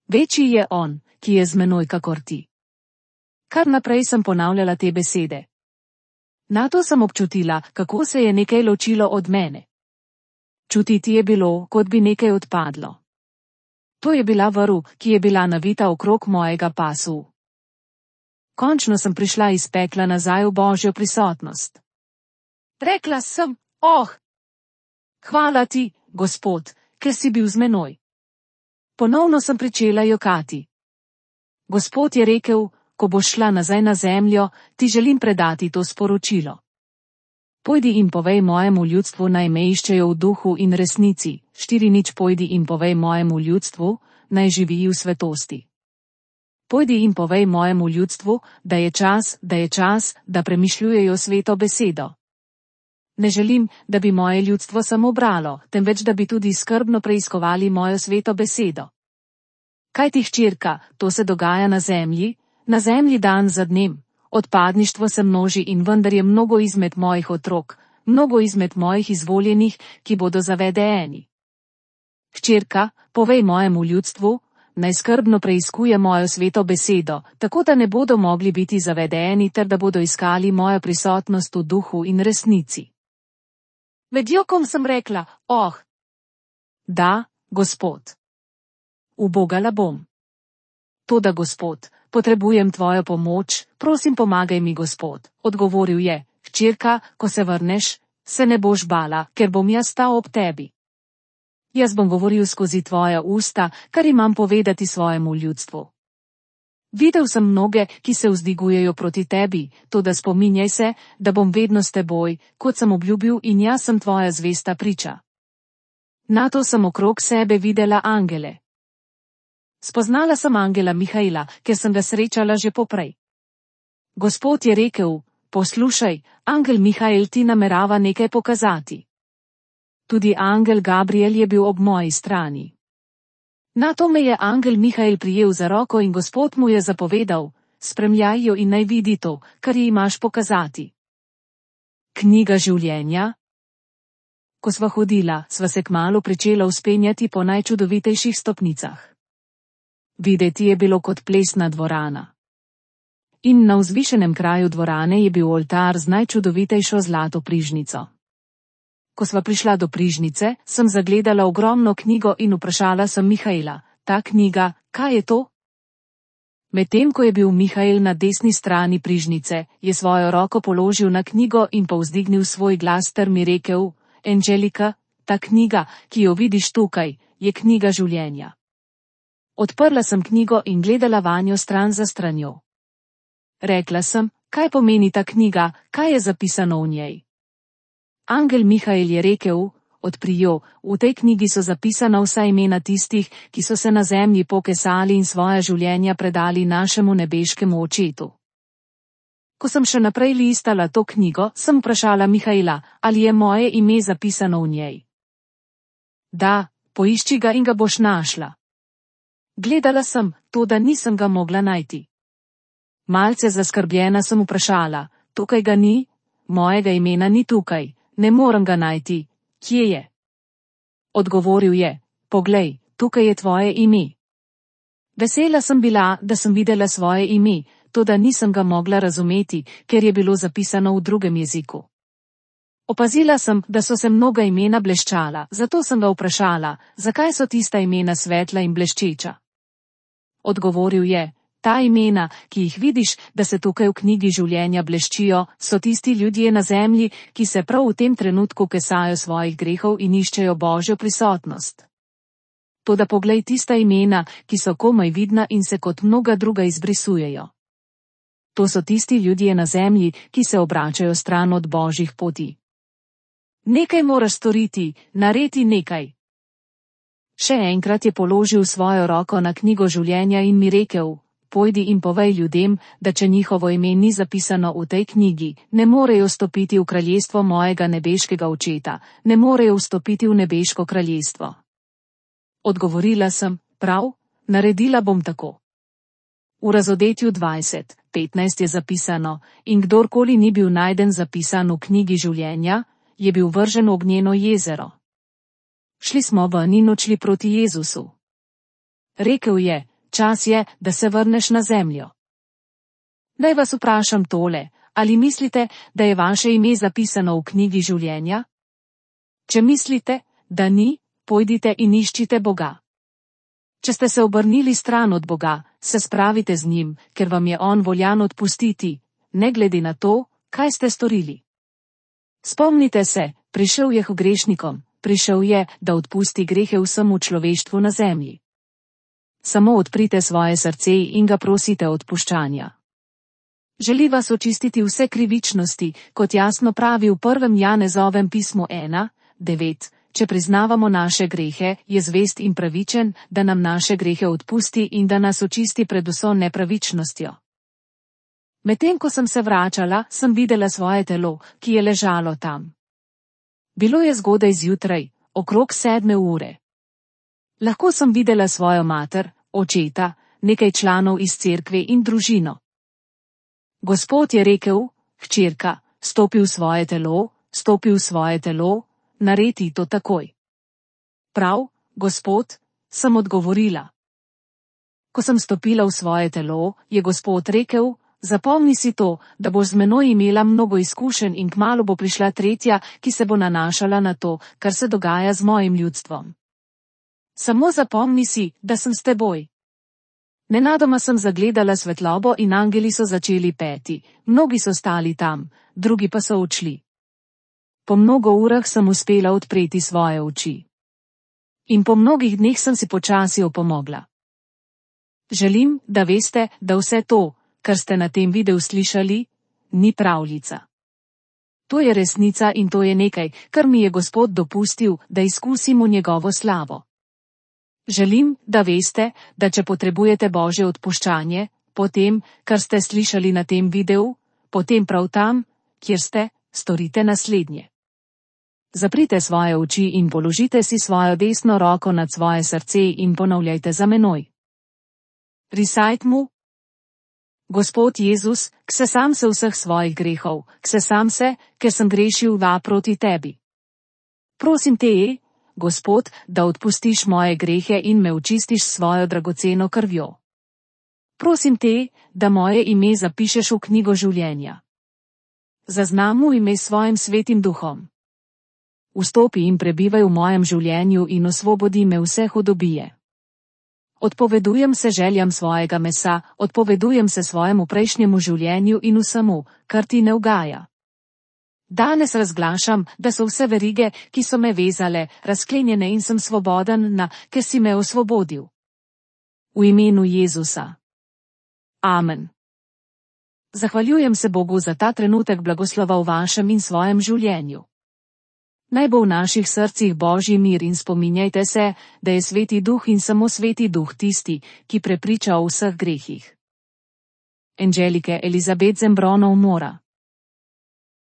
Večji je on, ki je z menoj, kakor ti. Kar naprej sem ponavljala te besede. Nato sem občutila, kako se je nekaj ločilo od mene. Čutiti je bilo, kot bi nekaj odpadlo. To je bila vrv, ki je bila navita okrog mojega pasu. Končno sem prišla iz pekla nazaj v Božjo prisotnost. Rekla sem: hvala ti, Gospod, ker si bil z menoj. Ponovno sem pričela jokati. Gospod je rekel: ko boš šla nazaj na zemljo, ti želim predati to sporočilo. Pojdi in povej mojemu ljudstvu, naj me iščejo v duhu in resnici. 4:0 Pojdi in povej mojemu ljudstvu, naj živi v svetosti. Pojdi in povej mojemu ljudstvu, da je čas, da premišljujejo sveto besedo. Ne želim, da bi moje ljudstvo samo bralo, temveč da bi tudi skrbno preiskovali mojo sveto besedo. Kaj ti, hčerka, to se dogaja na zemlji dan za dnem. Odpadništvo se množi in vendar je mnogo izmed mojih otrok, mnogo izmed mojih izvoljenih, ki bodo zavedeni. Hčerka, povej mojemu ljudstvu, naj skrbno preiskuje mojo sveto besedo, tako da ne bodo mogli biti zavedeni ter da bodo iskali mojo prisotnost v duhu in resnici. Med jokom sem rekla: da, Gospod. Ubogala bom. Toda, Gospod, potrebujem tvojo pomoč, prosim, pomagaj mi, Gospod. Odgovoril je: hčerka, ko se vrneš, se ne boš bala, ker bom jaz stal ob tebi. Jaz bom govoril skozi tvoja usta, kar imam povedati svojemu ljudstvu. Videl sem mnoge, ki se vzdigujejo proti tebi, toda spominjaj se, da bom vedno s teboj, kot sem obljubil, in jaz sem tvoja zvesta priča. Nato sem okrog sebe videla angele. Spoznala sem angela Mihaila, ker sem ga srečala že poprej. Gospod je rekel: poslušaj, angel Mihail ti namerava nekaj pokazati. Tudi angel Gabriel je bil ob moji strani. Nato me je angel Mihail prijel za roko in Gospod mu je zapovedal: spremljaj jo in naj vidi to, kar ji imaš pokazati. Knjiga življenja. Ko sva hodila, sva se kmalu pričela vzpenjati po najčudovitejših stopnicah. Videti je bilo kot plesna dvorana. In na vzvišenem kraju dvorane je bil oltar z najčudovitejšo zlato prižnico. Ko sva prišla do prižnice, sem zagledala ogromno knjigo in vprašala sem Mihaila: ta knjiga, kaj je to? Medtem ko je bil Mihail na desni strani prižnice, je svojo roko položil na knjigo in povzdignil svoj glas ter mi rekel: Angelika, ta knjiga, ki jo vidiš tukaj, je knjiga življenja. Odprla sem knjigo in gledala vanjo stran za stranjo. Rekla sem: kaj pomeni ta knjiga, kaj je zapisano v njej? Angel Mihail je rekel: odpri jo, v tej knjigi so zapisana vsa imena tistih, ki so se na zemlji pokesali in svoja življenja predali našemu nebeškemu očetu. Ko sem še naprej listala to knjigo, sem vprašala Mihaila, ali je moje ime zapisano v njej. Da, poišči ga in ga boš našla. Gledala sem, toda nisem ga mogla najti. Malce zaskrbljena sem vprašala: tukaj ga ni? Mojega imena ni tukaj, ne morem ga najti, kje je? Odgovoril je: poglej, tukaj je tvoje ime. Vesela sem bila, da sem videla svoje ime, toda nisem ga mogla razumeti, ker je bilo zapisano v drugem jeziku. Opazila sem, da so se mnoga imena bleščala, zato sem ga vprašala, zakaj so tista imena svetla in bleščeča. Odgovoril je, ta imena, ki jih vidiš, da se tukaj v knjigi življenja bleščijo, so tisti ljudje na zemlji, ki se prav v tem trenutku kesajo svojih grehov in iščejo Božjo prisotnost. Toda poglej tista imena, ki so komaj vidna in se kot mnoga druga izbrisujejo. To so tisti ljudje na zemlji, ki se obračajo stran od Božjih poti. Nekaj moraš storiti, naredi nekaj. Še enkrat je položil svojo roko na knjigo življenja in mi rekel, pojdi in povej ljudem, da če njihovo ime ni zapisano v tej knjigi, ne morejo vstopiti v kraljestvo mojega nebeškega očeta, ne morejo vstopiti v nebeško kraljestvo. Odgovorila sem, prav, naredila bom tako. V Razodetju 20:15 je zapisano, in kdorkoli ni bil najden zapisan v knjigi življenja, je bil vržen v ognjeno jezero. Šli smo ven in odšli proti Jezusu. Rekel je, čas je, da se vrneš na zemljo. Naj vas vprašam tole, ali mislite, da je vaše ime zapisano v knjigi življenja? Če mislite, da ni, pojdite in iščite Boga. Če ste se obrnili stran od Boga, se spravite z njim, ker vam je on voljan odpustiti, ne glede na to, kaj ste storili. Spomnite se, prišel je k grešnikom, prišel je, da odpusti grehe vsemu človeštvu na zemlji. Samo odprite svoje srce in ga prosite odpuščanja. Želi vas očistiti vse krivičnosti, kot jasno pravi v 1. Janezovem pismu 1:9. Če priznavamo naše grehe, je zvest in pravičen, da nam naše grehe odpusti in da nas očisti pred vso nepravičnostjo. Medtem ko sem se vračala, sem videla svoje telo, ki je ležalo tam. Bilo je zgodaj zjutraj, okrog 7 ure. Lahko sem videla svojo mater, očeta, nekaj članov iz cerkve in družino. Gospod je rekel, hčerka, stopi v svoje telo, naredi to takoj. Prav, Gospod, sem odgovorila. Ko sem stopila v svoje telo, je Gospod rekel, zapomni si to, da boš z menoj imela mnogo izkušenj in kmalu bo prišla tretja, ki se bo nanašala na to, kar se dogaja z mojim ljudstvom. Samo zapomni si, da sem s teboj. Nenadoma sem zagledala svetlobo in angeli so začeli peti, mnogi so stali tam, drugi pa so odšli. Po mnogo urah sem uspela odpreti svoje oči. In po mnogih dneh sem si počasi opomogla. Želim, da veste, da vse to, kar ste na tem videu slišali, ni pravljica. To je resnica in to je nekaj, kar mi je Gospod dopustil, da izkusim v njegovo slavo. Želim, da veste, da če potrebujete Božje odpuščanje, potem, kar ste slišali na tem videu, potem prav tam, kjer ste, storite naslednje. Zaprite svoje oči in položite si svojo desno roko nad svoje srce in ponavljajte za menoj. Recite mu. Gospod Jezus, ksesam se vseh svojih grehov, ksesam se, ker sem grešil proti tebi. Prosim te, Gospod, da odpustiš moje grehe in me očistiš s svojo dragoceno krvjo. Prosim te, da moje ime zapišeš v knjigo življenja. Zaznam mu ime s svojim svetim duhom. Vstopi in prebivaj v mojem življenju in osvobodi me vse hudobije. Odpovedujem se željam svojega mesa, odpovedujem se svojemu prejšnjemu življenju in vsemu, kar ti ne ugaja. Danes razglašam, da so vse verige, ki so me vezale, razklenjene in sem svoboden, ker si me osvobodil. V imenu Jezusa. Amen. Zahvaljujem se Bogu za ta trenutek blagoslova v vašem in svojem življenju. Naj bo v naših srcih Božji mir in spominjajte se, da je Sveti Duh in samo Sveti Duh tisti, ki prepriča o vseh grehih. Angelike Elizabeth Zembronov Mora.